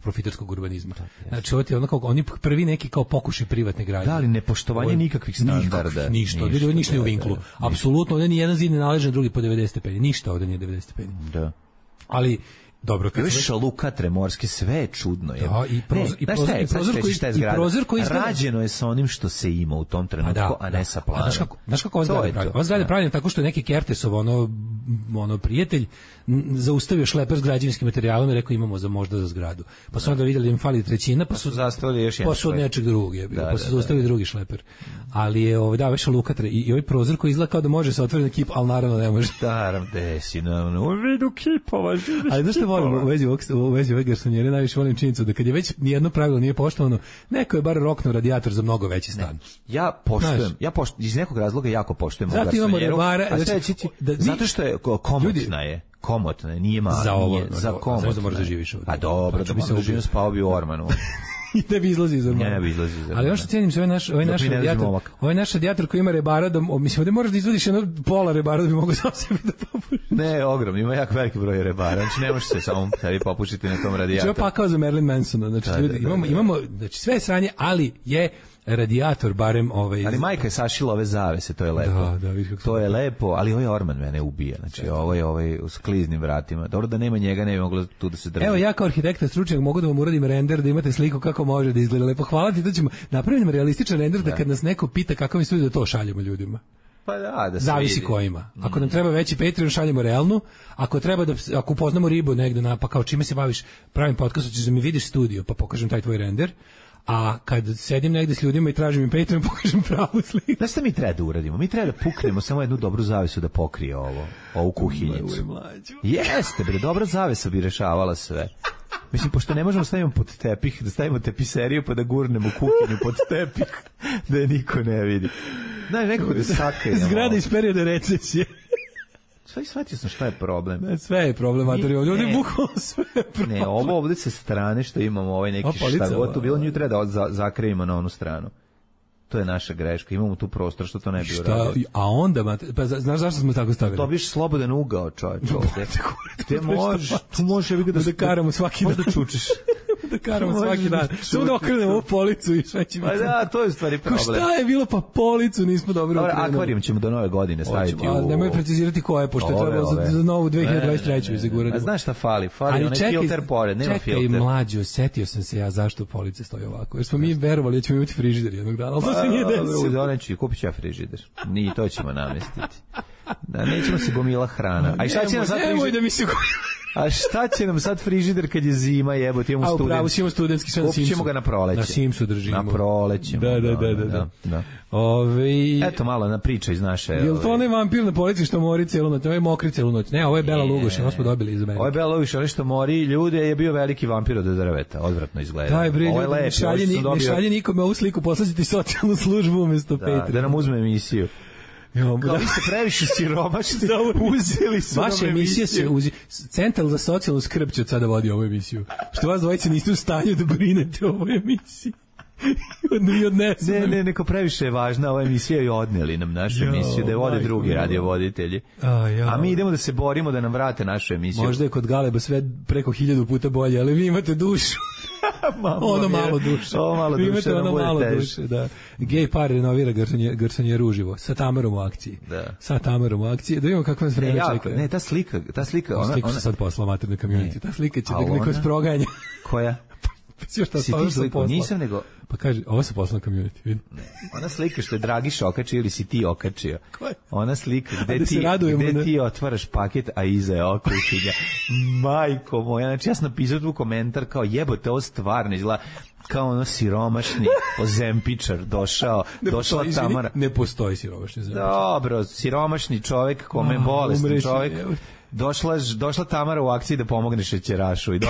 Speaker 6: profiterskog urbanizma. Znači, ovo je ono kao, oni prvi neki kao pokušaj privatne gradnje.
Speaker 7: Da, ali nepoštovanje nikakvih standarda.
Speaker 6: Ništa u vinklu. Apsolutno, ovdje ni jedan zid ne naleže drugi po 90 stepeni. Ništa ovdje nije 90 stepeni.
Speaker 7: Da.
Speaker 6: Ali dobro,
Speaker 7: kad šalukatre morske, sve je čudno.
Speaker 6: Da, prozor koji
Speaker 7: rađeno je sa onim što se ima u tom trenutku, a ne sa planom.
Speaker 6: Znaš kako ova zgrada pravi? Ova zgrada je pravljena tako što je neki Kertesov prijatelj zaustavio šleper s građevinskim materijalom i rekao imamo možda za zgradu. Pa su onda vidjeli da im fali trećina, pa su
Speaker 7: zastavili još jedan.
Speaker 6: Pa su od nečeg drugog, pa su zaustavili drugi šleper. Ali je ovaj šalukatre i ovaj prozor koji izgleda kao da može se otvoriti na kip, ali naravno ne može.
Speaker 7: Naravno, desi u vidu kipova.
Speaker 6: Ali znaš što volim u vezi ove garsonjere, najviše volim činjenicu da kad je već nijedno pravilo nije poštovano, neko je bar roknuo radijator za mnogo veći stan.
Speaker 7: Ja poštujem, iz nekog razloga jako poštujem ovu garsonjeru. Zato što je komotna je, nije mala.
Speaker 6: Za komotna. Za možda živiš ovdje.
Speaker 7: A dobro, da bi se uživio spao bi u ormanu.
Speaker 6: I da bi izlazi iz ormana.
Speaker 7: Ne bi izlazi iz ormana.
Speaker 6: Ali ono što cijenim se, ovaj naš radijator koji ima rebara, mislim, ovdje moraš da izvodiš jedno pola rebara da bi mogo sam sebi da popušiš.
Speaker 7: Ne, ogromno, ima jako veliki broj rebara, znači ne možeš se samo sebi popušiti na tom radijatoru.
Speaker 6: Znači, ovo pakao za Marilyn Mansona, znači ljudi, imamo, znači sve je sranje, ali je radijator barem
Speaker 7: Ali majka je sašila ove zavese, to je lepo. To je lepo, ali ovaj orman mene ubija. Znači ovo je s kliznim vratima. Dobro da nema njega, ne bi moglo tu da se drži.
Speaker 6: Evo ja kao arhitekta stručnjak mogu da vam uradim render da imate sliku kako može da izgleda lepo. Hvala ti, da ćemo napraviti realističan render da kad nas neko pita kako mi se da to šaljemo ljudima.
Speaker 7: Pa da se
Speaker 6: zavisi ko ima. Ako nam treba veći Patreon, šaljemo realnu. Ako treba ako upoznamo ribu negde pa kao čime se baviš, pravim podcast, ćeš da mi vidiš studio, pa pokažem taj tvoj render. A kad sedim negde s ljudima i tražim im Patreon, pokažem pravu sliku.
Speaker 7: Znaš šta mi treba da uradimo? Mi treba da puknemo samo jednu dobru zavesu da pokrije ovu kuhinjicu. Jeste, dobra zavesa bi rešavala sve. Mislim, pošto ne možemo stavimo pod tepih, da stavimo tepiseriju pa da gurnemo kuhinju pod tepih, da je niko ne vidi. Znaš, nekako da sakajemo.
Speaker 6: Zgrada iz perioda recesije.
Speaker 7: Sve shvatio sam šta je problem.
Speaker 6: Ne, sve je problem, ovdje bukvalno sve je problem.
Speaker 7: Ne, ovo ovdje sa strane što imamo neki šta god tu bilo, nju treba da zakrivimo na onu stranu. To je naša greška, imamo tu prostor što to ne bi uradio.
Speaker 6: A onda, pa znaš zašto smo tako stavili?
Speaker 7: Dobiš slobodan ugao, čovječ, ovdje. Tu možeš
Speaker 6: da karamo svaki
Speaker 7: možda čučiš.
Speaker 6: Da karamo svaki dan. Samo da okrenemo ovu policu i sve će biti.
Speaker 7: Pa da, to je stvari problem.
Speaker 6: Šta je bilo, pa policu nismo dobro okrenuli.
Speaker 7: Akvarijum ćemo do nove godine staviti
Speaker 6: u... Nemoj precizirati koje, pošto je trebalo za novu 2023. izagurati.
Speaker 7: A znaš šta fali? Fali onaj filter pored, nema filter.
Speaker 6: Čekaj, mlađo, setio sam se ja zašto police stoje ovako. Jer smo mi verovali da ćemo imati frižider jednog dana, ali to se nije desilo.
Speaker 7: Kupit ću ja frižider. Ni to ćemo namestiti. Da, nećemo se gomila hrana. A šta će nam sad frižider? A šta će nam sad frižider kad je zima, jebote, imamo student. A upravo si imamo studentski sad na Simsu. Kupit ćemo ga na proleće.
Speaker 6: Na Simsu držimo.
Speaker 7: Na proleće.
Speaker 6: Da.
Speaker 7: Eto malo na priča iz naše...
Speaker 6: Jel to onaj vampir na polici što mori celu noć? Ovo je mokri celu noć. Ne, ovo je Bela Lugoš, ovo smo dobili iz Amerike.
Speaker 7: Ovo je Bela Lugoš, ali što mori ljude je bio veliki vampir od drveta. Odvratno izgleda.
Speaker 6: Daj, bre, ne šalje nikome ovu sliku, poslati socijalnu službu umjesto Petra.
Speaker 7: Da nam uzme emisiju. Kao vi ste previše siromašni, uzeli su
Speaker 6: vaša emisija se Centar za socijalnu skrb će od sada vodi ovu emisiju. Što vas dvojice niste u stanju da brinete o ovoj emisiji.
Speaker 7: Ne, neko previše je važna ova emisija i odneli nam našu emisiju, da je vode drugi radiovoditelji. A mi idemo da se borimo da nam vrate našu emisiju.
Speaker 6: Možda je kod Galeba sve preko 1000 puta bolje, ali vi imate dušu. Ono malo duše. Vi imate ono malo duše, da. Gej par renovira Garsonje ruživo sa Tamarom u akciji. Sa Tamarom u akciji. Da vidimo kako nas vreme čeka.
Speaker 7: Ne, ta slika.
Speaker 6: Sliku se sad poslala materne community. Ta slika će da neko sproganja.
Speaker 7: Koja? Si ti sliku, nisam nego...
Speaker 6: Pa kaže, ovo se poslala community, vidi.
Speaker 7: Ona slika što je Dragiš okačio ili si ti okačio.
Speaker 6: Koja?
Speaker 7: Ona slika gde ti otvaraš paket, a iza je okućenja. Majko moja, znači ja sam napisao tu komentar kao jebote, ovo stvarno izgleda kao ono siromašni ozempičar došla Tamara.
Speaker 6: Ne postoji siromašni ozempičar.
Speaker 7: Dobro, siromašni čovjek, kome je bolestan čovjek. Došla Tamara u akciji da pomogne šećerašu i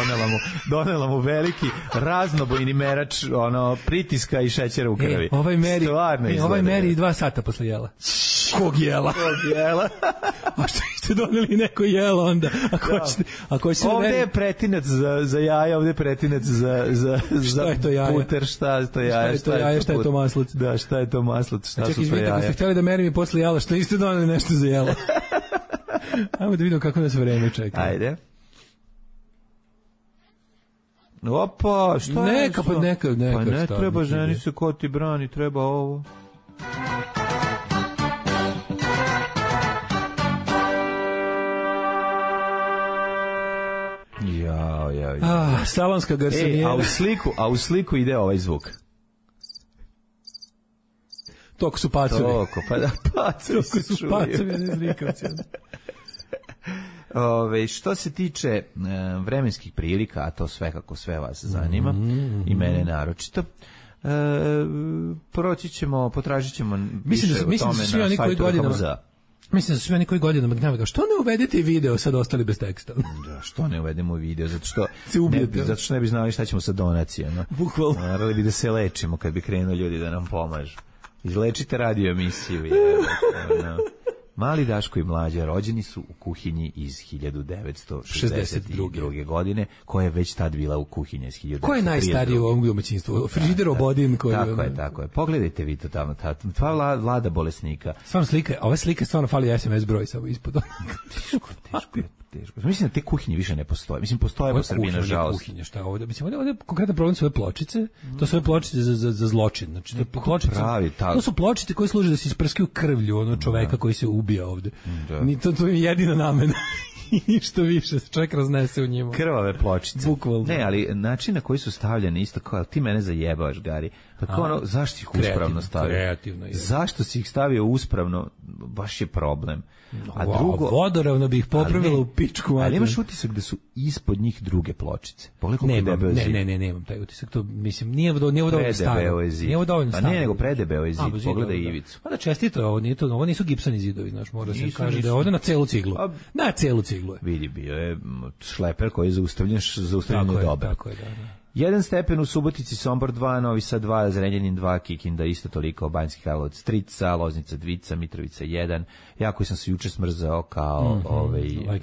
Speaker 7: donela mu veliki raznobojni merač pritiska i šećera u krvi.
Speaker 6: Ovaj meri 2 sata posle jela. Kog jela? A što ste doneli neko jelo onda?
Speaker 7: Ovdje je pretinac za jaja, ovdje je pretinac za puter, šta je to jaja?
Speaker 6: Šta je to maslac?
Speaker 7: Da, šta je to maslac? Šta su to
Speaker 6: jaja? Ako ste htjeli da merim i posle jela, što niste doneli nešto za jelo? Ajmo da vidimo kako nas vreme čeka.
Speaker 7: Ajde. Opa, šta je?
Speaker 6: Neka.
Speaker 7: Pa ne treba ženi se ko ti brani, treba ovo.
Speaker 6: Salonska garsonijera.
Speaker 7: A u sliku ide ovaj zvuk.
Speaker 6: Toko su pacovi.
Speaker 7: Pacovi
Speaker 6: su pacovi, ne zrikavci.
Speaker 7: Što se tiče vremenskih prilika, a to sve kako sve vas zanima, i mene naročito, potražit ćemo više o tome na sajtu HMZ.
Speaker 6: Mislim da su svi oni koji godinama gnjave, što ne uvedete video, sad ostali bez teksta?
Speaker 7: Da, što ne uvedemo video, zato što ne bi znali šta ćemo sa donacijama.
Speaker 6: Bukvalno.
Speaker 7: Morali bi da se lečimo kad bi krenuli ljudi da nam pomažu. Izlečite radio emisiju. Mali Daško i Mlađa rođeni su u kuhinji iz 1962. godine, koja je već tad bila u kuhinji iz 1932.
Speaker 6: Ko je najstariji u ovom domaćinstvu? Frižider Obodin?
Speaker 7: Tako je. Pogledajte vi to tamo. Tva vlada bolesnika.
Speaker 6: Stvarno ove slike stvarno fali SMS broj samo ispod.
Speaker 7: Teško. Mislim da te kuhinje više ne postoje. Mislim, postoje po Srbiji, nažalost.
Speaker 6: Kuhinje, šta je ovdje? Mislim, ovdje konkretan problem su ove pločice. To su ove pločice za zločin. Znači, to su pločice koje služe da se isprskaju krvlju čoveka koji se ubija ovdje. To je jedina namena. I ništa više, čovjek raznese u njima.
Speaker 7: Krvave pločice.
Speaker 6: Bukvalno.
Speaker 7: Ne, ali način na koji su stavljene isto kao, ti mene zajebavaš, Gari. Pa kao zašto ih uspravno stavio?
Speaker 6: Kreativno.
Speaker 7: Zašto si ih stavio uspravno? Baš je problem. A drugo,
Speaker 6: vodoravno bi ih popravilo u pičku.
Speaker 7: Ali imaš utisak da su ispod njih druge pločice?
Speaker 6: Ne, nemam taj utisak. To, mislim, nije dovoljno staro. Nije dovoljno staro.
Speaker 7: Pa ne, nego predebeo je zid. Pogledaj ivicu.
Speaker 6: Pa da čestito, ovo nisu gipsani zidovi, znaš, mora se kaže da je ovdje na celu ciglu. Na celu ciglu je.
Speaker 7: Vidi, bio je šleper koji je zaustavljen dobro.
Speaker 6: Tako je, da.
Speaker 7: 1 stepen u Subotici, Sombor 2, Novi Sad 2, Zrenjanin 2, Kikinda isto toliko, Banjski Karlovac 3, Loznica 2, Mitrovica 1. Ja koji sam se juče smrzao kao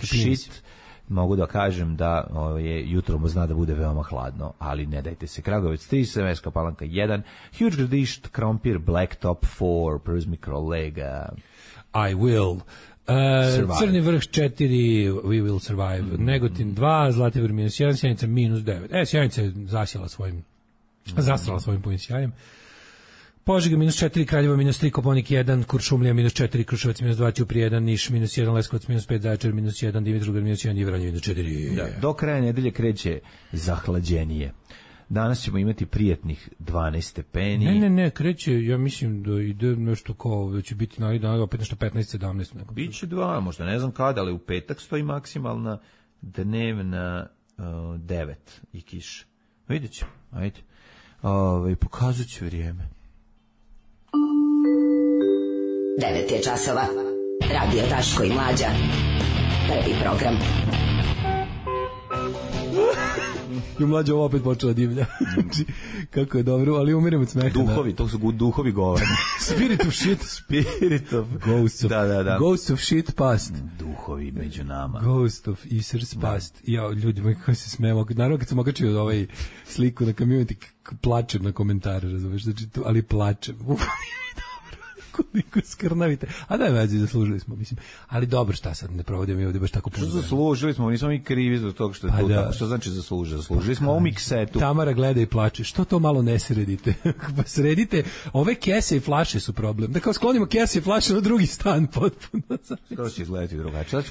Speaker 7: shit, mogu da kažem da je jutro zna da bude veoma hladno, ali ne dajte se. Kragujevac 3, Smederevska Palanka 1, Huge Gradišt, Krompir, Blacktop 4, Pruz Mikrolega.
Speaker 6: I will. Crni vrh 4, We Will Survive, Negotin 2, Zlatibor -1, Sjenica -9. Sjenica je zastrala svojim punim sjajem. Požega -4, Kraljevo -3, Koponik 1, Kuršumlija -4, Kruševac -2, Ćuprija 1, Niš -1, Leskovac -5, Zaječar -1, Dimitrovgrad -1 i Vranje -4.
Speaker 7: Da, do kraja nedelje kreće zahlađenije. Danas ćemo imati prijetnih 12 stepeni.
Speaker 6: Ne, kreće, ja mislim da ide nešto kao, da će biti opet nešto 15-17.
Speaker 7: Biće 2, možda ne znam kada, ali u petak stoji maksimalna dnevna 9 i kiša. Vidjet ćemo, ajde. Pokazat ću vrijeme.
Speaker 4: 9 je časova. Radio Daško i Mlađa. Prvi program.
Speaker 6: I Mlađa ovo opet počela divlja. Kako je dobro, ali umirim od smeha.
Speaker 7: Duhovi, to su duhovi govore.
Speaker 6: Spirit of shit.
Speaker 7: Spirit of...
Speaker 6: Ghosts of,
Speaker 7: da.
Speaker 6: Ghosts of shit past.
Speaker 7: Duhovi među nama.
Speaker 6: Ghost of Isers past. Ja, ljudi moji, kako se smemo. Naravno, kad sam okačio ovaj sliku na community, plačem na komentare, razumeš, znači, ali plačem. Koliko skrnavite. A da je vezi, zaslužili smo, mislim. Ali dobro, šta sad, ne provodimo mi ovdje baš tako puno.
Speaker 7: Što zaslužili smo, nismo mi krivi zbog toga što je to tako. Što znači zaslužili? Zaslužili smo ovu miksetu.
Speaker 6: Tamara gleda i plače. Što to malo ne sredite? Pa sredite, ove kese i flaše su problem. Da kao sklonimo kese i flaše na drugi stan potpuno.
Speaker 7: Skoro će izgledati drugačije.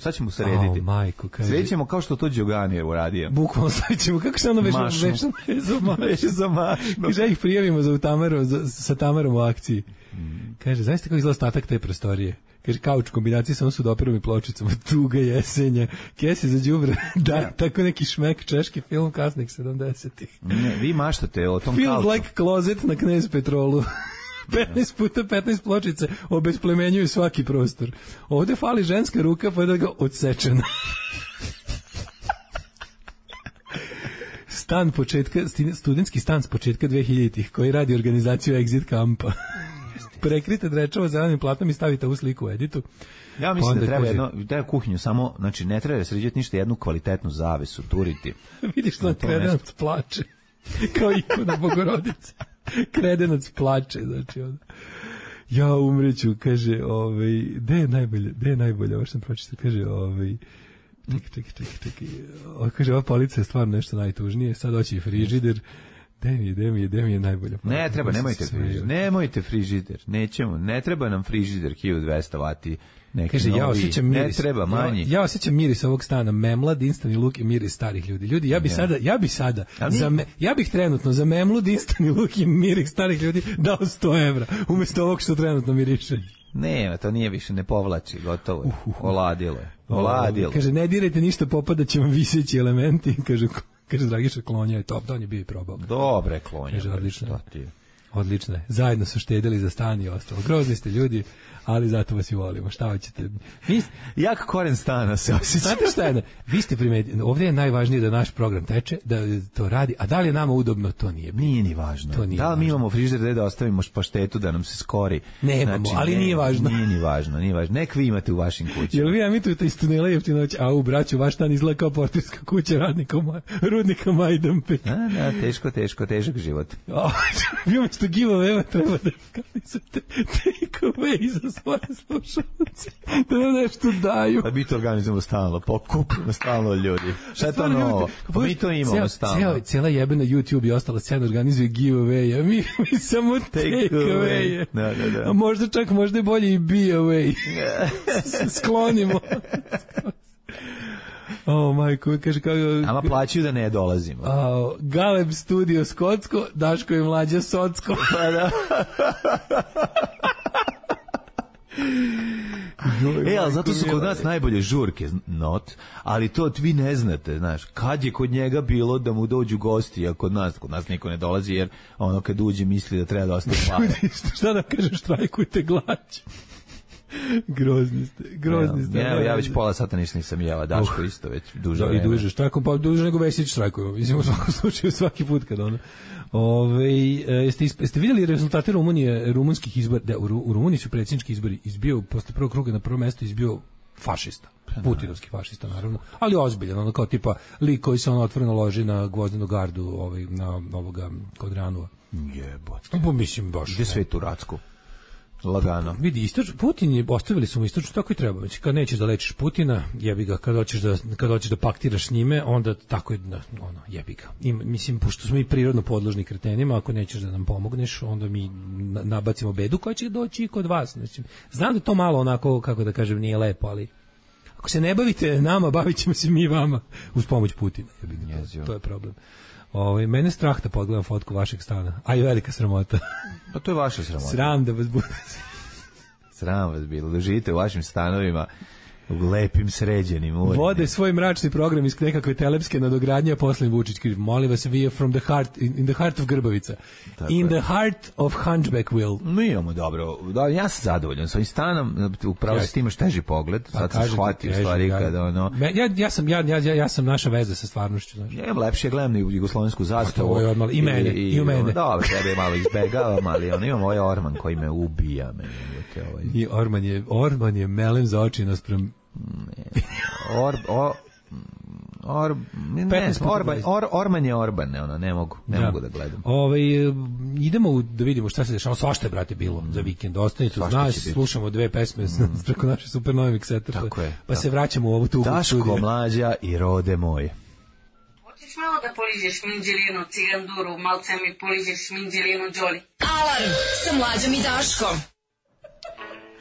Speaker 7: Sad ćemo srediti.
Speaker 6: Majko,
Speaker 7: sredit ćemo kao što to Đogani je uradio.
Speaker 6: Bukvalno sredit ćemo. Kako se ono veže
Speaker 7: za mašnu?
Speaker 6: Kaže, ih prijavimo sa Tamarom u akciji. Kaže, zaista kako izgleda ostatak te prostorije. Kaže, kauč kombinacije sa sudoperom i pločicama, tuga jesenja, kese za đubre, da, tako neki šmek, češki film kasnih 70-ih.
Speaker 7: Ne, vi maštate o tom
Speaker 6: Feels
Speaker 7: kauču.
Speaker 6: Like Closet na Knez Petrolu. 15 puta 15 pločice obesplemenjuju svaki prostor. Ovde fali ženska ruka, pa da ga odsečena. Studentski stan s početka 2000-ih, koji radi organizaciju Exit kampa. Prekrite drečavo zelenim platom i stavite u sliku u editu.
Speaker 7: Ja mislim da treba kuhinju samo, znači ne treba sređati ništa, jednu kvalitetnu zavesu, turiti.
Speaker 6: Vidiš što kredenac plače, kao ikona Bogorodice. Kredenac plače, znači ono. Ja umreću, kaže, gde je najbolje, ovo što sam pročitao, kaže, čekaj, kaže, ova polica je stvarno nešto najtužnije, sad hoće i frižider. Gde mi je najbolja.
Speaker 7: Ne treba, nemojte frižider. Nećemo, ne treba nam frižider 1200 vati.
Speaker 6: Kaže, ja osjećam miris.
Speaker 7: Ne treba manji.
Speaker 6: Ja osjećam miris ovog stana, memla, dinstani luk i miris starih ljudi. Ljudi, ja bih trenutno za memlu, dinstani luk i miris starih ljudi dao 100 evra, umjesto ovog što trenutno miriše.
Speaker 7: Ne, to nije više, ne povlači, gotovo je. Oladilo je.
Speaker 6: Kaže, ne dirajte ništa, popadat će vam viseći elementi, kaže Dragiša, klonja je top, da on je bio i probao.
Speaker 7: Dobre klonja.
Speaker 6: Kaže, odlično je. Zajedno su štedili za stan i ostalo. Grozni ste ljudi, ali zato vas i volimo. Šta hoćete?
Speaker 7: Jak koren stana se osjeća.
Speaker 6: Znate šta je? Vi ste primetili, ovdje je najvažnije da naš program teče, da to radi, a da li je nama udobno, to nije.
Speaker 7: Nije ni važno. Da li mi imamo frižider da ostavimo paštetu da nam se skori?
Speaker 6: Nemamo, znači, ali nije važno.
Speaker 7: Nije ni važno. Nek vi imate u vašim kućama.
Speaker 6: Jel vi emitujete iz tunela Jeftinoć, a u braću, vaš stan izgleda kao portirska kuća rudnika Majdanpe.
Speaker 7: Da, težak život.
Speaker 6: Vi umjesto giveaway treba da organizujete take away za svoje slušalce, da nam nešto daju.
Speaker 7: Da mi to organizujemo stalno, pokupimo stalno ljudi. Šta je to novo? Pa mi to imamo stalno.
Speaker 6: Cijela jebena YouTube i ostala scena organizuje giveaway, a mi samo take away.
Speaker 7: Da.
Speaker 6: A možda je bolje i be away. Sklonimo. Majko, kaže kako...
Speaker 7: Ama plaćaju da ne dolazimo.
Speaker 6: Galeb studio Skotsko, Daško i Mlađa Socko.
Speaker 7: Pa da. Ali zato su kod nas najbolje žurke, ali to vi ne znate, znaš, kad je kod njega bilo da mu dođu gosti, a kod nas niko ne dolazi, jer ono kad uđe misli da treba da ostaje pare.
Speaker 6: Šta da kažem, štrajkujte glađu. Grozni ste.
Speaker 7: Evo, ja već pola sata nisam jela, Daško isto već duže vreme.
Speaker 6: I duže, štrajkom, pa duže nego Vesić štrajkuju. Mislim, u svakom slučaju svaki put kad ono. Jeste vidjeli rezultate rumunskih izbora? Da, u Rumuniji su predsjednički izbori izbio, posle prvog kruga na prvo mesto izbio fašista. Putinovski fašista, naravno. Ali ozbiljan, ono kao tipa lik koji se otvoreno loži na Gvozdenu gardu, na ovoga kod Ranova.
Speaker 7: Jebote.
Speaker 6: Pa mislim baš.
Speaker 7: Gde Svetu Racku? Lagano.
Speaker 6: Vidi, Putin ostavili su mu istočno, tako i treba. Znači, kad nećeš da lečiš Putina, jebi ga, kad hoćeš da paktiraš s njime, onda tako je, jebi ga. I, mislim, pošto smo mi prirodno podložni kretenima, ako nećeš da nam pomogneš, onda mi nabacimo bedu koja će doći i kod vas. Znači, znam da to malo onako, kako da kažem, nije lepo, ali ako se ne bavite nama, bavit ćemo se mi vama uz pomoć Putina. Jebi ga, to je problem. Mene strah da pogledam fotku vašeg stana, a i velika sramota.
Speaker 7: Pa to je vaša sramota.
Speaker 6: Sram da vas bude.
Speaker 7: Sram vas bilo, da živite u vašim stanovima u lepim, sređenim.
Speaker 6: Vode svoj mračni program iz nekakve telepske nadogradnje, a posle Vučić kriv. Molim vas, vi je from the heart, in the heart of Grbavica. Tako in the heart of Hunchbackville.
Speaker 7: Mi imamo dobro. Da, ja sam zadovoljan s ovim stanom, upravo s tim imaš teži pogled. Sad sam shvatio stvari kada ono...
Speaker 6: Ja sam naša veza sa stvarnošću. Znači.
Speaker 7: Ja imam lepše, gledam na jugoslovensku zastavu.
Speaker 6: I mene, i u mene.
Speaker 7: Dobro, tebe malo izbegavam, ali imam ovaj orman koji me ubija.
Speaker 6: I orman je melem za oči naspram...
Speaker 7: Orman je Orban, ne mogu da gledam.
Speaker 6: Idemo da vidimo šta se dešava. Svašta je, brate, bilo za vikend. Ostanite uz nas, slušamo 2 pesme preko naše super nove mikseta. Pa se vraćamo u ovu tugu.
Speaker 7: Daško, Mlađa i Rode moje.
Speaker 3: Hoćeš malo da poližeš minđelinu, ciganduru, malce mi poližeš minđelinu, Đoli.
Speaker 4: Alarm sa Mlađom i Daškom.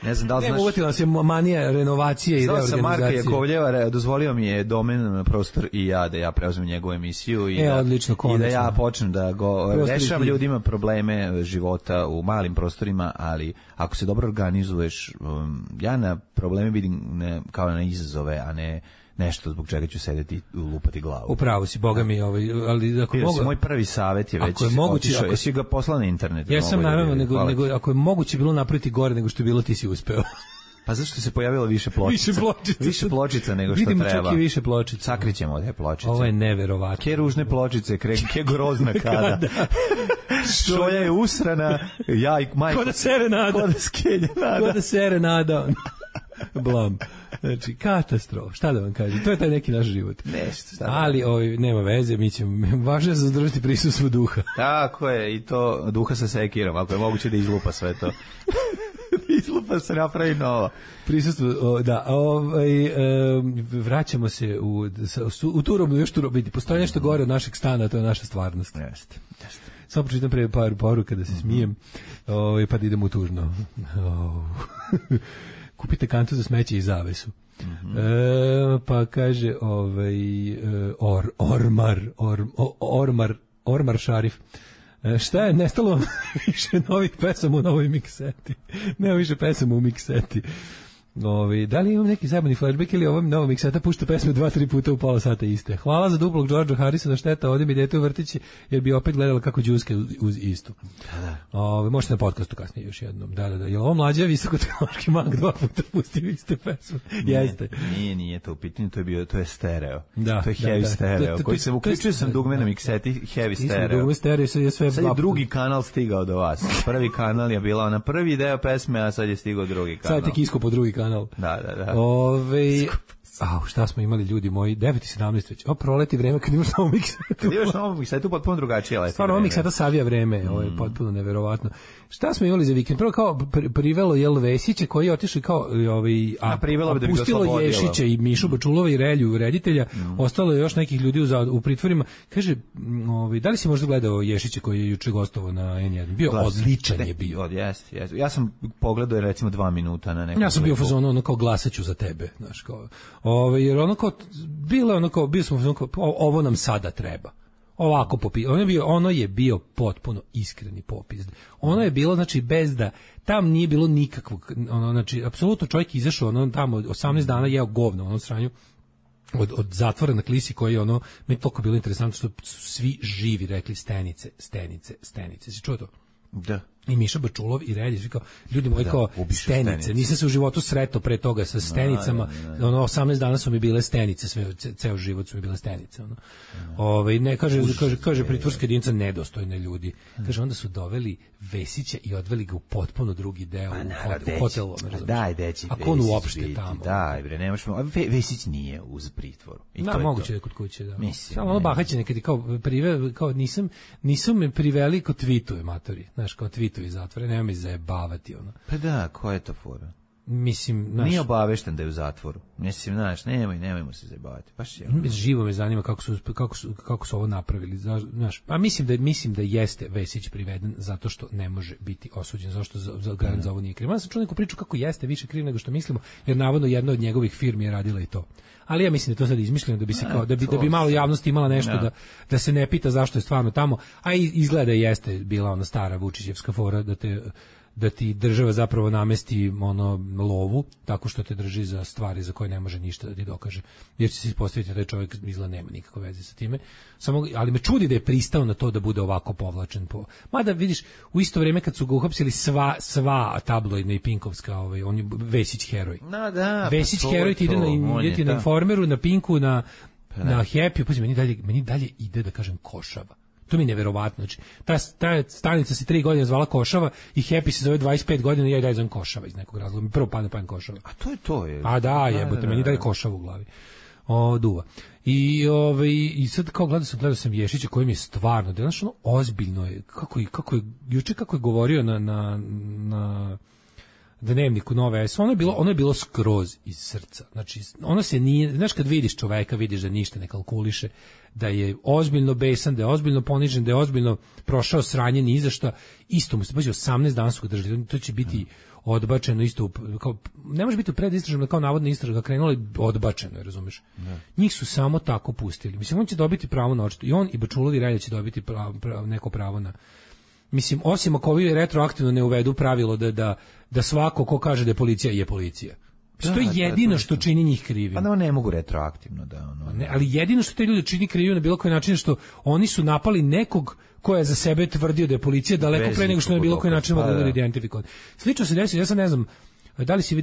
Speaker 7: Ne znam da li znaš...
Speaker 6: Uvatila se manija renovacije i reorganizacije.
Speaker 7: Marka Jakovljeva, dozvolio mi je domen Prostor i ja da ja preuzmem njegovu emisiju i da ja počnem da rešavam ljudima probleme života u malim prostorima, ali ako se dobro organizuješ, ja na probleme vidim kao na izazove, a ne nešto zbog čega ću sedeti i lupati glavu.
Speaker 6: Upravo si, boga mi, ali ako mogu...
Speaker 7: Moj prvi savjet je već otišao, jesi ga poslao na internet?
Speaker 6: Ja sam naravno, nego ako je moguće bilo napraviti gore nego što je bilo, ti si uspeo.
Speaker 7: Pa zašto se pojavilo više pločica? Više pločica nego što
Speaker 6: vidimo,
Speaker 7: treba.
Speaker 6: Vidimo čak i više pločica.
Speaker 7: Sakrićemo te pločice.
Speaker 6: Ovo je neverovatno.
Speaker 7: Ke ružne pločice, ke grozna kada. Šolja je usrana, ja i majko.
Speaker 6: Ko da serenada.
Speaker 7: Ko da skenja nada.
Speaker 6: Ko da serenada. Blam. Znači, katastrofa. Šta da vam kažem? To je taj neki naš život.
Speaker 7: Nešto.
Speaker 6: Ali nema veze, mi ćemo, važno je zadržati prisustvo duha.
Speaker 7: Tako je, i to duha sa sekirom, ako je moguće da izlupa sve to. Izlupa se napravi nova.
Speaker 6: Prisustvo, da, vraćamo se u turobnu, još turobnu, vidi, postoji nešto gore od našeg stana, to je naša stvarnost.
Speaker 7: Jeste.
Speaker 6: Samo pročitam pre par poruka da se smijem, pa da idemo u tužno. Kupite kantu za smeće i zavesu. Pa kaže Ormar Šarif. Šta je, nestalo vam više novih pesama u novoj mikseti? Nema više pesama u mikseti. Da li imam neki zajebani flashback ili ovom novom mikseta pušta pesme 2-3 puta u pola sata iste? Hvala za duplog Georgea Harrisona, šteta, ovdje mi dete u vrtići jer bi opet gledala kako džuske uz istu. Možete na podcastu kasnije još jednom. Da. Je ovo Mlađa visokotehnološki mag 2 puta pustio iste pesme? Jeste.
Speaker 7: Nije to u pitanju, to je stereo.
Speaker 6: Da,
Speaker 7: to je heavy stereo. Koji se uključio sam dugme na mikseti, heavy stereo.
Speaker 6: Dugme stereo je sve.
Speaker 7: Sad je drugi kanal stigao do vas. Prvi kanal je bila ona prvi deo pesme, a sad je stigao drugi kanal.
Speaker 6: Sad je tek isko po drugi kanal.
Speaker 7: Da.
Speaker 6: Šta smo imali, ljudi moji, 9:17 već. Proleti vreme kad imaš novu miksetu.
Speaker 7: Kad imaš novu miksetu, potpuno drugačije leti.
Speaker 6: Stvarno, ovo mikseta savija vreme, ovo je potpuno neverovatno. Šta smo imali za vikend? Prvo kao privelo Vesića koji je otišao kao pustilo Ješića i Mišu Bačulova i Relju reditelja. Ostalo je još nekih ljudi u pritvorima. Kaže, da li si možda gledao Ješića koji je juče gostovao na N1? Bio odličan je bio.
Speaker 7: Jeste. Ja sam pogledao recimo 2 minuta na nekom.
Speaker 6: Ja sam bio fazon kao glasaću za tebe, znaš, kao. Jer bio smo fazon kao ovo nam sada treba. Ovako popis. Ono je bio potpuno iskreni popis. Ono je bilo, znači, bez da tam nije bilo nikakvog, znači, apsolutno čovjek izašao, tamo 18 dana jeo govno, sranju od zatvora na Klisi koji je mi je toliko bilo interesantno što su svi živi rekli stenice. Si čuo to?
Speaker 7: Da.
Speaker 6: I Miša Bačulov i Reljić, kao, ljudi moji, kao stenice. Nisam se u životu sretao pre toga sa stenicama. 18 dana su mi bile stenice, ceo život su mi bile stenice. Kaže pritvorska jedinica nedostojne ljudi. Kaže, onda su doveli Vesića i odveli ga u potpuno drugi deo u hotelu.
Speaker 7: Daj, deći.
Speaker 6: Ako on uopšte tamo.
Speaker 7: Daj, bre, nemaš. Vesić nije uz pritvoru.
Speaker 6: Moguće je kod kuće, da. Samo bahaće nekad kao nisu me priveli kod tweetuje, matori. Znaš, kao tweetuje putevi iz zatvora, nema me zajebavati, ono.
Speaker 7: Pa da, koja je to fora?
Speaker 6: Mislim,
Speaker 7: nije obavešten da je u zatvoru. Mislim, znaš, nemojmo se zajebavati. Baš je.
Speaker 6: Živo me zanima kako su ovo napravili. Znaš, a mislim da jeste Vesić priveden zato što ne može biti osuđen, zašto za garant za ovo nije kriv. Ja sam čuo neku priču kako jeste više kriv nego što mislimo, jer navodno jedna od njegovih firmi je radila i to. Ali ja mislim da je to sad izmišljeno da bi se kao da bi malo javnost imala nešto da se ne pita zašto je stvarno tamo, a izgleda jeste bila ona stara Vučićevska fora da ti država zapravo namesti lovu tako što te drži za stvari za koje ne može ništa da ti dokaže. Jer će se ispostaviti da čovjek izgleda nema nikakve veze sa time. Ali me čudi da je pristao na to da bude ovako povlačen. Mada vidiš, u isto vrijeme kad su ga uhapsili sva tabloidna i pinkovska, on je Vesić heroj. Vesić heroj ti ide na Informeru, na Pinku, na Happy, pa meni dalje ide da kažem Košava. To mi je neverovatno. Znači, ta stanica se 3 godine zvala Košava i Happy se zove 25 godina i ja i dalje zovem Košava iz nekog razloga. Mi prvo padne Košava.
Speaker 7: A to je to.
Speaker 6: A da, jebote, meni dalje Košava u glavi. Duva. I sad kao gledao sam Ješića koji mi je stvarno, da je znaš, ozbiljno je, juče kako je govorio na Dnevniku Nove S, ono je bilo skroz iz srca. Znači, ono se nije, znaš, kad vidiš čoveka, vidiš da ništa ne kalkuliše, da je ozbiljno besan, da je ozbiljno ponižen, da je ozbiljno prošao sranje ni iza šta. Isto mu se, pazi, 18 dana su ga držali, to će biti odbačeno isto, kao, ne može biti u predistražnom, kao navodna istraga krenula i odbačeno je, razumeš? Njih su samo tako pustili. Mislim, on će dobiti pravo na očito, i on i Bačulovi Relja će dobiti neko pravo na. Mislim, osim ako ovi retroaktivno ne uvedu pravilo da svako ko kaže da je policija. To je jedino što čini njih krivim.
Speaker 7: Pa ne mogu retroaktivno
Speaker 6: ali jedino što te ljudi čini krivim na bilo koji način što oni su napali nekog ko je za sebe tvrdio da je policija daleko pre nego što na bilo koji način mogu da identifikovati. Slično se desi, ja sad ne znam,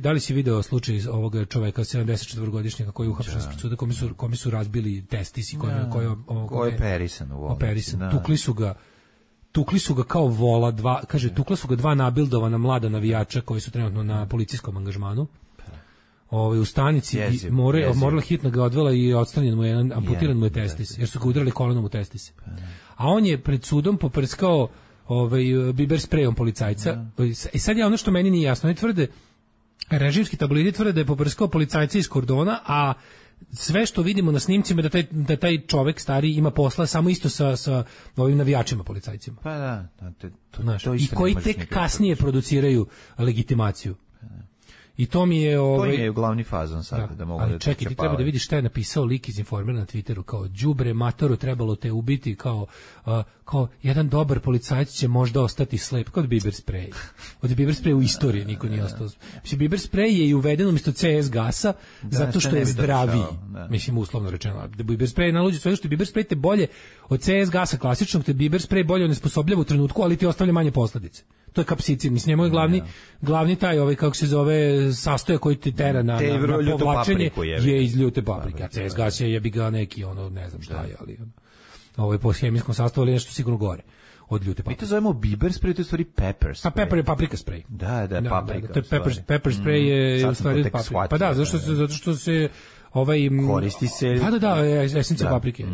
Speaker 6: da li si video slučaj ovog čoveka 74-godišnjaka koji je uhapšen ispred suda, kome su razbili testis i koji je operisan. Tukli su ga kao vola, tukla su ga 2 nabildovana mlada navijača koji su trenutno na policijskom angažmanu. U stanici morala hitno ga odvela i odstranjen mu je, amputiran mu je testis, jer su ga udarali kolenom u testis. A on je pred sudom poprskao biber sprejom policajca. I sad je ono što meni nije jasno, oni tvrde, režimski tabloidi tvrde da je poprskao policajca iz kordona, a sve što vidimo na snimcima da taj čovek stari ima posla samo isto sa ovim navijačima policajcima.
Speaker 7: Pa da,
Speaker 6: to i koji tek kasnije produciraju legitimaciju. I to mi je
Speaker 7: to je glavni fazon sad da mogu
Speaker 6: ali čekaj, ti treba da vidiš šta je napisao lik iz Informera na Twitteru, kao đubre matoru, trebalo te ubiti, kao jedan dobar policajac će možda ostati slep, kao biber sprej. Od biber spreja u istoriji niko nije ostao. Mislim, biber sprej je i uveden umjesto CS gasa zato što je zdraviji. Mislim, uslovno rečeno. Da biber sprej naluđe sve što biber sprej te bolje od CS gasa klasičnog, te biber sprej bolje onesposobljava u trenutku, ali ti ostavlja manje posledice. To je kapsicin, mislim, njemu je glavni taj, kako se zove, sastojak koji ti tera na povlačenje je iz ljute paprike. A CS gas je jebi ga neki, ne znam šta je, ali ovo je po hemijskom sastavu, ali nešto sigurno gore od ljute paprike.
Speaker 7: Mi to zovemo biber sprej, to je u stvari pepper sprej.
Speaker 6: Pa pepper je paprika sprej.
Speaker 7: Da, paprika.
Speaker 6: To je pepper sprej je u stvari paprika. Pa da, zato što se
Speaker 7: koristi se.
Speaker 6: Da, esencija paprike.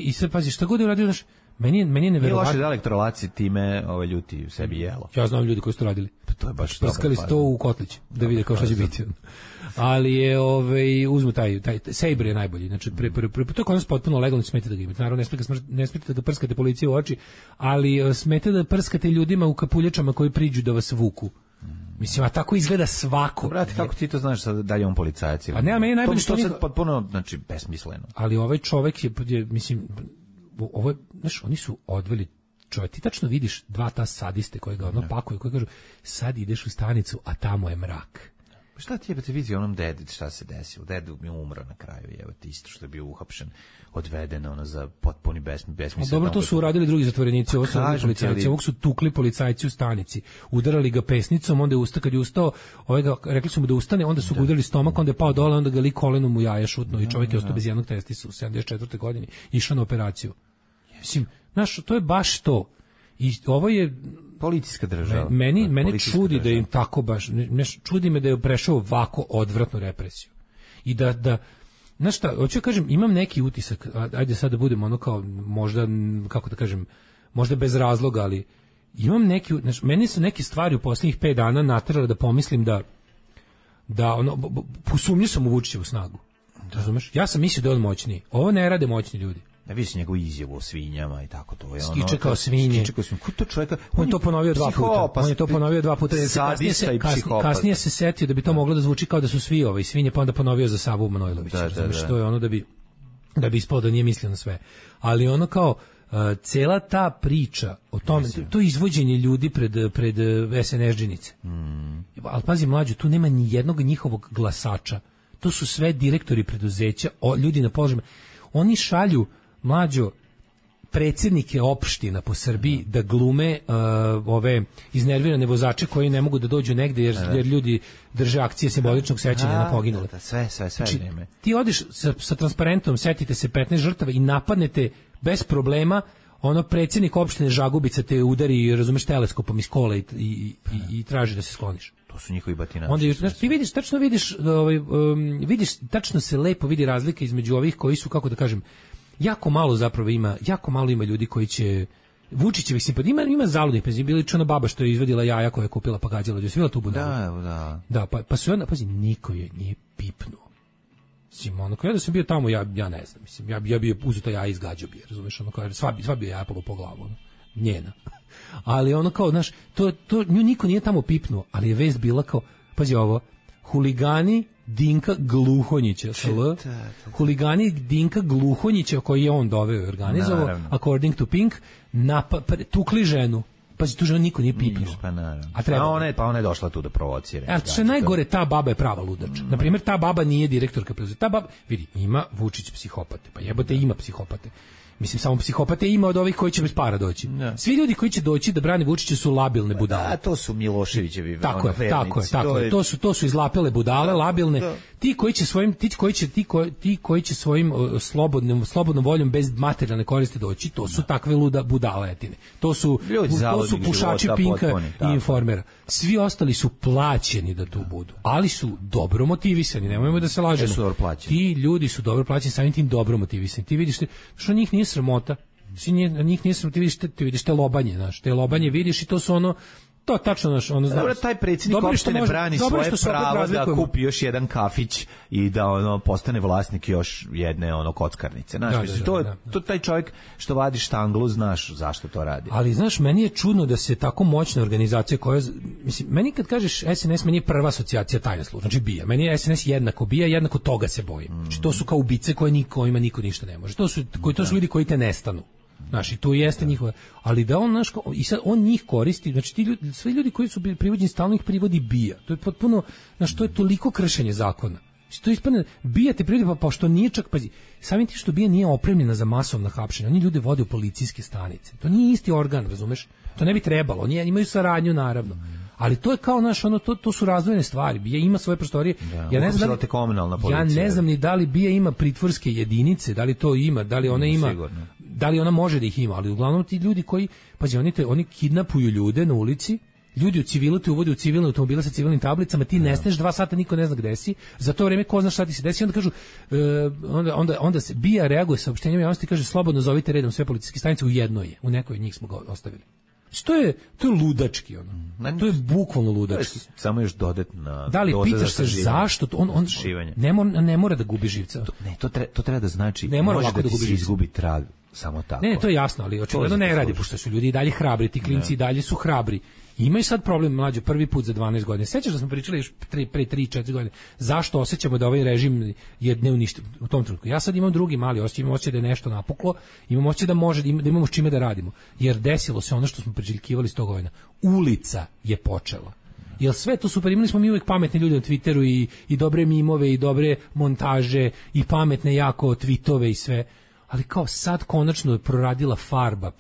Speaker 6: I sad pazi, šta god je uradio, znaš, meni je neverovatno.
Speaker 7: Nije loše da elektrolaci time ljuti u sebi jelo.
Speaker 6: Ja znam ljudi koji su to radili.
Speaker 7: Pa to je baš
Speaker 6: prskali su to u kotlić da vide kao šta će biti. Ali je uzmu taj Sabre je najbolji. Znači to je kod nas potpuno legalno, smete da ga imate. Naravno ne smete da ga prskate policiji u oči, ali smete da prskate ljudima u kapuljačama koji priđu da vas vuku. Mislim, a tako izgleda svako.
Speaker 7: Brate, kako ti to znaš da je on policajac?
Speaker 6: A ne, a meni najbolje
Speaker 7: što sad potpuno, znači, besmisleno.
Speaker 6: Ali ovaj čovek je mislim, znaš, oni su odveli čovjek, ti tačno vidiš 2 ta sadiste koje ga pakuju, koji kažu, sad ideš u stanicu, a tamo je mrak.
Speaker 7: Šta ti jebate vidi onom dedi, šta se desilo? Dedu mi umro na kraju, jebate, isto što je bio uhapšen, odveden za potpuni besmislen.
Speaker 6: Dobro, to su uradili drugi zatvorenici, ovo su policajci, ovog su tukli policajci u stanici, udarali ga pesnicom, onda je kad je ustao, rekli su mu da ustane, onda su ga udarili stomak, onda je pao dole, onda ga lik kolenom u jaja šutno i čovjek je ostao bez jednog testisa u 74. godini, išao na operaciju. Mislim, znaš, to je baš to. I ovo je
Speaker 7: policijska država.
Speaker 6: Mene čudi da im tako baš, čudi me da je prešao ovako odvratnu represiju. I da znaš šta, hoću kažem, imam neki utisak, ajde sad da budem kao možda, kako da kažem, možda bez razloga, ali imam neki, znači, meni su neke stvari u posljednjih 5 dana naterale da pomislim da ono, posumnio sam u Vučićevu snagu. Razumeš? Ja sam mislio da je on moćniji. Ovo ne rade moćni ljudi.
Speaker 7: Ne vidi se njegovu izjavu o svinjama i tako to. Je
Speaker 6: skiče kao svinje.
Speaker 7: Skiče kao svinje. Ko to čovjeka?
Speaker 6: On je to ponovio 2 puta. On je to ponovio 2 puta. Kasnije se setio da bi to moglo da zvuči kao da su svi svinje, pa onda ponovio za Savu Manojlovića. Znači, to je ono da bi ispalo da nije mislio na sve. Ali ono kao cela ta priča o tome, to izvođenje ljudi pred SNSD-đinice. Ali pazi, mlađo, tu nema ni jednog njihovog glasača. To su sve direktori preduzeća, ljudi na položajima. Oni šalju, mlađo, predsjednike opština po Srbiji da glume ove iznervirane vozače koji ne mogu da dođu negde jer ljudi drže akcije simboličnog sećanja na poginule.
Speaker 7: Sve
Speaker 6: znači, ti odeš sa transparentom, setite se 15 žrtava i napadnete bez problema, ono predsjednik opštine Žagubica te udari, razumeš, teleskopom iz kola i traži da se skloniš.
Speaker 7: To su njihovi batinači.
Speaker 6: Onda ti vidiš tačno se lepo vidi razlika između ovih koji su, kako da kažem, jako malo ima ljudi koji će Vučićevih simpatija, ima zaludnih, bila čuna baba što je izvadila jaja koja je kupila pa gađala, je svila tu budalu. Da, pa su onda, pazi, niko je nije pipnuo. Ono, kada sam bio tamo, ja ne znam, mislim, ja bi uzeo to jaja i izgađao bi, razumeš, ono, kao, sva bi jaja palo po glavu, ono, njena. Ali ono kao, znaš, nju niko nije tamo pipnuo, ali je vest bila kao, pazi ovo, huligani Dinka Gluhonjića, huligani Dinka Gluhonjića koji je on doveo i organizovao, according to Pink, tukli ženu. Pazi, tu ženu niko nije pipnuo.
Speaker 7: Pa ona je došla tu da provocira.
Speaker 6: A što je najgore, ta baba je prava ludač. Naprimjer, ta baba nije direktorka preduzeća. Ta baba, vidi, ima Vučić psihopate, pa jebote ima psihopate. Mislim, samo psihopate ima od ovih koji će bez para doći. Ja. Svi ljudi koji će doći da brane Vučića su labilne budale.
Speaker 7: Da, to su Miloševićevi
Speaker 6: tako je. To su izlapele budale, labilne. Da. Ti koji će svojim slobodnom voljom bez materijalne koristi doći, to su takve budaletine. To su pušači Pinka i Informera. Svi ostali su plaćeni da tu budu, ali su dobro motivisani, nemojmo da se lažemo. Ti ljudi su dobro plaćeni, samim tim dobro motivisani. Ti vidiš što njih nije sramota. Njih nije sramota, ti vidiš te lobanje, znaš, te lobanje vidiš i to su ono, to tačno naš, ono znaš.
Speaker 7: Dobro, taj predsjednik opštine brani svoje pravo da kupi još jedan kafić i da ono postane vlasnik još jedne ono kockarnice. Znaš, to taj čovjek što vadi štanglu, znaš zašto to radi.
Speaker 6: Ali znaš, meni je čudno da se tako moćna organizacija koja, mislim, meni kad kažeš SNS, meni je prva asocijacija tajna služba, znači BIA. Meni je SNS jednako BIA, jednako toga se bojim. Znači, to su kao ubice kojima niko ništa ne može. To su ljudi koji te nestanu. Znaš, i tu jeste njihova, ali da on, znaš, i sad on njih koristi, znači ti ljudi, svi ljudi koji su bili privođeni, stalno ih privodi BIA. To je potpuno, znaš, to je toliko kršenje zakona. To ispadne, BIA te privodi, pa što nije čak, pazi, samim ti što BIA nije opremljena za masovno hapšenje, oni ljude vode u policijske stanice. To nije isti organ, razumeš? To ne bi trebalo, oni imaju saradnju, naravno. Ali to je kao, znaš, ono, to su razdvojene stvari. BIA ima svoje prostorije. Ja ne znam ni da li BIA ima pritvorske jedinice, da li to ima, da li ona ima, sigurno. Da li ona može da ih ima, ali uglavnom ti ljudi koji, pazi, oni kidnapuju ljude na ulici, ljudi u civilu te uvode u civilne automobile sa civilnim tablicama, ti nestaneš 2 sata, niko ne zna gde si, za to vreme ko zna šta ti se desi, onda kažu, onda se BIA reaguje saopštenjem javnosti, kaže slobodno zovite redom sve policijske stanice, u jednoj je, u nekoj od njih smo ga ostavili. To je ludački, ono. To je bukvalno ludački.
Speaker 7: Samo još dodatna.
Speaker 6: Da li pitaš se zašto on ne mora da gubi živca.
Speaker 7: To treba da znači može da se izgubi trag samo tako.
Speaker 6: Ne, to je jasno, ali očigledno ne radi, pošto su ljudi i dalje hrabri, ti klinci i dalje su hrabri. Imaju sad problem, mlađo, prvi put za 12 godina. Sećaš da smo pričali još pre 3-4 godine zašto osjećamo da ovaj režim je neuništen u tom trenutku. Ja sad imam drugi mali osjećaj, imam osjećaj da je nešto napuklo, imam osjećaj da imamo s čime da radimo. Jer desilo se ono što smo priželjkivali 100 godina. Ulica je počela. Jer sve to super, imali smo mi uvijek pametne ljude na Twitteru i dobre mimove i dobre montaže i pametne jako tweetove i sve. Ali kao sad konačno je proradila farba,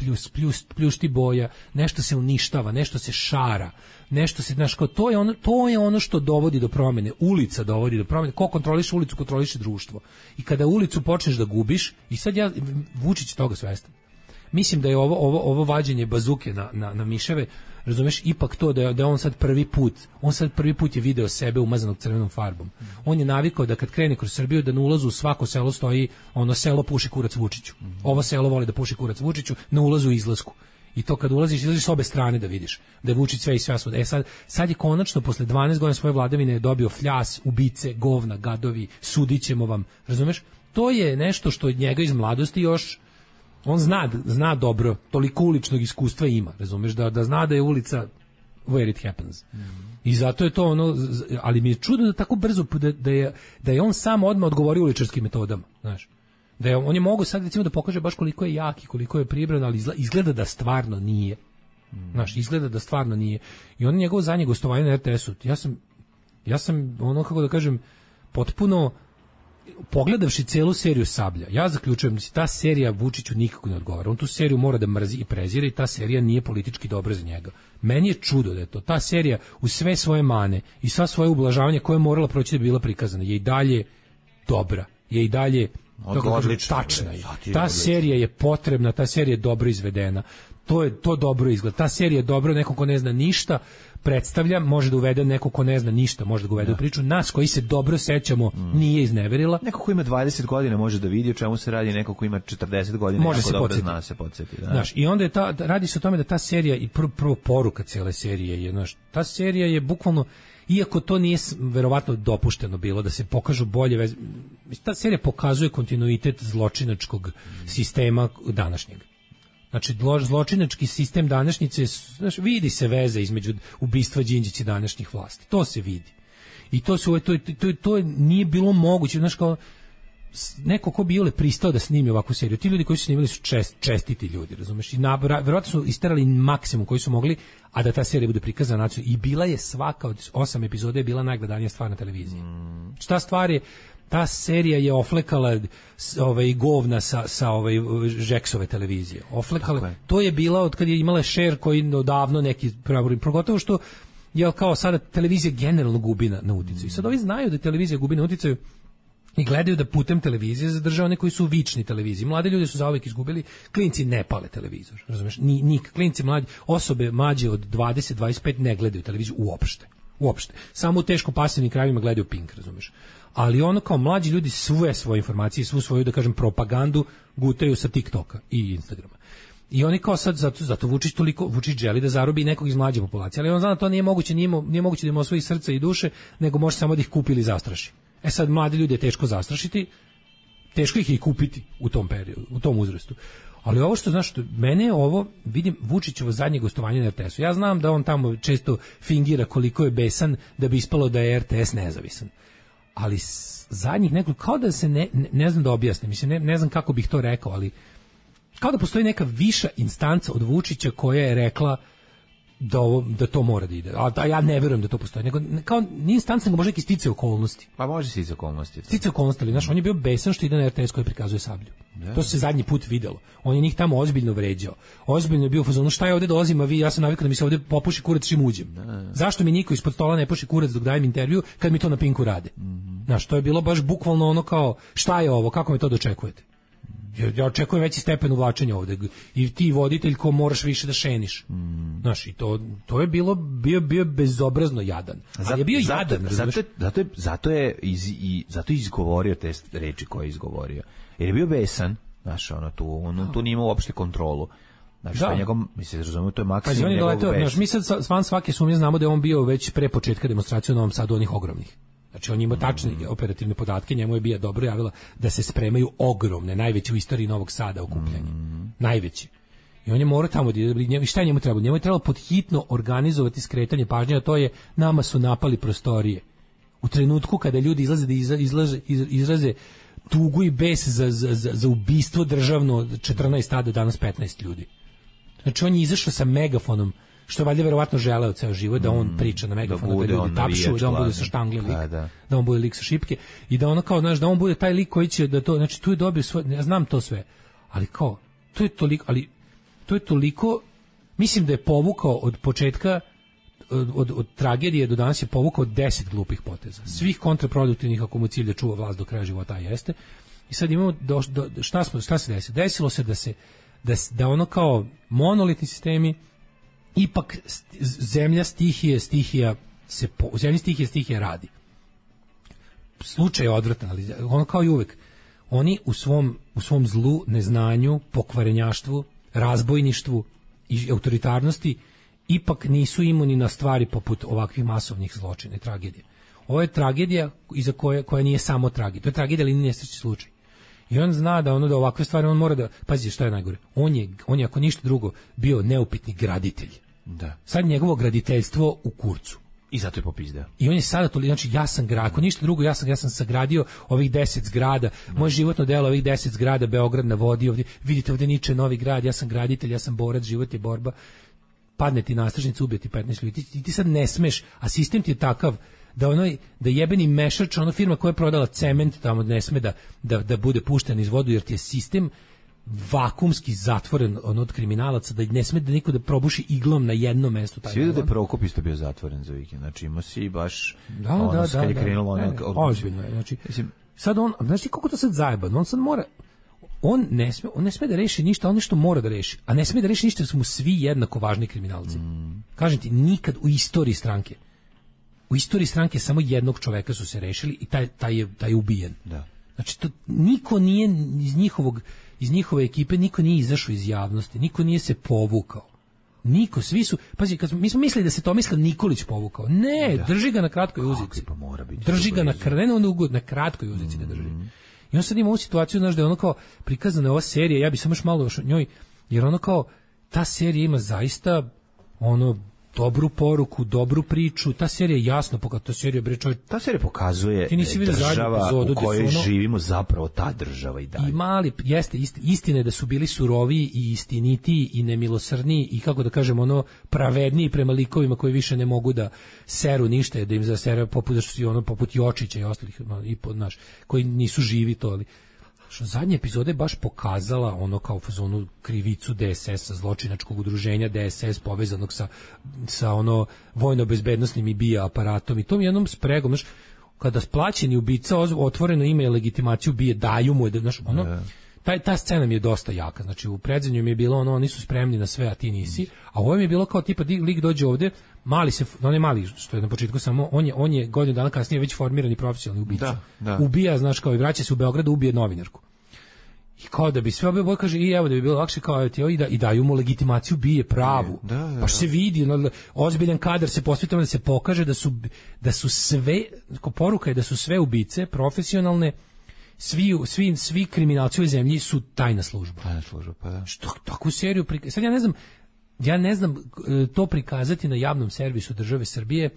Speaker 6: pljušti boja, nešto se uništava, nešto se šara, nešto se, znaš, kao to je ono što dovodi do promjene, ulica dovodi do promjene, ko kontroliše ulicu, kontroliše društvo. I kada ulicu počneš da gubiš, i sad Vučić toga svestan. Mislim da je ovo vađenje bazuke na miševe, razumeš, ipak to da je on sad prvi put je video sebe umazanog crvenom farbom. On je navikao da kad krene kroz Srbiju da na ulazu u svako selo stoji ono selo puši kurac Vučiću. Ovo selo voli da puši kurac Vučiću, na ulazu i izlasku. I to kad izlaziš s obe strane da vidiš da je Vučić sve i sve svud. Sad je konačno posle 12 godina svoje vladavine dobio fljas, ubice, govna, gadovi, sudićemo vam, razumeš? To je nešto što od njega iz mladosti još on zna dobro, toliko uličnog iskustva ima, razumeš, da zna da je ulica where it happens. I zato je to ono, ali mi je čudno da tako brzo da je on sam odmah odgovorio uličarskim metodama, znaš. On je mogao sad recimo da pokaže baš koliko je jak i koliko je pribran, ali izgleda da stvarno nije. Znaš, izgleda da stvarno nije. I on njegovo zadnje gostovanje na RTS-u, ja sam ono, kako da kažem, potpuno pogledavši celu seriju Sablja, ja zaključujem da se ta serija Vučiću nikako ne odgovara. On tu seriju mora da mrzi i prezira i ta serija nije politički dobra za njega. Meni je čudo da je to. Ta serija u sve svoje mane i sva svoje ublažavanje koje je morala proći da bi bila prikazana je i dalje dobra. Je i dalje tačna je. Ta serija je potrebna, ta serija je dobro izvedena. To dobro izgleda. Ta serija je dobro, neko ko ne zna ništa predstavlja, može da uvede neko ko ne zna ništa, može da ga uvede u priču. Nas koji se dobro sećamo nije izneverila.
Speaker 7: Neko ko ima 20 godina može da vidi o čemu se radi, neko ko ima 40 godina
Speaker 6: može se
Speaker 7: dobro zna se podsjeti. Da.
Speaker 6: Znaš, i onda je radi se o tome da ta serija i prvo poruka cele serije je, znaš, ta serija je bukvalno, iako to nije verovatno dopušteno bilo da se pokažu bolje veze, ta serija pokazuje kontinuitet zločinačkog sistema današnjeg. Znači, zločinački sistem današnjice, znaš, vidi se veze između ubistva Đinđića i današnjih vlasti. To se vidi. I to nije bilo moguće. Znaš, kao neko ko bi pristao da snimi ovakvu seriju. Ti ljudi koji su snimili su čestiti ljudi, razumeš? I verovatno su isterali maksimum koji su mogli, a da ta serija bude prikazana nacionalno. I bila je svaka od 8 epizoda je bila najgledanija stvar na televiziji. Šta stvar je? Ta serija je oflekala govna sa Žeksove televizije. Oflekala, to je bila od kad je imala share koji odavno neki pogotovo što je kao sada televizija generalno gubi na uticaju. Sad ovi znaju da televizija gubi na uticaju i gledaju da putem televizije zadržava one koji su vični televiziji. Mlade ljudi su zauvek izgubili, klinci ne pale televizor, razumeš? Klinci mlađi, osobe mlađe od 20-25 ne gledaju televiziju uopšte. Samo u teško pasivnim krajevima gledaju Pink, razumeš? Ali ono kao mlađi ljudi sve svoje informacije, svu svoju, da kažem, propagandu gutaju sa TikToka i Instagrama. I oni kao sad, zato Vučić želi da zarobi nekog iz mlađe populacije, ali on zna da to nije moguće, nije moguće da ima osvoji srca i duše, nego može samo da ih kupi ili zastraši. Sad, mladi ljudi je teško zastrašiti, teško ih i kupiti u tom periodu, u tom uzrastu. Ali ovo što, znaš, mene je ovo, vidim Vučićevo zadnje gostovanje na RTS-u. Ja znam da on tamo često fingira koliko je besan da bi ispalo da je RTS nezavisan. Ali zadnjih nekoliko, kao da se ne znam da objasnim, mislim, ne znam kako bih to rekao, ali kao da postoji neka viša instanca od Vučića koja je rekla da to mora da ide. A ja ne verujem da to postoji. Nego, kao nije instanca, nego može neki stice okolnosti.
Speaker 7: Pa može stice okolnosti.
Speaker 6: Stice okolnosti, ali znaš, on je bio besan što ide na RTS koji prikazuje Sablju. Da. To se zadnji put videlo. On je njih tamo ozbiljno vređao. Ozbiljno je bio u fazonu, šta je ovde dolazim, a vi, ja sam navikao da mi se ovde popuši kurac čim uđem. Zašto mi niko ispod stola ne puši kurac dok dajem intervju kad mi to na Pinku rade? Znaš, to je bilo baš bukvalno ono kao, šta je ovo, kako me to dočekujete? Ja očekujem veći stepen uvlačenja ovde i ti voditelj ko moraš više da šeniš. Znaš, i to je bio bezobrazno jadan. Ali je bio jadan.
Speaker 7: Zato je izgovorio te reči koje je izgovorio. Jer je bio besan, znaš, tu nije imao uopšte kontrolu. Znači, da. To je maksimum njegovog besa.
Speaker 6: Mi sad van svake sumnje znamo da je on bio već pre početka demonstracije u Novom Sadu onih ogromnih. Znači, on ima tačne operativne podatke, njemu je bija dobro javila da se spremaju ogromne, najveće u istoriji Novog Sada okupljanje. Najveće. I on je morao tamo, šta je njemu trebalo? Njemu je trebalo podhitno organizovati skretanje pažnje, a to je, nama su napali prostorije. U trenutku kada ljudi izlaze da izraze tugu i bes za ubistvo državno 14 tada, danas 15 ljudi. Znači, on je izašao sa megafonom, što je valjda verovatno želeo ceo život, da on priča na megafonu, da ljudi tapšu, da on bude sa štangle lik, da on bude lik sa šipke i da ono kao, znaš, da on bude taj lik koji će da to, znači tu je dobio svoj, ja znam to sve, ali kao, to je toliko, mislim da je povukao od početka, od tragedije do danas je povukao 10 glupih poteza, svih kontraproduktivnih ako mu cilj da čuva vlast do kraja života jeste. I sad imamo, šta se desilo? Desilo se da ono kao monolitni sistemi, ipak zemlja stihija radi. Slučaj je odvratan, ali ono kao i uvek, oni u svom zlu, neznanju, pokvarenjaštvu, razbojništvu i autoritarnosti ipak nisu imuni na stvari poput ovakvih masovnih zločina i tragedija. Ovo je tragedija iza koja nije samo tragedija. To je tragedija, ali nije nesrećni slučaj. I on zna da da ovakve stvari on mora da pazi šta je najgore. On je ako ništa drugo bio neupitni graditelj.
Speaker 7: Da.
Speaker 6: Sad njegovo graditeljstvo u kurcu.
Speaker 7: I zato je popizdeo.
Speaker 6: I on je sada to, znači ja sam ako ništa drugo, ja sam sagradio ovih 10 zgrada, moje životno delo ovih 10 zgrada, Beograd na vodi, ovdje, vidite ovdje niče novi grad, ja sam graditelj, ja sam borac, život je borba, padne ti nastražnica, ubije ti 15 ljudi, ti sad ne smeš, a sistem ti je takav da jebeni mešač, ona firma koja je prodala cement tamo ne sme da bude pušten iz vodu, jer ti je sistem vakumski zatvoren od kriminalaca, da ne sme da niko da probuši iglom na jednom mestu.
Speaker 7: Svi vidio da je Prokop isto bio zatvoren za vikend, znači ima si baš
Speaker 6: kad
Speaker 7: je krenulo
Speaker 6: ozbiljno je, znači sad on, znači kako to sad zajebano, on sad mora, on ne sme da reši ništa, on nešto mora da reši, a ne sme da reši ništa jer su mu svi jednako važni kriminalci. Kažem ti, nikad u istoriji stranke samo jednog čoveka su se rešili i taj je ubijen.
Speaker 7: Da.
Speaker 6: Znači to niko nije iz njihove ekipe niko nije izašao iz javnosti, niko nije se povukao. Niko, svi su, pazi, mi smo mislili da se Tomislav Nikolić povukao. Ne, drži ga na kratkoj uzici.
Speaker 7: Pa mora biti.
Speaker 6: Drži ga na kratkoj uzici ga drži. I on sad ima ovu situaciju, znaš, da je ono kao prikazana ova serija, ja bi samo još malo o njoj, jer ono kao, ta serija ima zaista dobru poruku, dobru priču, ta serija je jasno pokazuje,
Speaker 7: ta serija pokazuje država u kojoj živimo zapravo ta država i dalje.
Speaker 6: I mali, jeste, istine da su bili suroviji i istinitiji i nemilosrdniji i kako da kažem, pravedniji prema likovima koji više ne mogu da seru ništa, da im zasere poput Jočića i ostalih, koji nisu živi to, ali zadnja epizoda je baš pokazala kao fazonu krivicu DSS-a, zločinačkog udruženja DSS povezanog sa vojno-bezbednosnim i BIA aparatom i tom jednom spregom, kada splaćeni ubica otvoreno ime i legitimaciju BIA daju mu, ta scena mi je dosta jaka, znači u predzadnjoj mi je bilo oni su spremni na sve, a ti nisi, a ovo mi je bilo kao tipa lik dođe ovde, on je mali, što je na početku samo, on je godinu dana kasnije već formirani profesionalni ubica.
Speaker 7: Da.
Speaker 6: Ubija, znaš, kao i vraća se u Beograd, ubije novinarku. I kao da bi sve obje kaže, i evo da bi bilo lakše, kao i daju mu legitimaciju, bije pravu. Pa se vidi, ozbiljan kadar se posvetimo da se pokaže da su sve, poruka je da su sve ubice profesionalne, svi kriminalci u zemlji su tajna služba.
Speaker 7: Pa da.
Speaker 6: Što takvu seriju sad ja ne znam to prikazati na javnom servisu države Srbije,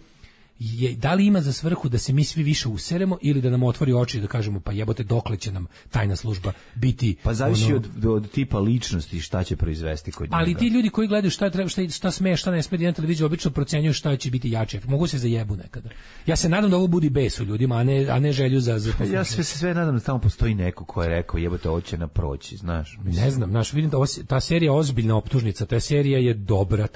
Speaker 6: da li ima za svrhu da se mi svi više useremo ili da nam otvori oči i da kažemo pa jebote dokle će nam tajna služba biti.
Speaker 7: Pa zavisi od tipa ličnosti šta će proizvesti kod njega.
Speaker 6: Ali ti ljudi koji gledaju šta sme, šta ne sme na televiziji obično procenjuju šta će biti jače. Mogu se zajebu nekada. Ja se nadam da ovo budi bes u ljudima, a ne želju za
Speaker 7: ja sve nadam da tamo postoji neko ko je rekao jebote ovo će proći, znaš.
Speaker 6: Ne znam, vidim da ta serija je ozbiljna optužnica, ta serija je dobra,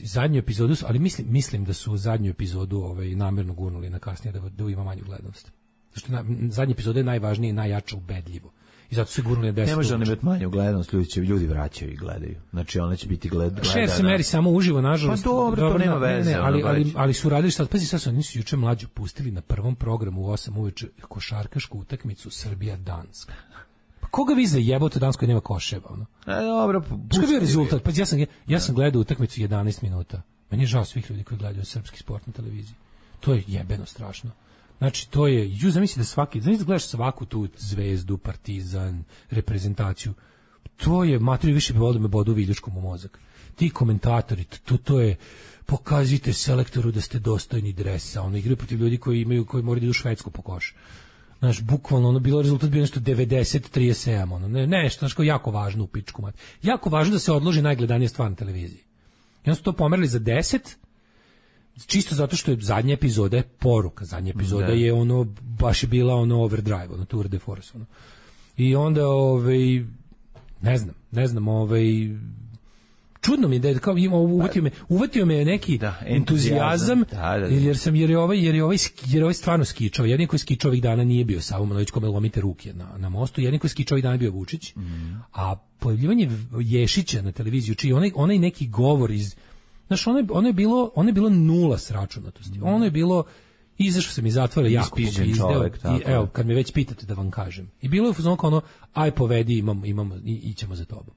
Speaker 6: zadnju epizodu, ali mislim da su zadnju epizodu namjerno gurnuli na kasnije da ima manju gledanost. Zašto zadnja epizoda je najvažnija i najjača ubedljivo. I zato su gurnuli na 10.
Speaker 7: Ne može imati manju gledanost, ljudi vraćaju i gledaju. Znači ona će biti gledana.
Speaker 6: Share se meri samo uživo, nažalost.
Speaker 7: Pa dobro, to nema veze.
Speaker 6: Ali su radili sad, pazi, sad su nisu juče mlađu pustili na prvom programu u 8 uveče košarkašku utakmicu Srbija-Danska. Pa koga vi zajebote Danskoj nema koševa?
Speaker 7: Dobro.
Speaker 6: Što je bio rezultat? Pa ja sam gledao utakmicu 11 minuta. Meni je žao svih ljudi koji gledaju srpski sport na televiziji. To je jebeno strašno. Znači, to je, zamisli da gledaš svaku tu Zvezdu, Partizan, reprezentaciju. To je, materiju više bi volio da me bodu viljuškom u mozak. Ti komentatori, to je, pokazite selektoru da ste dostojni dresa. Igraju protiv ljudi koji moraju da idu u Švedsku po koš. Znaš, bukvalno, bilo rezultat bio nešto 90-37, nešto, znaš, kao jako važno u pičku mat. Jako važno da se odloži najgledanija stvar na televiziji. I onda su to pomerili za 10, čisto zato što je zadnja epizoda je poruka, zadnja epizoda je baš je bila overdrive, tour de force, I onda, ne znam, čudno mi je da je kao uvatio me neki entuzijazam, jer je ovaj stvarno skičao. Jedin koji skičao ovih dana nije bio Savo Manojlić kome lomite ruke na mostu, jedin koji skičao ovih dana bio Vučić, a pojavljivanje Ješića na televiziju, čiji onaj neki govor iz, znaš, ono je bilo nula sračunatosti, ono je bilo, izašao sam iz zatvora jako izdeo, i evo, kad me već pitate da vam kažem, i bilo je kao aj povedi, ićemo za tobom.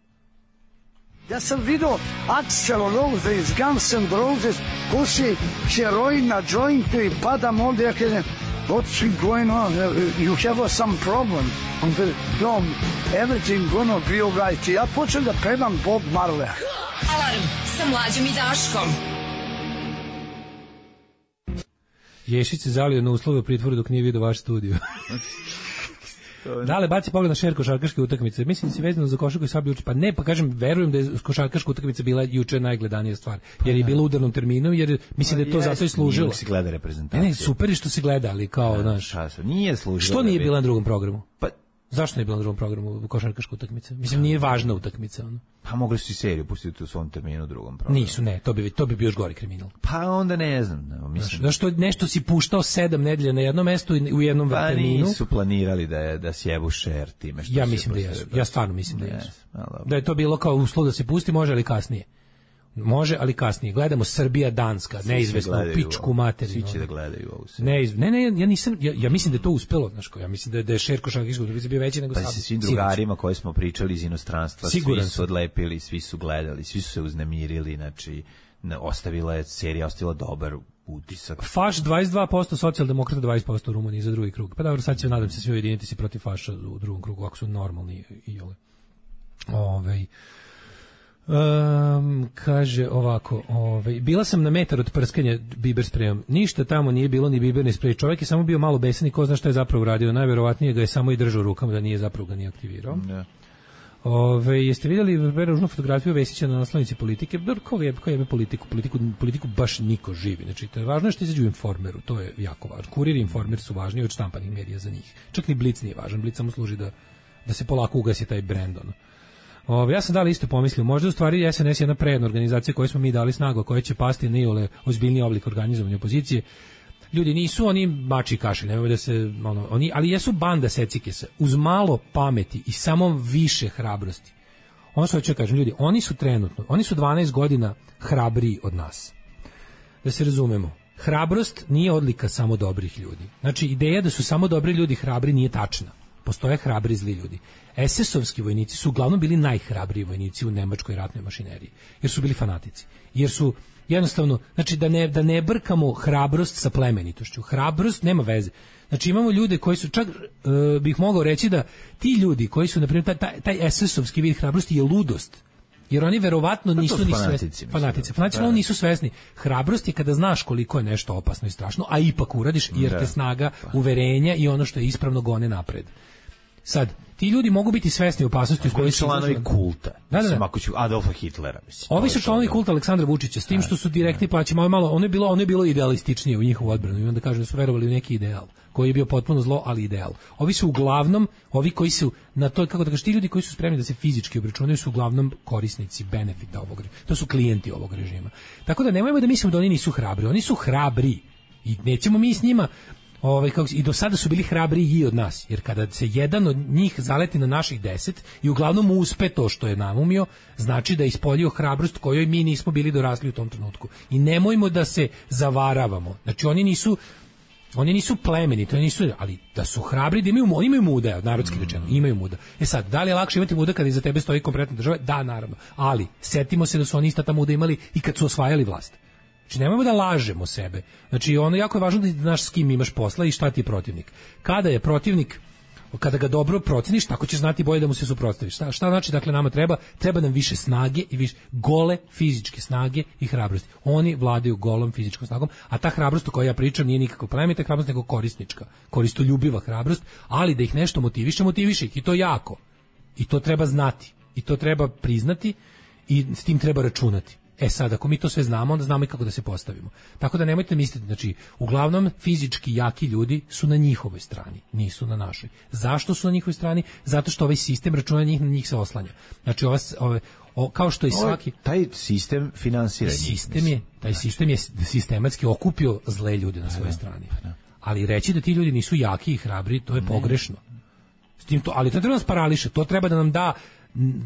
Speaker 9: Ja sam vidio Axl Rose iz Guns N' Roses, puši heroin na jointu i padam ovdje, ja kažem, what's going on? You have some problem. On kaže, no, everything gonna be alright. Ja počnem da pevam Bob Marley.
Speaker 10: Alarm sa Mlađom i Daškom.
Speaker 6: Ješić se zalio na uslove u pritvoru dok nije vidio vaš studio. Dale, baci pogled na šer košarkaške utakmice. Mislim da si vezano za košarku i sad juče. Pa ne, pa kažem, verujem da je košarkaška utakmica bila juče najgledanija stvar. Jer je bila u udarnom terminu, jer mislim da je to zato i služilo.
Speaker 7: Se gleda reprezentacija.
Speaker 6: Ne, super je što se gleda, ali kao, znaš.
Speaker 7: Nije služilo.
Speaker 6: Što nije bila na drugom programu?
Speaker 7: Pa
Speaker 6: zašto nije bila na drugom programu košarkaška utakmica? Mislim, nije važna utakmica, ono.
Speaker 7: Pa mogli su i seriju pustiti u svom terminu u drugom programu.
Speaker 6: Nisu, ne, to bi bio još gori kriminal.
Speaker 7: Pa onda ne znam, mislim.
Speaker 6: Zašto nešto si puštao 7 nedelja na jednom mestu i u jednom terminu?
Speaker 7: Pa nisu planirali da sjebu šer time što.
Speaker 6: Ja mislim da jesu. Ja stvarno mislim da jesu. Da je to bilo kao uslov da se pusti, može ali kasnije. Može, ali kasnije. Gledamo Srbija, Danska, neizvesno, pičku materinu.
Speaker 7: Svi će da gledaju ovo sve.
Speaker 6: Ne, ja mislim da je to uspelo, znaš ko, ja mislim da je šer košarkaške utakmice bio veći nego sad.
Speaker 7: Pa sa svim drugarima koji smo pričali iz inostranstva, svi su odlepili, svi su gledali, svi su se uznemirili, znači serija ostavila dobar utisak.
Speaker 6: Faš 22%, socijaldemokrata 20% u Rumuniji za drugi krug. Pa dobro, sad će, nadam se, svi ujediniti se protiv faša u drugom krugu, ako su normalni i ole. Kaže ovako, bila sam na metar od prskanja biber sprejom. Ništa tamo nije bilo ni biberni sprej. Čovjek je samo bio malo besan i ko zna šta je zapravo uradio. Najverovatnije ga je samo i držao rukama, da nije zapravo ga nije aktivirao. Jeste vidjeli ružnu fotografiju Vesića na naslovnici Politike? Ko jebe politiku baš niko živi. Znači, važno je što izađu u Informeru, to je jako važno. Kurir i Informer su važniji od štampanih medija za njih. Čak ni Blic nije važan, Blic samo služi da se polako ugasi taj brend, ono. Ja sam dali isto pomislio, možda u stvari SNS je jedna prejedna organizacija koju smo mi dali snagu, koja će pasti na iole ozbiljniji oblik organizovanja opozicije. Ljudi nisu oni mači i kašelj, nemoj da se, ali jesu banda secikesa, uz malo pameti i samo više hrabrosti. Ono što ću kažem, ljudi, oni su 12 godina hrabriji od nas. Da se razumemo, hrabrost nije odlika samo dobrih ljudi. Znači, ideja da su samo dobri ljudi hrabri nije tačna. Postoje hrabri zli ljudi. SS-ovski vojnici su uglavnom bili najhrabriji vojnici u nemačkoj ratnoj mašineriji, jer su bili fanatici. Jer su jednostavno, znači da ne brkamo hrabrost sa plemenitošću. Hrabrost nema veze. Znači imamo ljude koji su, čak bih mogao reći da ti ljudi koji su, na primjer, taj SS-ovski vid hrabrosti je ludost. Jer oni verovatno nisu ni svesni. Fanatici oni nisu svesni. Hrabrost je kada znaš koliko je nešto opasno i strašno, a ipak uradiš, jer te snaga uverenja i ono što je ispravno gone napred. Sad, ti ljudi mogu biti svesni opasnosti u kojoj su
Speaker 7: članovi kulta. Da. Ako ću Adolfa Hitlera, mislim.
Speaker 6: Ovi su članovi kulta Aleksandra Vučića, s tim što su direktni plaći, malo ono je bilo idealističnije u njihovu odbranu i onda kažu da su verovali u neki ideal, koji je bio potpuno zlo, ali ideal. Ovi su uglavnom, ovi koji su na to, kako da kažeš, ti ljudi koji su spremni da se fizički obračunaju su uglavnom korisnici benefita ovog režima. To su klijenti ovog režima. Tako da nemojmo da mislimo da oni nisu hrabri. Oni su hrabri i nećemo mi s njima i do sada su bili hrabriji i od nas, jer kada se jedan od njih zaleti na naših 10 i uglavnom uspe to što je namumio, znači da je ispoljio hrabrost kojoj mi nismo bili dorasli u tom trenutku. I nemojmo da se zavaravamo. Znači oni nisu plemeniti, ali da su hrabri, da oni imaju muda, narodski rečeno, imaju muda. Sad, da li je lakše imati muda kada iza tebe stoji kompletna država? Da, naravno. Ali setimo se da su oni ista ta muda imali i kad su osvajali vlast. Znači, nemojmo da lažemo sebe. Znači, jako je važno da znaš s kim imaš posla i šta ti je protivnik. Kada je protivnik, kada ga dobro proceniš, tako ćeš znati bolje da mu se suprotstaviš. Šta znači, dakle, nama treba nam više snage i više gole fizičke snage i hrabrosti. Oni vladaju golom fizičkom snagom, a ta hrabrost o kojoj ja pričam nije nikako plemenita hrabrost, nego korisnička, koristoljubiva hrabrost, ali da ih nešto motiviše ih i to jako. I to treba znati. I to treba priznati i s tim treba računati. Sad, ako mi to sve znamo, onda znamo i kako da se postavimo. Tako da nemojte misliti, znači, uglavnom fizički jaki ljudi su na njihovoj strani, nisu na našoj. Zašto su na njihovoj strani? Zato što ovaj sistem računa na njih se oslanja. Znači, kao što i svaki...
Speaker 7: Taj sistem finansira njih.
Speaker 6: Taj sistem je sistematski okupio zle ljude na svojoj strani. Ali reći da ti ljudi nisu jaki i hrabri, to je pogrešno. Ali to treba nas parališe, to treba da nam da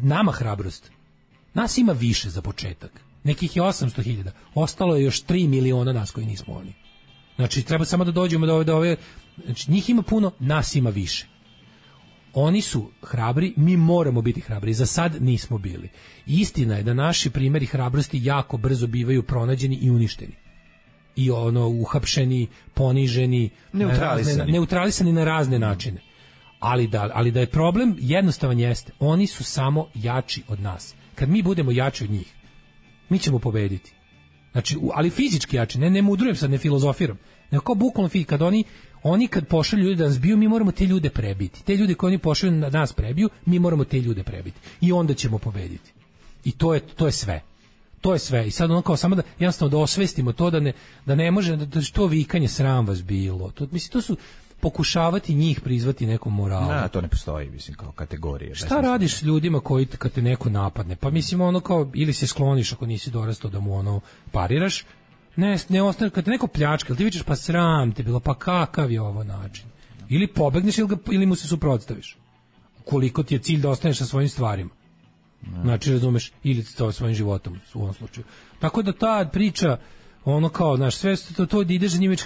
Speaker 6: nama hrabrost. Nas ima više za početak. Nekih je 800.000. Ostalo je još 3 miliona nas koji nismo oni. Znači, treba samo da dođemo do ove... Znači, njih ima puno, nas ima više. Oni su hrabri, mi moramo biti hrabri. Za sad nismo bili. Istina je da naši primjeri hrabrosti jako brzo bivaju pronađeni i uništeni. I uhapšeni, poniženi, neutralisani na razne načine. Ali da je problem jednostavan jeste. Oni su samo jači od nas. Kad mi budemo jači od njih, mi ćemo pobediti. Znači, ali fizički jači, ne mudrujem sad, ne filozofiram. Nego kao bukvalno kad oni kad pošalju ljude da nas biju, mi moramo te ljude prebiti. Te ljude koje oni pošalju da nas prebiju, mi moramo te ljude prebiti. I onda ćemo pobediti. I to je sve. To je sve. I sad ono kao samo da jednostavno da osvestimo to da ne može, da to vikanje sram vas bilo. To su pokušavati njih prizvati nekom moralu.
Speaker 7: Da, to ne postoji, mislim, kao kategorija.
Speaker 6: Šta radiš s ljudima koji kad te neko napadne? Pa mislim ono kao, ili se skloniš ako nisi dorastao da mu ono pariraš, ne ostane, kad te neko pljačka, ili ti vičeš pa sram te bilo, pa kakav je ovo način? Ili pobegneš ili mu se suprotstaviš. Koliko ti je cilj da ostaneš sa svojim stvarima. Znači, razumeš, ili to svojim životom u ovom slučaju. Tako da ta priča, ono kao, znaš, sve to da ideš za njim,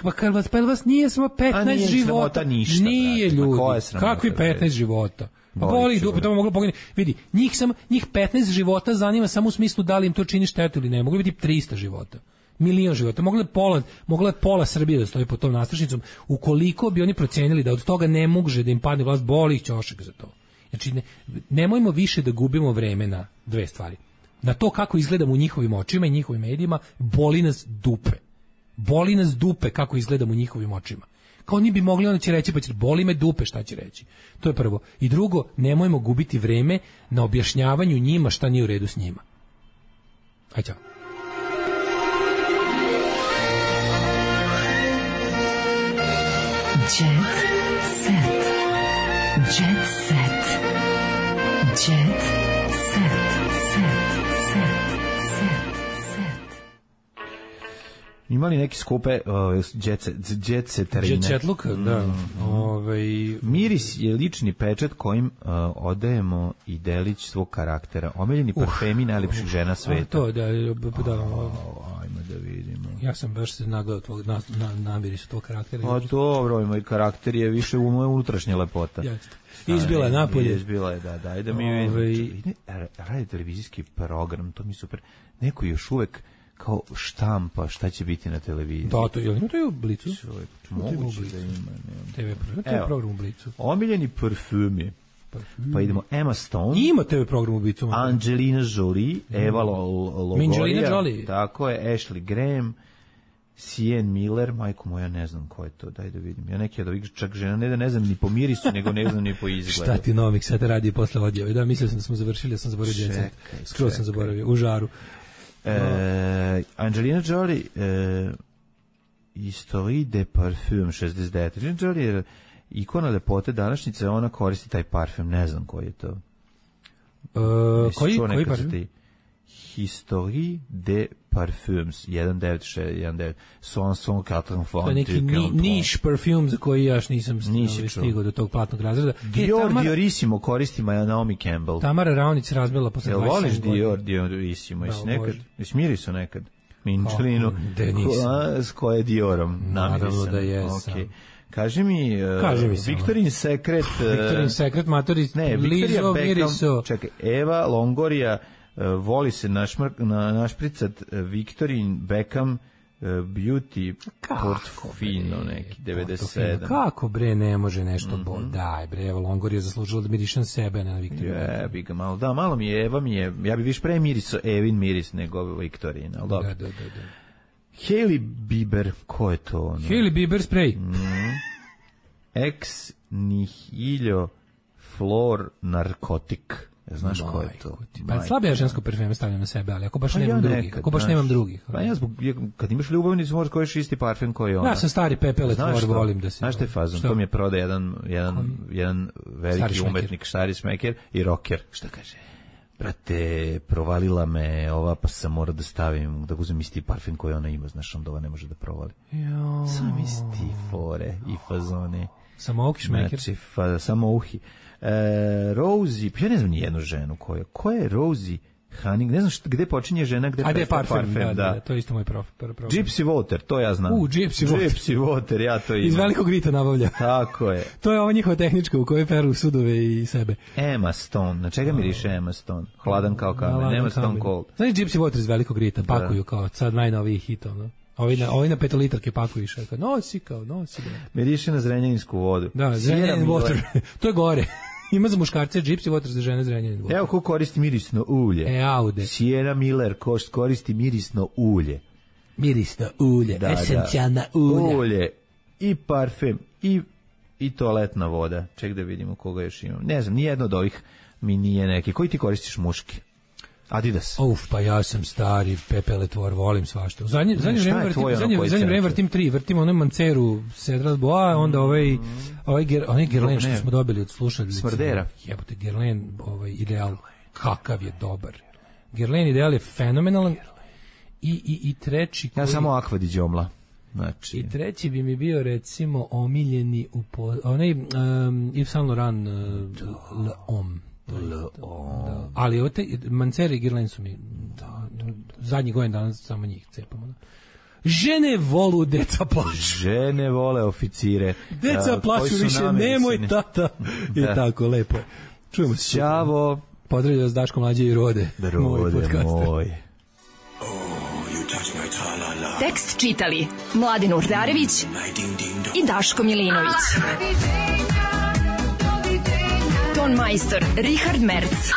Speaker 6: pa vas nije samo 15 života.
Speaker 7: Ništa,
Speaker 6: nije ljudi. Kakvi 15 života? Pa boli ih dupe, to moglo pogledati. Vidi, njih 15 života zanima samo u smislu da li im to čini štetu ili ne. Mogli biti 300 života. Milion života. Mogla je pola Srbije da stoji pod tom nastrašnicom. Ukoliko bi oni procenili da od toga ne može da im padne vlast, boli ih ćošak za to. Znači, nemojmo više da gubimo vreme na dve stvari. Na to kako izgledamo u njihovim očima i njihovim medijima, boli nas dupe. Boli nas dupe kako izgledamo u njihovim očima. Kao oni bi mogli, onda će reći, pa će boli me dupe, šta će reći. To je prvo. I drugo, nemojmo gubiti vreme na objašnjavanju njima šta nije u redu s njima. Aj, čao.
Speaker 4: Jet set. Jet set. Jet set.
Speaker 7: Imali neki skupe jet seterine.
Speaker 6: Jet setluk, da.
Speaker 7: Miris je lični pečat kojim odajemo i delić svog karaktera. Omiljeni parfemi najlepših žena sveta.
Speaker 6: To, da.
Speaker 7: Ajmo da vidimo.
Speaker 6: Ja sam baš se nagledao tvog namirisu tvog karaktera.
Speaker 7: A dobro, moj karakter je više u moje unutrašnje lepota.
Speaker 6: Jeste. Izbila je napolje.
Speaker 7: Izbila je, da. Ajde mi vidimo. Radi televizijski program, to mi super. Neko još uvek kao štampa šta će biti na televiziji.
Speaker 6: Da, to je u Blicu.
Speaker 7: Moguće da ima.
Speaker 6: TV program u Blicu.
Speaker 7: Omiljeni parfumi. Pa idemo Emma Stone.
Speaker 6: Ima TV program u Blicu.
Speaker 7: Angelina Jolie, Eva Longoria.
Speaker 6: Jolie.
Speaker 7: Tako je, Ashley Graham, Sienna Miller, majko moja, ne znam ko je to, daj da vidim. Ja neki od ovih čak žena, ne znam ni po mirisu, nego ne znam ni po izgledu.
Speaker 6: Šta ti Novik sad radi posle odjave? Da, mislio sam da smo završili, ja sam zaboravio djece. Skoro sam zaboravio, u žaru.
Speaker 7: Angelina Jolie, Histoire de parfum 69. Angelina Jolie je ikona lepote današnjice, ona koristi taj parfum, ne znam koji je to.
Speaker 6: Koji parfum?
Speaker 7: Histoire de parfums 1919
Speaker 6: to je neki niš parfum za koji ja nisam stigao do tog platnog razreda.
Speaker 7: Diorissimo koristi Naomi Campbell.
Speaker 6: Tamara Raonić razbila posle 27 godina.
Speaker 7: Voliš Diorissimo? Smiri su nekad Minčelinu s koje Diorom namirisan.
Speaker 6: Naravno da jesam.
Speaker 7: Kaži mi Victoria's Secret
Speaker 6: matori Lizo Miriso.
Speaker 7: Čekaj, Eva Longoria voli se našpricat Victorian Beckham Beauty Portofino neki 97.
Speaker 6: Kako bre ne može nešto daj bre, Eva Longoria zaslužila da mirišem sebe na Victorian.
Speaker 7: Bi ga malo, da, malo mi je Eva ja bi više pre mirisao Evin miris nego Victorian, al dobro.
Speaker 6: Da.
Speaker 7: Hailey Bieber, ko je to ono?
Speaker 6: Hailey Bieber spray.
Speaker 7: Ex nihilio flor narkotik. Znaš ko je to?
Speaker 6: Pa slabija žensko parfeme stavljam na sebe, ali ako baš nemam drugih.
Speaker 7: Pa ja kad imaš ljubavnicu možeš kojiš isti parfem koji je ona.
Speaker 6: Ja sam stari pepele tvor, volim da se.
Speaker 7: Znaš te fazon, to mi je prodao jedan veliki umetnik, stari smeker i rocker.
Speaker 6: Šta kaže?
Speaker 7: Brate, provalila me ova, pa sam mora da stavim, da uzem isti parfem koji ona ima, znaš, onda ova ne može da provali. Sam isti fore i fazone.
Speaker 6: Samouki šmeker?
Speaker 7: Znači, samouhi. Rosie, ja ne znam ni jednu ženu ko je Rosie Honey, ne znam gde počinje žena, gde prestaje parfem.
Speaker 6: Da, to je isto moj problem.
Speaker 7: Gypsy Water, to ja znam.
Speaker 6: Gypsy
Speaker 7: Water, ja to imam.
Speaker 6: Iz Velikog Rita nabavlja.
Speaker 7: Tako je.
Speaker 6: To je ova njihova tehnička u kojoj peru sudove i sebe.
Speaker 7: Emma Stone, na čega miriše Emma Stone? Hladan kao kamen, Emma Stone Cold.
Speaker 6: Znaš Gypsy Water iz Velikog Rita, pakuju kao sad najnoviji hitov, no? Ovi na petolitarke pakuju i šaka. Nosi.
Speaker 7: Miriše na zrenjaninsku vodu.
Speaker 6: Da, Zrenjanin Water. To je gore. Ima za muškarce Gypsy Water, za žene Zrenjanin Water.
Speaker 7: Evo ko koristi mirisno ulje.
Speaker 6: Aude.
Speaker 7: Sienna Miller koristi mirisno ulje.
Speaker 6: Mirisno ulje, esencijalna ulja.
Speaker 7: Ulje i parfem i toaletna voda. Ček da vidimo koga još imam. Ne znam, nijedno od ovih mi nije neki. Koji ti koristiš muški? Adidas.
Speaker 6: Pa ja sam stari pepeletvor, volim svašta. Zadnje vreme vrtim 3, vrtim onaj Manceru Cedral Bois, onda onaj Guerlain što smo dobili od slušalice.
Speaker 7: Smrdera.
Speaker 6: Jebote, Guerlain, ideal, kakav je dobar. Guerlain ideal je fenomenalan. I treći...
Speaker 7: Ja samo Aqua di Giomla. Znači.
Speaker 6: I treći bi mi bio recimo omiljeni onaj Yves Saint Laurent L'Homme. Ali Mancera i Guerlain su mi zadnjih godina danas samo njih cepamo. Žene volu, deca plaću.
Speaker 7: Žene vole oficire.
Speaker 6: Deca plaću više, nemoj tata. I tako, lepo. Čujemo se.
Speaker 7: Ćavo.
Speaker 6: Pozdravljaju vas Daško, Mlađe i Rode.
Speaker 7: Rode moj.
Speaker 10: Tekst čitali Mladen Urdarević i Daško Milinović. Ton majstor Richard Merc.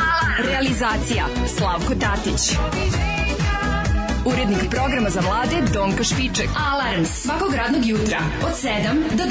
Speaker 10: Realizacija Slavko Tatić. Urednik programa za mlade Donka Špiček. Alarms svakog radnog jutra od 7 do 10.